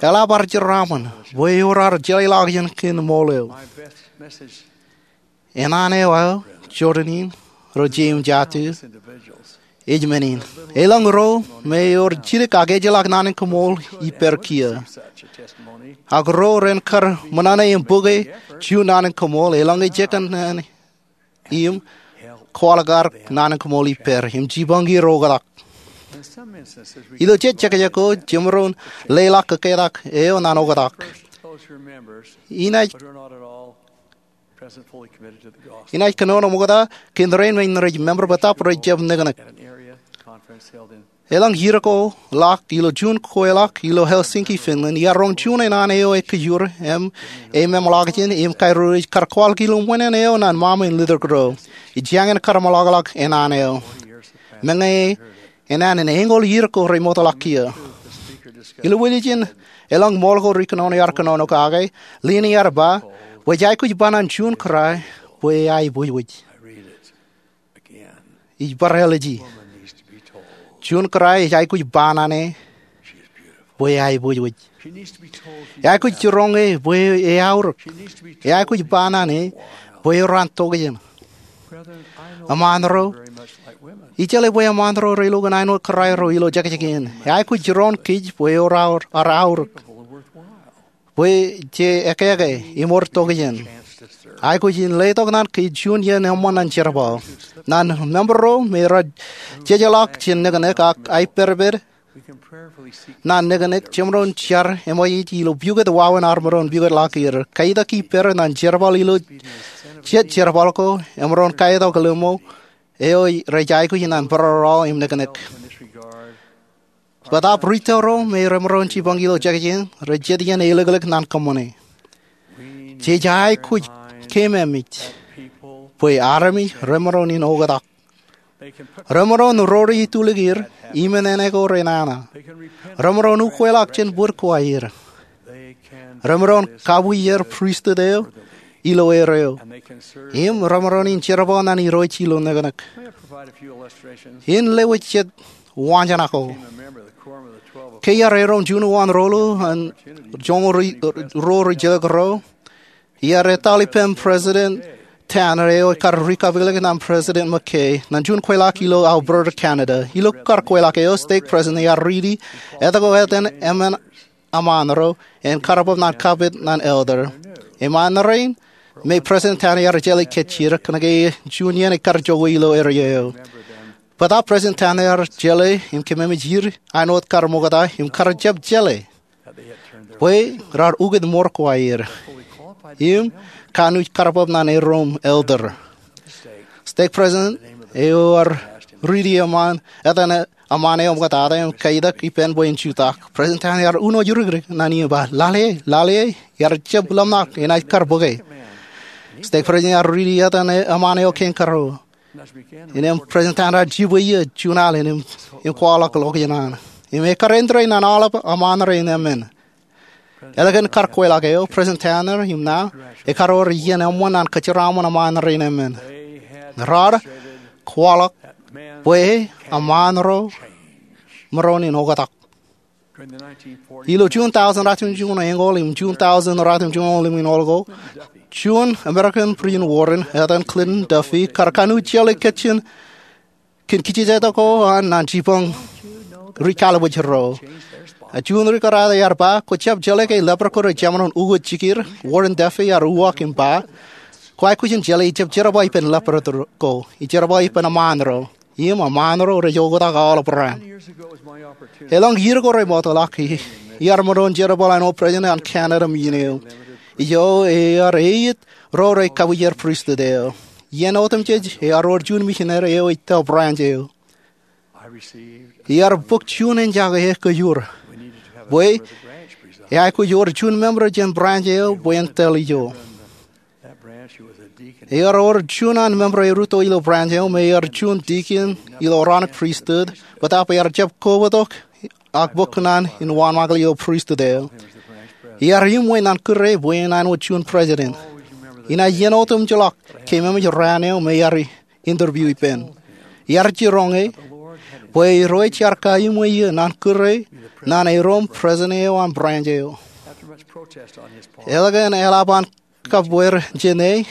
Eḷap ar jeraaṃṃan bwe ewōr ar jeḷāḷọkjeṇ kōn ṃool eo. Enana eo aō, Jordan in, ro jeiū im jatū, ej men in. Elōñ ro me ewōr jidik ak ejjeḷọk naan in koṃṃool ippāer kiiō. Ak ro ren kar ṃōṇōṇō im bōke juon naan in koṃṃool eḷaññe jekōṇaan im kwaḷọk ar naan in koṃṃool ippāer im jipañ er oktak. Ilo jet jekjek ko jemaroñ leḷọk kōketak eo ñan oktak. Inaaj kōnono ṃokta kōn rein men rej member bōtaab rej jab neknek. Elōñ iiō ko ḷọk ilo juon kweilọk ilo Helsinki, Finland, iar roñ juon enaan eo ekōjur im emeṃḷọkjeṇ im kairuwij kar kwaḷọk ilo ṃweo eo ñan ṃaṃa in letok ro. Ij jañin kar ṃōḷaḷḷọk enaan eo. Meñe enana in eñoul iiō ko remootḷọk kiiō. Ilo wiljin elōñ ṃool ko ri kōnono ear kōnono kake, lien ear ba bwe ej aikuj ba ñan juon kōrā bwe eaibwijwij. Ij bar āliji. Juon kōrā ej aikuj ba ñan e bwe eaibwijwij. Eaikuj jiroñ e bwe eaorōk. Eaikuj ba ñan e bwe ewōr an tokjān. Eṃṃaan ro, ij jeḷā bwe eṃṃaan ro relukkuun āinwōt kōrā ro ilo jekjek in. Eaikuj jiroñ kōj bwe ewōr ar aorōk, bwe je ekeke im ewōr tokjān. Aikuj in letok ñan kōj juon iien eṃṃan ñan jerbal. Ñan member ro me rej jejeḷọk jān neknek ak aiperper ñan neknek, jemaroñ jar eṃōj ilo pukot wāween armej ren pukotḷọk er. Kaitak ippāer ñan jerbal ilo jet jerbal ko, emaroñ kaitok lemñoul eo rej aikuj ñan barāinwōt im neknek. Bōtaab rūtto ro me remaroñ jipañ ilo jekjek in rej jet iien elōklōk ñan kōṃṃane. Jej aikuj keememej bwe armej remaroñ in oktak. Remaroñ rore itulik er im enana ko renana. Remaroñ ukweḷọk jān bōd ko aer. Remaroñ kabwijer pristut eo ilo erreo. Im remaroñ in jerbal ñan Irooj ilo neknek. In lewōj jet wañjā ko. Ke iar erom juon wōn ruo eo an joñoul ruo ri jilkinro, iar ettoḷ ippān President Tanner eo ekar rikapiklik ñan President McKay ñan juon kweilọk ilo Alberta, Canada. Ilo kar kweilọk eo, stake president ear riiti etke etan emān eṃṃaan ro en kar bōk ñan kapit ñan elder. Eṃṃaan rein me President Tanner ear jeḷā kōjjien kōnke juon iien ekar jokwe ilo erreo eo. Bōtaab President Tanner ear jeḷā im keememej er āinwōt kar ṃokta im kar jab jeḷā bwe raar ukōt mour ko aer im kanooj kar bōk ñan erom elder. Stake president eo ear riiti etan eṃṃaan eo ṃoktata im kaitak ippān bwe en jutak. President Tanner ear uno jurikrik ñan e im ba, "Lale, lale, iar jab ḷōmṇak, enaaj kar bōke." Stake president ear riiti etan eṃṃaan eo kein karuo. Innām President Tanner ear jibwe eō juon al im kwaḷọk ḷọkjeṇ an. Im ekar āindein ñan aolep eṃṃaan rein emān. Ālikin kar kweilọk eo, President Tanner im ṇa ekar wōr iien eṃṃan an kōjeraaṃṃan aṃaan rein emān. Raar kwaḷọk bwe aṃaan ro maroñ in oktak. Ilo June thousand ratimjuon eñoul im June thousand ratimjuon limjuon ko, juon American President Warren, etan Clinton Duffy, kar kanooj jeḷā kōn kijjien ko an naan jibboñ ri-kallib ro. Ak juon ri-kōrā ear ba, kwō jab jeḷā ke leper ko rej jemaroñ ukōt jikier? Warren Duffy ear uwaak im ba, kwōj aikuj in jeḷā ijab jerbal ippān leper ko, ij jerbal ippān aṃaan ro. Im aṃaan ro rej oktak aolep raan. Elōñ iiō ko remootḷọk, iar maroñ jerbal āinwōt president an Canada Mission eo. Ijo ear eiiet ro rej kabwijer pristut eo. Iien otemjej ear wōr juon misineri eo ej tōl branch eo. Iar bōk juon enjake kōjro bwe eaikuj wōr juon member jān branch eo bwe en tōl ijo. Ear wōr juon an member erūtto ilo branch eo me ear juon deacon ilo Aaronic Priesthood, bōtaab ear jab kobatok ak bōk kōṇaan in wānmake ilo pristut eo. Iar im ñan kūr e bwe en āinwōt juon president. Inaaj iien otemjeḷọk keememej raan eo me ear interview ippān. Iar jiroñ e bwe Irooj ear kaimeḷeḷe ñan kūr e ñan erom president eo an branch eo. Ālikin eḷap an kabweer jān e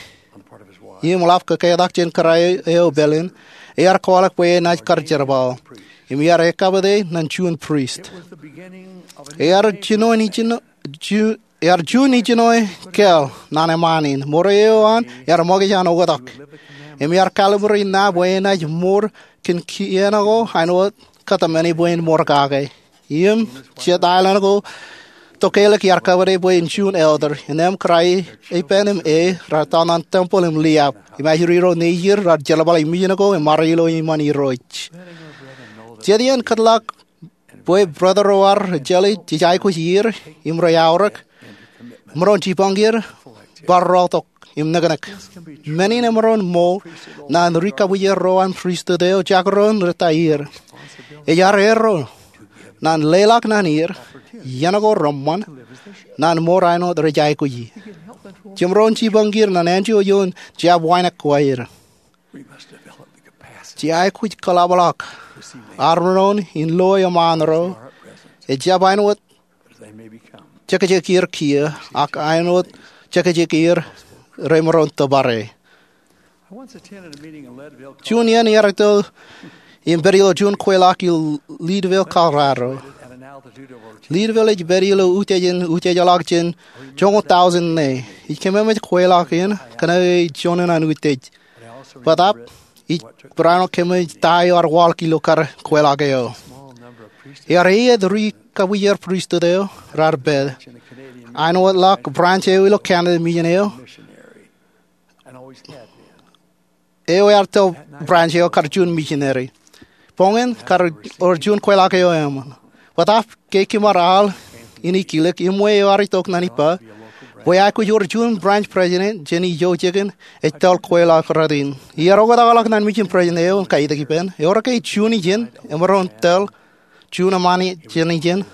im ḷap kōketak jān kōrā eo pāleen, ear kwaḷọk bwe enaaj kar jerbal im iar ekkapit e ñan juon priest. Ear juon ijin, ear juon ijin eo kāāl ñan eṃṃaan in. Mour eo an ear ṃōkaj an oktak im ear kalibrate ñan e bwe enaaj mour kōn kien ko āinwōt kōtmāne bwe en mour kake. Im jet aelōñ ko Tokālik ear kōpare bwe en juon elder. Innām kōrā eo ippān im e raar tōn ñan tempeḷ im liab im ajri ro nejier raar jerbal ilo mission ko im bar ilo iṃaan Irooj. Jet iien kōtḷọk bwe brother ro ar jeḷā jej aikuj iiō im rej aorōk, maroñ jibboñier bar rọọltok im neknek. Men in emaroñ ṃool ñan ri-kabwijer ro an pristut eo jekdọọn rej ta er. Ej erro ñan leḷọk ñan er iien ko reṃṃan ñan mour āinwōt rej aikuji. Jemaroñ jibboñier ñan anjọ ioon jab wānōk ko aer. Jej aikuj kōḷapḷọk armej in loe eṃṃaan ro, ejjab āinwōt jekjekier kiiō, ak āinwōt jekjekier remaroñ tōpare. Juon iien iar itok im pād ilo juon kweilọk ilo Leadville, Colorado. Leadville ej pād ilo utiej in utiejḷọk jān joñoul tọujin ṇe. Ij kememej kweilọk in kōnke ej juon an utiej. Bōtaab ij barāinwōt kememej ta eo ear waḷọk ilo kar kweilọk eo. Ear eiiet ri-kabwijer pristut eo raar pād. Āinwōtḷọk branch eo ilo Canada Mission eo eo ear tōl branch eo kar juon misineri. Boñin kar wōr juon kweilọk eo eṃṃan. Bōtaab ke kimaroñ al in ikilōk, iṃwe eo ear itok ñan ippa bwe aikuj wōr juon branch president jān ijo jikin ej tōl kweilọk rot in. Iar oktakḷọk ñan mission president eo im kaitik ippān, ewōr ke juon ijin emaroñ tōl juon eṃṃaan jān ijin?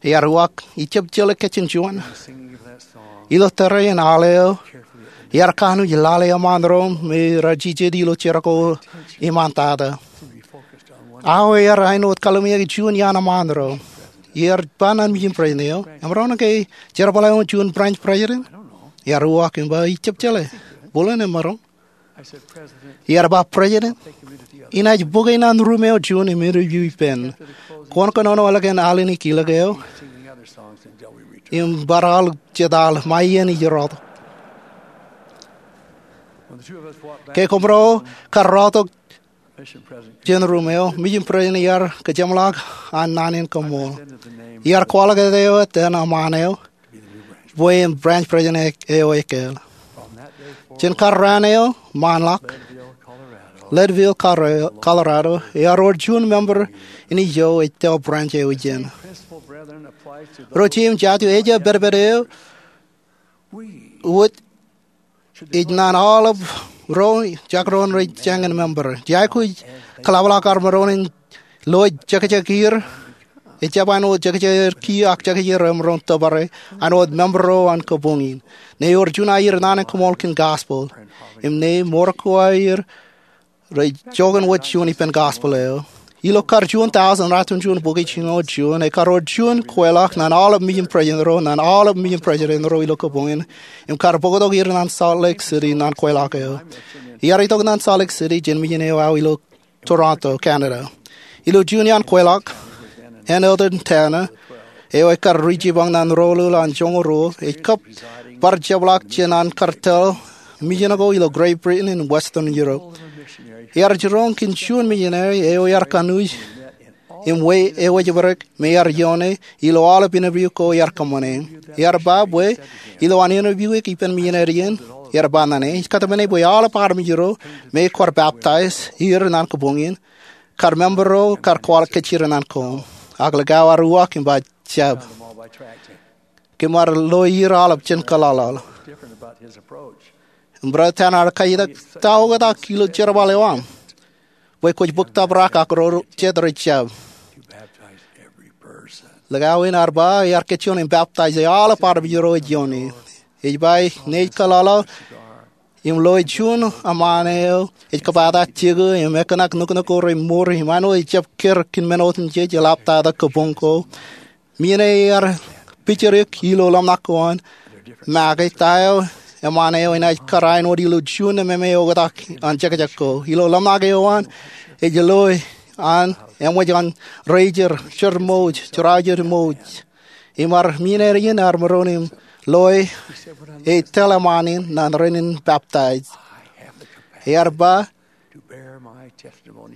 Ear uwaak, ij jab jeḷā kajjien juon. Ilo tōre in al eo, ear kanooj lale eṃṃaan ro me raar jijet ilo jar ko iṃaantata. Aō ear āinwōt kallimjeke juon iaan eṃṃaan ro. Iar ba ñan mission president eo, emaroñ ke jerbal eo juon branch president? Ear uwaak im ba, ij jab jeḷā. Bōlen emaroñ. Iar ba, President, inaaj bōk e ñan ruum eo juon im interview ippān. Kwōn kōnono ālikin al in ikilōk eo im bar al jet al ṃae iien ij rọọltok. Ke kōmro kar rọọltok jān ruum eo, mission president ear kōjeṃḷọk an naan in koṃṃool. Ear kwaḷọk eo etan eṃṃaan eo bwe en branch president eo ekāāl. Jān kar raan eo ṃaanḷọk, Leadville, Colorado ear wōr juon member in ijo ej tōl branch eo ijin. Ro jeiū im jatū, ejjab pedped eo wōt ej ñan aolep ro jekdọọn rej jañin member. Jej aikuj kōḷapḷọk armej in loe jekjekier Ejjab āinwōt jekjek er kiiō ak jekjek er emaroñ tōpare, āinwōt member ro an kabuñ in. Ṇe ewōr juon aier naan in koṃṃool kōn gospel im ṇe mour ko aer rej joñan wōt juon ippān gospel eo. Ilo kar juon tọujin ratimjuon bukwi jiljino juon, ekar wōr juon kweilọk ñan aolep mijin president ro, ñan aolep mijin president ro ilo kabuñ in, im kar bōktok er ñan Salt Lake City ñan kweilọk eo. Iar itok ñan Salt Lake City jān mijin eo aō ilo Toronto, Canada. Ilo juon iaan kweilọk, en Eldon Tanner, eo ekar ri jipañ ñan roḷoḷ an joñoul ruo, ej kab bar jepḷaak jān an kartōl mijin ko ilo Great Britain im Western Europe. Iar jiroñ kōn juon misineri eo iar kanooj im wōj ewōj bōrōk me iar ioone ilo aolep interview ko iar kōṃṃane. Iar ba bwe ilowaan interview eo ippān misineri in, iar ba ñan e, ij kōtmāne bwe aolep armej ro me kwōj baptize er ñan kabuñ in, kar member ro kar kwaḷọk kōjro ñan koṃ. Ak likao ear uwaak im ba, jab. Kōm ar loe er aolep jān kōḷaḷ. Im Brother Tanner ear kajetak, ta oktak ilo jerbal eo aṃ bwe kwōj bōk tōprak ak ro jet rej jab? Likao in ear ba iar kōjjeḷọk im baptize aolep armej ro ej ioone. Ej ba ṇe ej kōḷaḷ im loe juon eṃṃaan eo ej kōpata jekō im ekōṇak nuknuk ko remour im āinwōt ejjab kōr kōn men otemjej, eḷaptata kabuñ ko. Misineri ear pijeriik ilo ḷōmṇak ko an make ta eo eṃṃaan eo enaaj kar āinwōt ilo juon ememe oktak an jekjek ko. Ilo ḷōmṇak eo an ej loe an eṃōj an razor, jōrmouj, jerajer mouj. Im ar misineri in ear maroñ im loe e tōl eṃṃaan in ñan rainin baptize. Ear ba,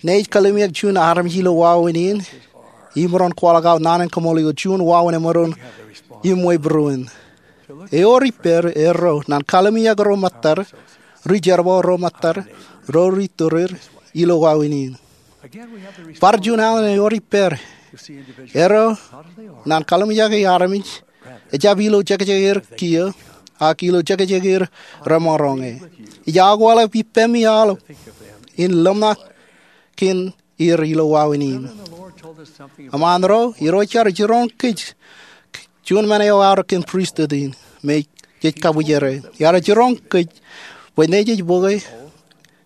ṇe ij kallimjek juon armej ilo wāween in imaroñ kwaḷọk aō naan in kaṃṃool ilo juon wāween emaroñ iṃwe būruon. Ewōr ippāer erro ñan kallimjek ro ṃōttad, ri jerbal ro ṃōttad, ro ri turir ilo wāween in. Bar juon alen ewōr ippāer erro ñan kallimjek armej, ejjab ilo jekjek er kiiō, ak ilo jekjek er remaroñ e. Ij akwāḷọk ippemi aolep in ḷōmṇak kōn er ilo wāween in. Eṃṃaan ro, Irooj ear jiroñ kōj juon men eo aorōk kōn pristut in me jej kabwijere. Ear jiroñ kōj bwe ṇe jej bōke,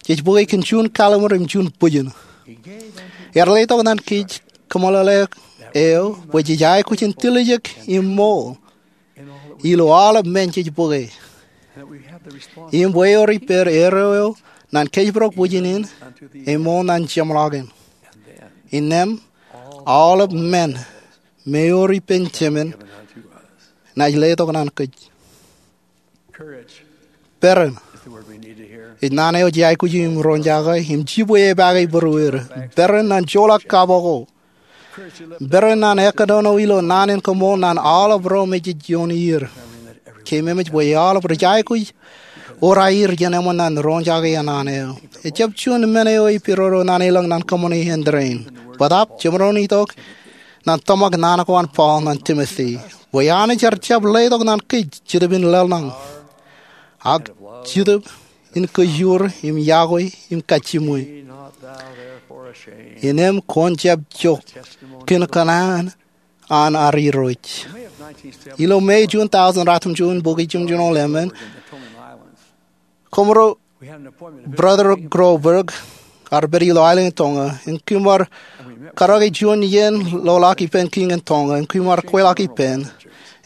jej bōke kōn juon kallimur im juon bwijin. Ear letok ñan kōj kōmeḷeḷe eo bwe jej aikuj in tiljek im ṃool ilo aolep men jej bōke. Im bwe ewōr ippāer erro eo ñan kōjparok bwijin in, im ṃool ñan jeṃḷọkin. Innām aolep men me ewōr ippān Jemān enaaj letok ñan kōj. Peran ej naan eo jej aikuj im roñjake im jibwe epaake būrueir. Peran ñan joḷọk kaboko. Peran ñan ekōnono ilo naan in koṃṃool ñan aolep ro me jej ioon er. Keememej bwe aolep rej aikuj ewōr aier jān eṃṃan ñan roñjake naan eo. Ejjab juon men eo ej pidodo ñan elōñ ñan kōṃṃane āindein. Bōtaab jemaroñ itok ñan tōmak naan ko an Paul ñan Timote, bwe Anij ear jab letok ñan kōj Jetōb in lōḷñọñ, ak Jetōb in kōjur im yokwe im kajjimwe. Innām kwōn jab jok kōn kōṇaan an ad Irooj. Ilo May juon tọujin ratimjuon bukwi jimjuon ḷemān, koṃro Brother Groberg ear pād ilo aelōñ in Tonga, im kōm ar karōke juon iien ḷoḷọk ippān kiiñ in Tonga, im kōm ar kweilọk ippān,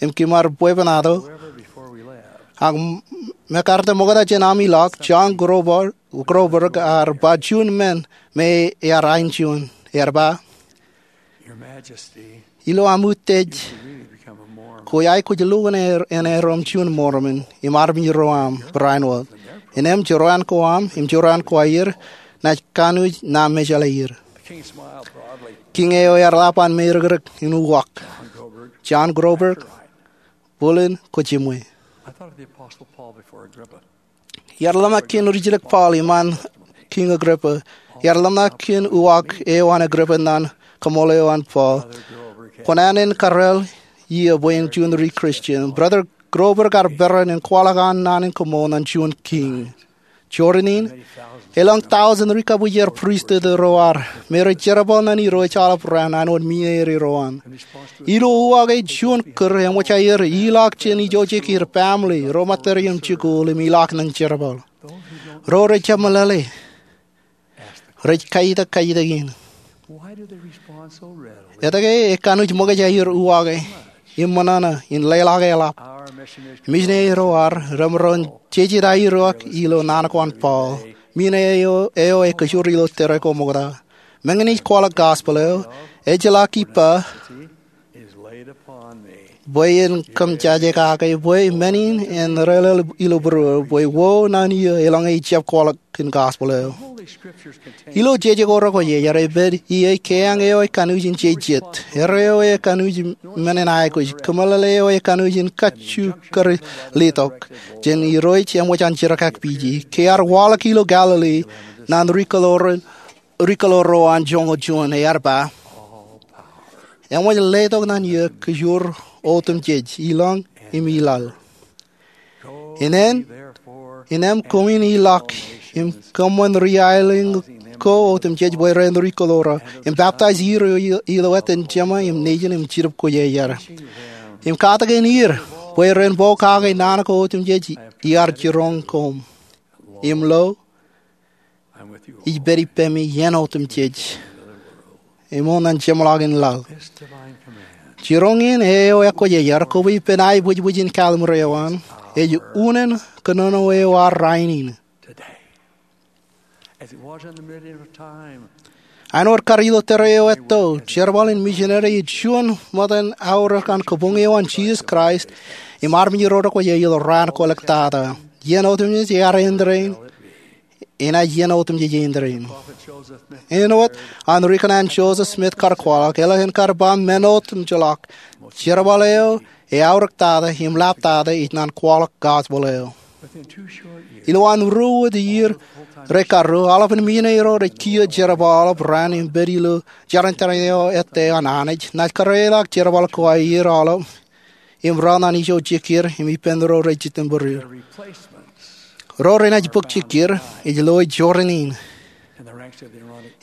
im kōm ar bwebwenato. Ak m-, mekarta ṃokta jān ami ḷọk, John Groberg, Groberg ear ba juon men me ear ain juon. Ear ba, Your Majesty, ilo aṃ utiej, kwōj aikuj lukkuun er-, enaaj rom juon Mormon im armej ro aṃ barāinwōt. Innām jeraan ko aṃ im jeraan ko aer naaj kanooj ṇa mejeḷā er. Kiiñ eo ear ḷap an meirōkrōk im uwaak, John Groberg, bōlen kōjjimwe. Iar ḷōmṇak kōn rijjilōk Paul iṃaan Kiiñ Agrippa. Iar ḷōmṇak kōn uwaak eo an Agrippa ñan koṃṃool eo an Paul. Kwōnaaj kōrā iiō bwe en juon ri-Christian. Brother Groberg ear peran in kwaḷọk an naan in koṃṃool ñan juon kiiñ. Jorrāān in, elōñ tọujin rikabujer pristut ro ad me rej jerbal ñan Irooj aolep ran āinwōt men eo ro an. Ilo uwaak eo juon kūr eṃōj aer ilọk jān ijo jekir, family, ro material im jikuuḷ, im ilọk ñan jerbal. Ro rej jab meḷeḷe rej kaitōk kaitōk in, etke ekanooj ṃōkaj aer uwaak im ṃōṇōṇō in leḷọk eḷap? Misineri ro ad remaroñ jejjet aerōk ilo naan ko an Paul, men eo eo ekajoor ilo tōre ko ṃokta. Meñe ij kwaḷọk gospel eo, ejjeḷọk ippa bwe en kōmjāje kake bwe men in en rōḷḷap ilo būruō bwe wō naan iiō eḷaññe ij jab kwaḷọk kōn gospel eo. Ilo jeje ko rekwōjarjar ej pād ie keañ eo ekanooj in jejjet, erreo eo ekanooj in men in aikuj, kōmeḷeḷe eo ekanooj in kajju kar letok jān Irooj eṃōj an jerkakpeje. Ke ear waḷọk ilo Galili ñan ri kōḷoor ro an joñoul juon, ear ba, eṃōj letok ñan eō kōjwōr otemjej, ilọñ im ilaḷ. Innām koṃwin ilọk im kōṃṃan ri aelōñ ko otemjej bwe ren ri kōḷoorō, im peptaij er ilo etan Jema im Nejin im Jetōb Kwōjarjar, im katakin er bwe ren pokake naan ko otemjej iar jiroñ koṃ. Im lo, ij pād ippemi iien otemjej, ṃool ñan jeṃḷọkin laḷ. Jiroñ in eo ekwōjarjar koba ippān aebwijbwij in kalimur eo an ej unin kōnono eo ad rainin. Āinwōt kar ilo tōre eo etto, jerbal in misineri ej juon ṃōttan aorōk an kabuñ eo an Jisōs Kraist im armej ro rekwōjarjar ilo raan ko ḷọk tata. Iien otemjej ear end rainin, enaaj iien otemjej end rainin. Āinwōt an ri kōṇaan Joseph Smith kar kwaḷọk, eḷap an kar ba men otemjej ḷọk, jerbal eo ej aorōk tata im ḷap tata ej naan kwaḷọk gospel eo. Ilowaan ruo wōt iiō rej karuo, aolepān misineri ro rej kiiō jerbal aolep raan im pād ilo jerañin tōre eo ettā an Anij. Naaj kariḷọk jerbal ko aer aolep im ro ñan ijo jekir im ippān ro rej jitōnbōd er. Ro renaaj bōk jekir ej loe jorrāān in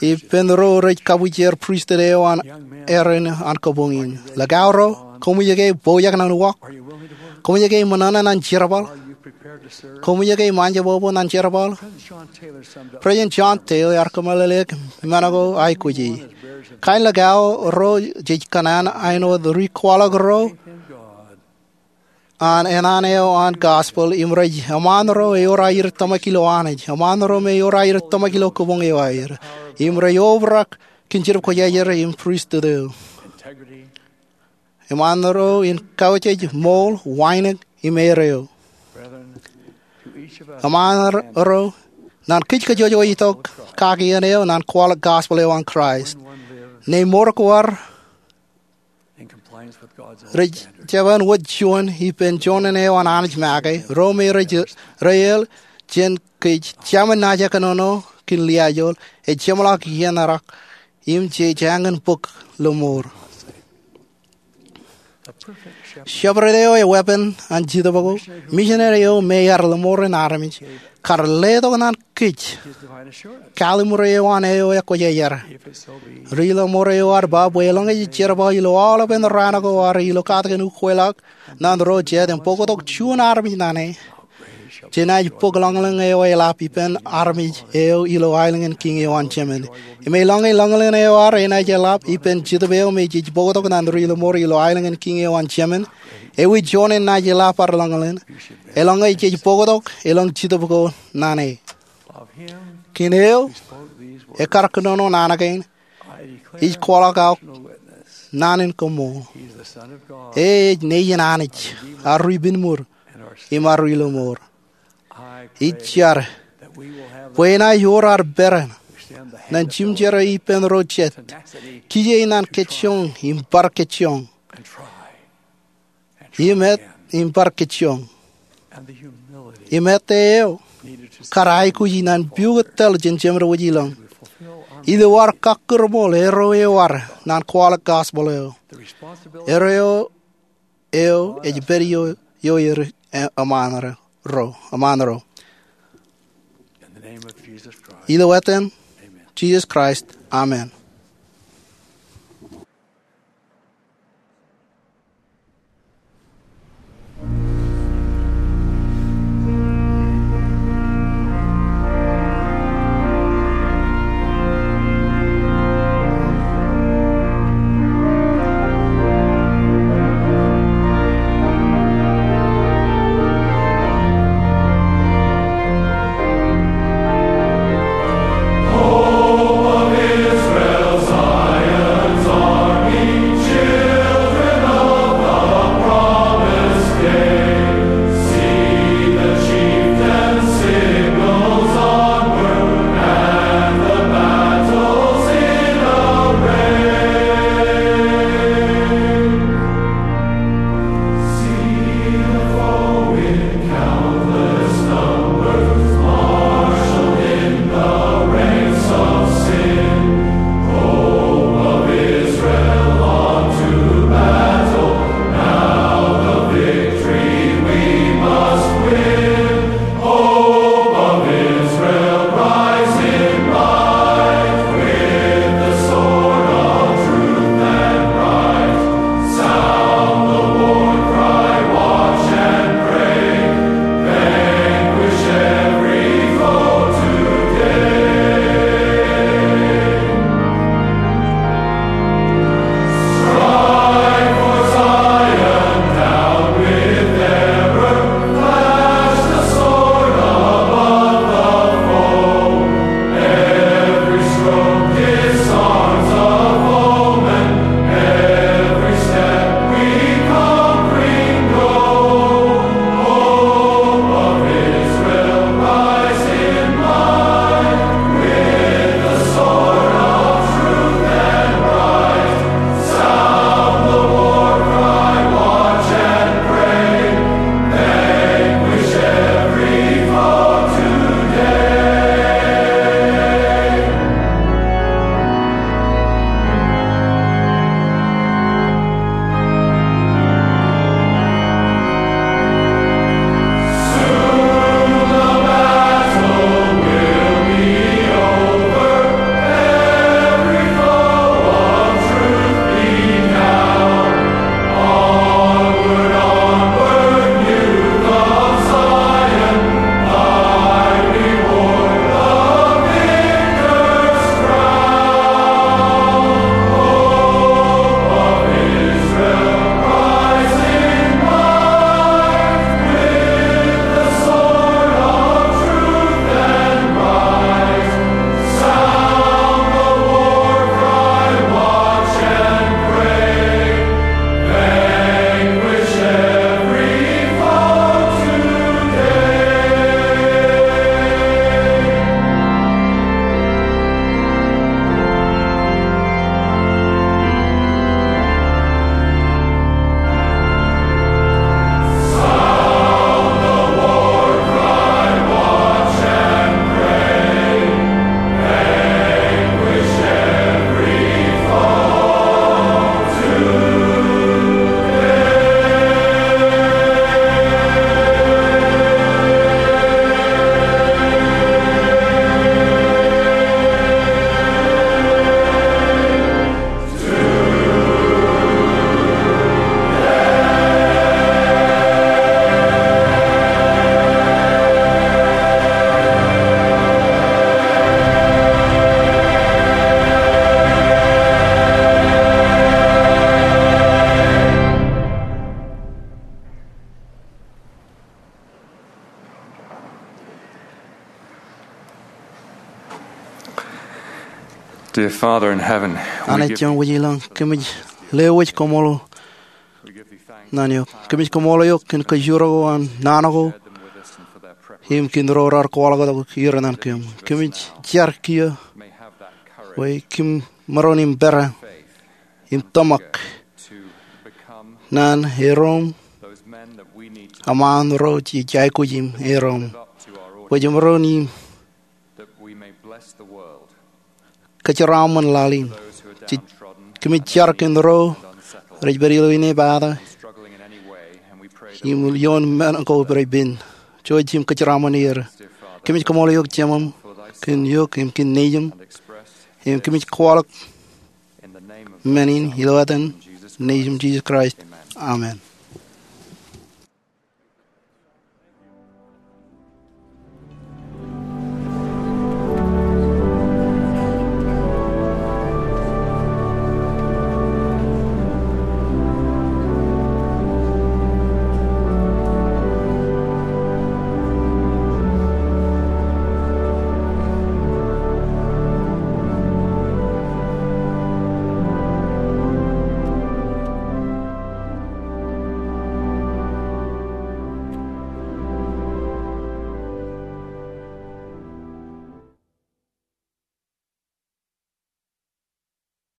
ippān ro rej kabujer pristut eo an Aaron an kabuñ in. Likao ro, koṃij ke bōjrak ñan uwaak? Koṃij ke ṃōṇōṇō ñan jerbal? Koṃij ke ṃaanjebwebwe ñan jerbal? President John Taylor ear kōmeḷeḷeik men ko aikuji. Kain likao ro jej kōṇaan āinwōt ri kwaḷọk ro an eṇ eo an gospel im rej eṃṃaan ro ewōr aer tōmak ilo Anij, eṃṃaan ro me ewōr aer tōmak ilo kabuñ eo aer, im rej obrak kōn Jetōb Kwōjarjar im pristut eo. Eṃṃaan ro in kautiej, ṃool, wānōk im erreo. Eṃṃaan ro ñan kōj kajjojo itok kaki eṇ eo ñan kwaḷọk gospel eo an Kraist. Ñe mour ko ad rej jab wōt juon ippān joñan eo an Anij make, ro me rej reel jān kōj, jemān naaj kōnono kōn liaajol, ej jeṃḷọk iien rak, im jej eñin bōk lọmọọr. Shepherd eo eweeppān an Jetōb ko, misineri eo me ear lọmọọren armej, kar letok ñan kōj kalimur eo an eo ekwōjarjar. Ri lọmọọr eo ad ba bwe eḷaññe jej jerbal ilo aolepān raan ko ad ilo katakin ukweḷọk ñan ro jet im bōktok juon armej ñan e, jenaaj bōk ḷañlōñ eo eḷap ippān armej eo ilo aelōñ in kiiñ eo an Jemān. Im eḷaññe ḷañlōñ eo ad enaaj eḷap ippān Jetōb eo me jej bōktok ñan ri lọmọọr ilo aelōñ in kiiñ eo an Jemān, ewi joñan naaj eḷap ad ḷañlōñ? Eḷaññe jej bōktok eḷaññe Jetōb ko ñan e. Kōn eo ekar kōnono naan kein, ij kwaḷọk aō naan in koṃṃool. E ej Nejin Anij, ad ri pinmuur, im ad ri lọmọọr. Ij jar bwe enaaj wōr ad peran ñan jimjerā ippān ro jet, kije ñan kōjjoñ im bar kōjjoñ, im et im bar kōjjoñ, im ettā eo kar aikuji ñan pukot tōl jān jemān wōj ilọñ, ilo ad kakkūrmool erreo eo ad ñan kwaḷọk gospel eo. Erreo eo ej pād ioer eṃṃaan ro. Ilo etan Jisōs Kraist, amen. Dear Father in heaven, we Anij give Jemām wōj ilōñ, kōmij lewōj koṃṃool naan eok. Kōmij koṃṃool eok kōn kōjro ko an naan ko im kōn ro raar kwaḷọk tok ier naan kōm. Kōmij jar kiiō bwe kōm maroñ in pād im tōmak naan erom, eṃṃan ro jej aikuj im erom, bwe jemaroñ in kōjeraaṃṃan laḷ in. Kōmij jar kōn ro rej pād ilo inepata im ioon men ko rej pen, jouj im kōjeraaṃṃan er. Kōmij koṃṃool eok Jemām kōn eok im kōn nejiṃ, im kōmij kwaḷọk men in ilo etan Nejiṃ Jisōs Kraist, amen.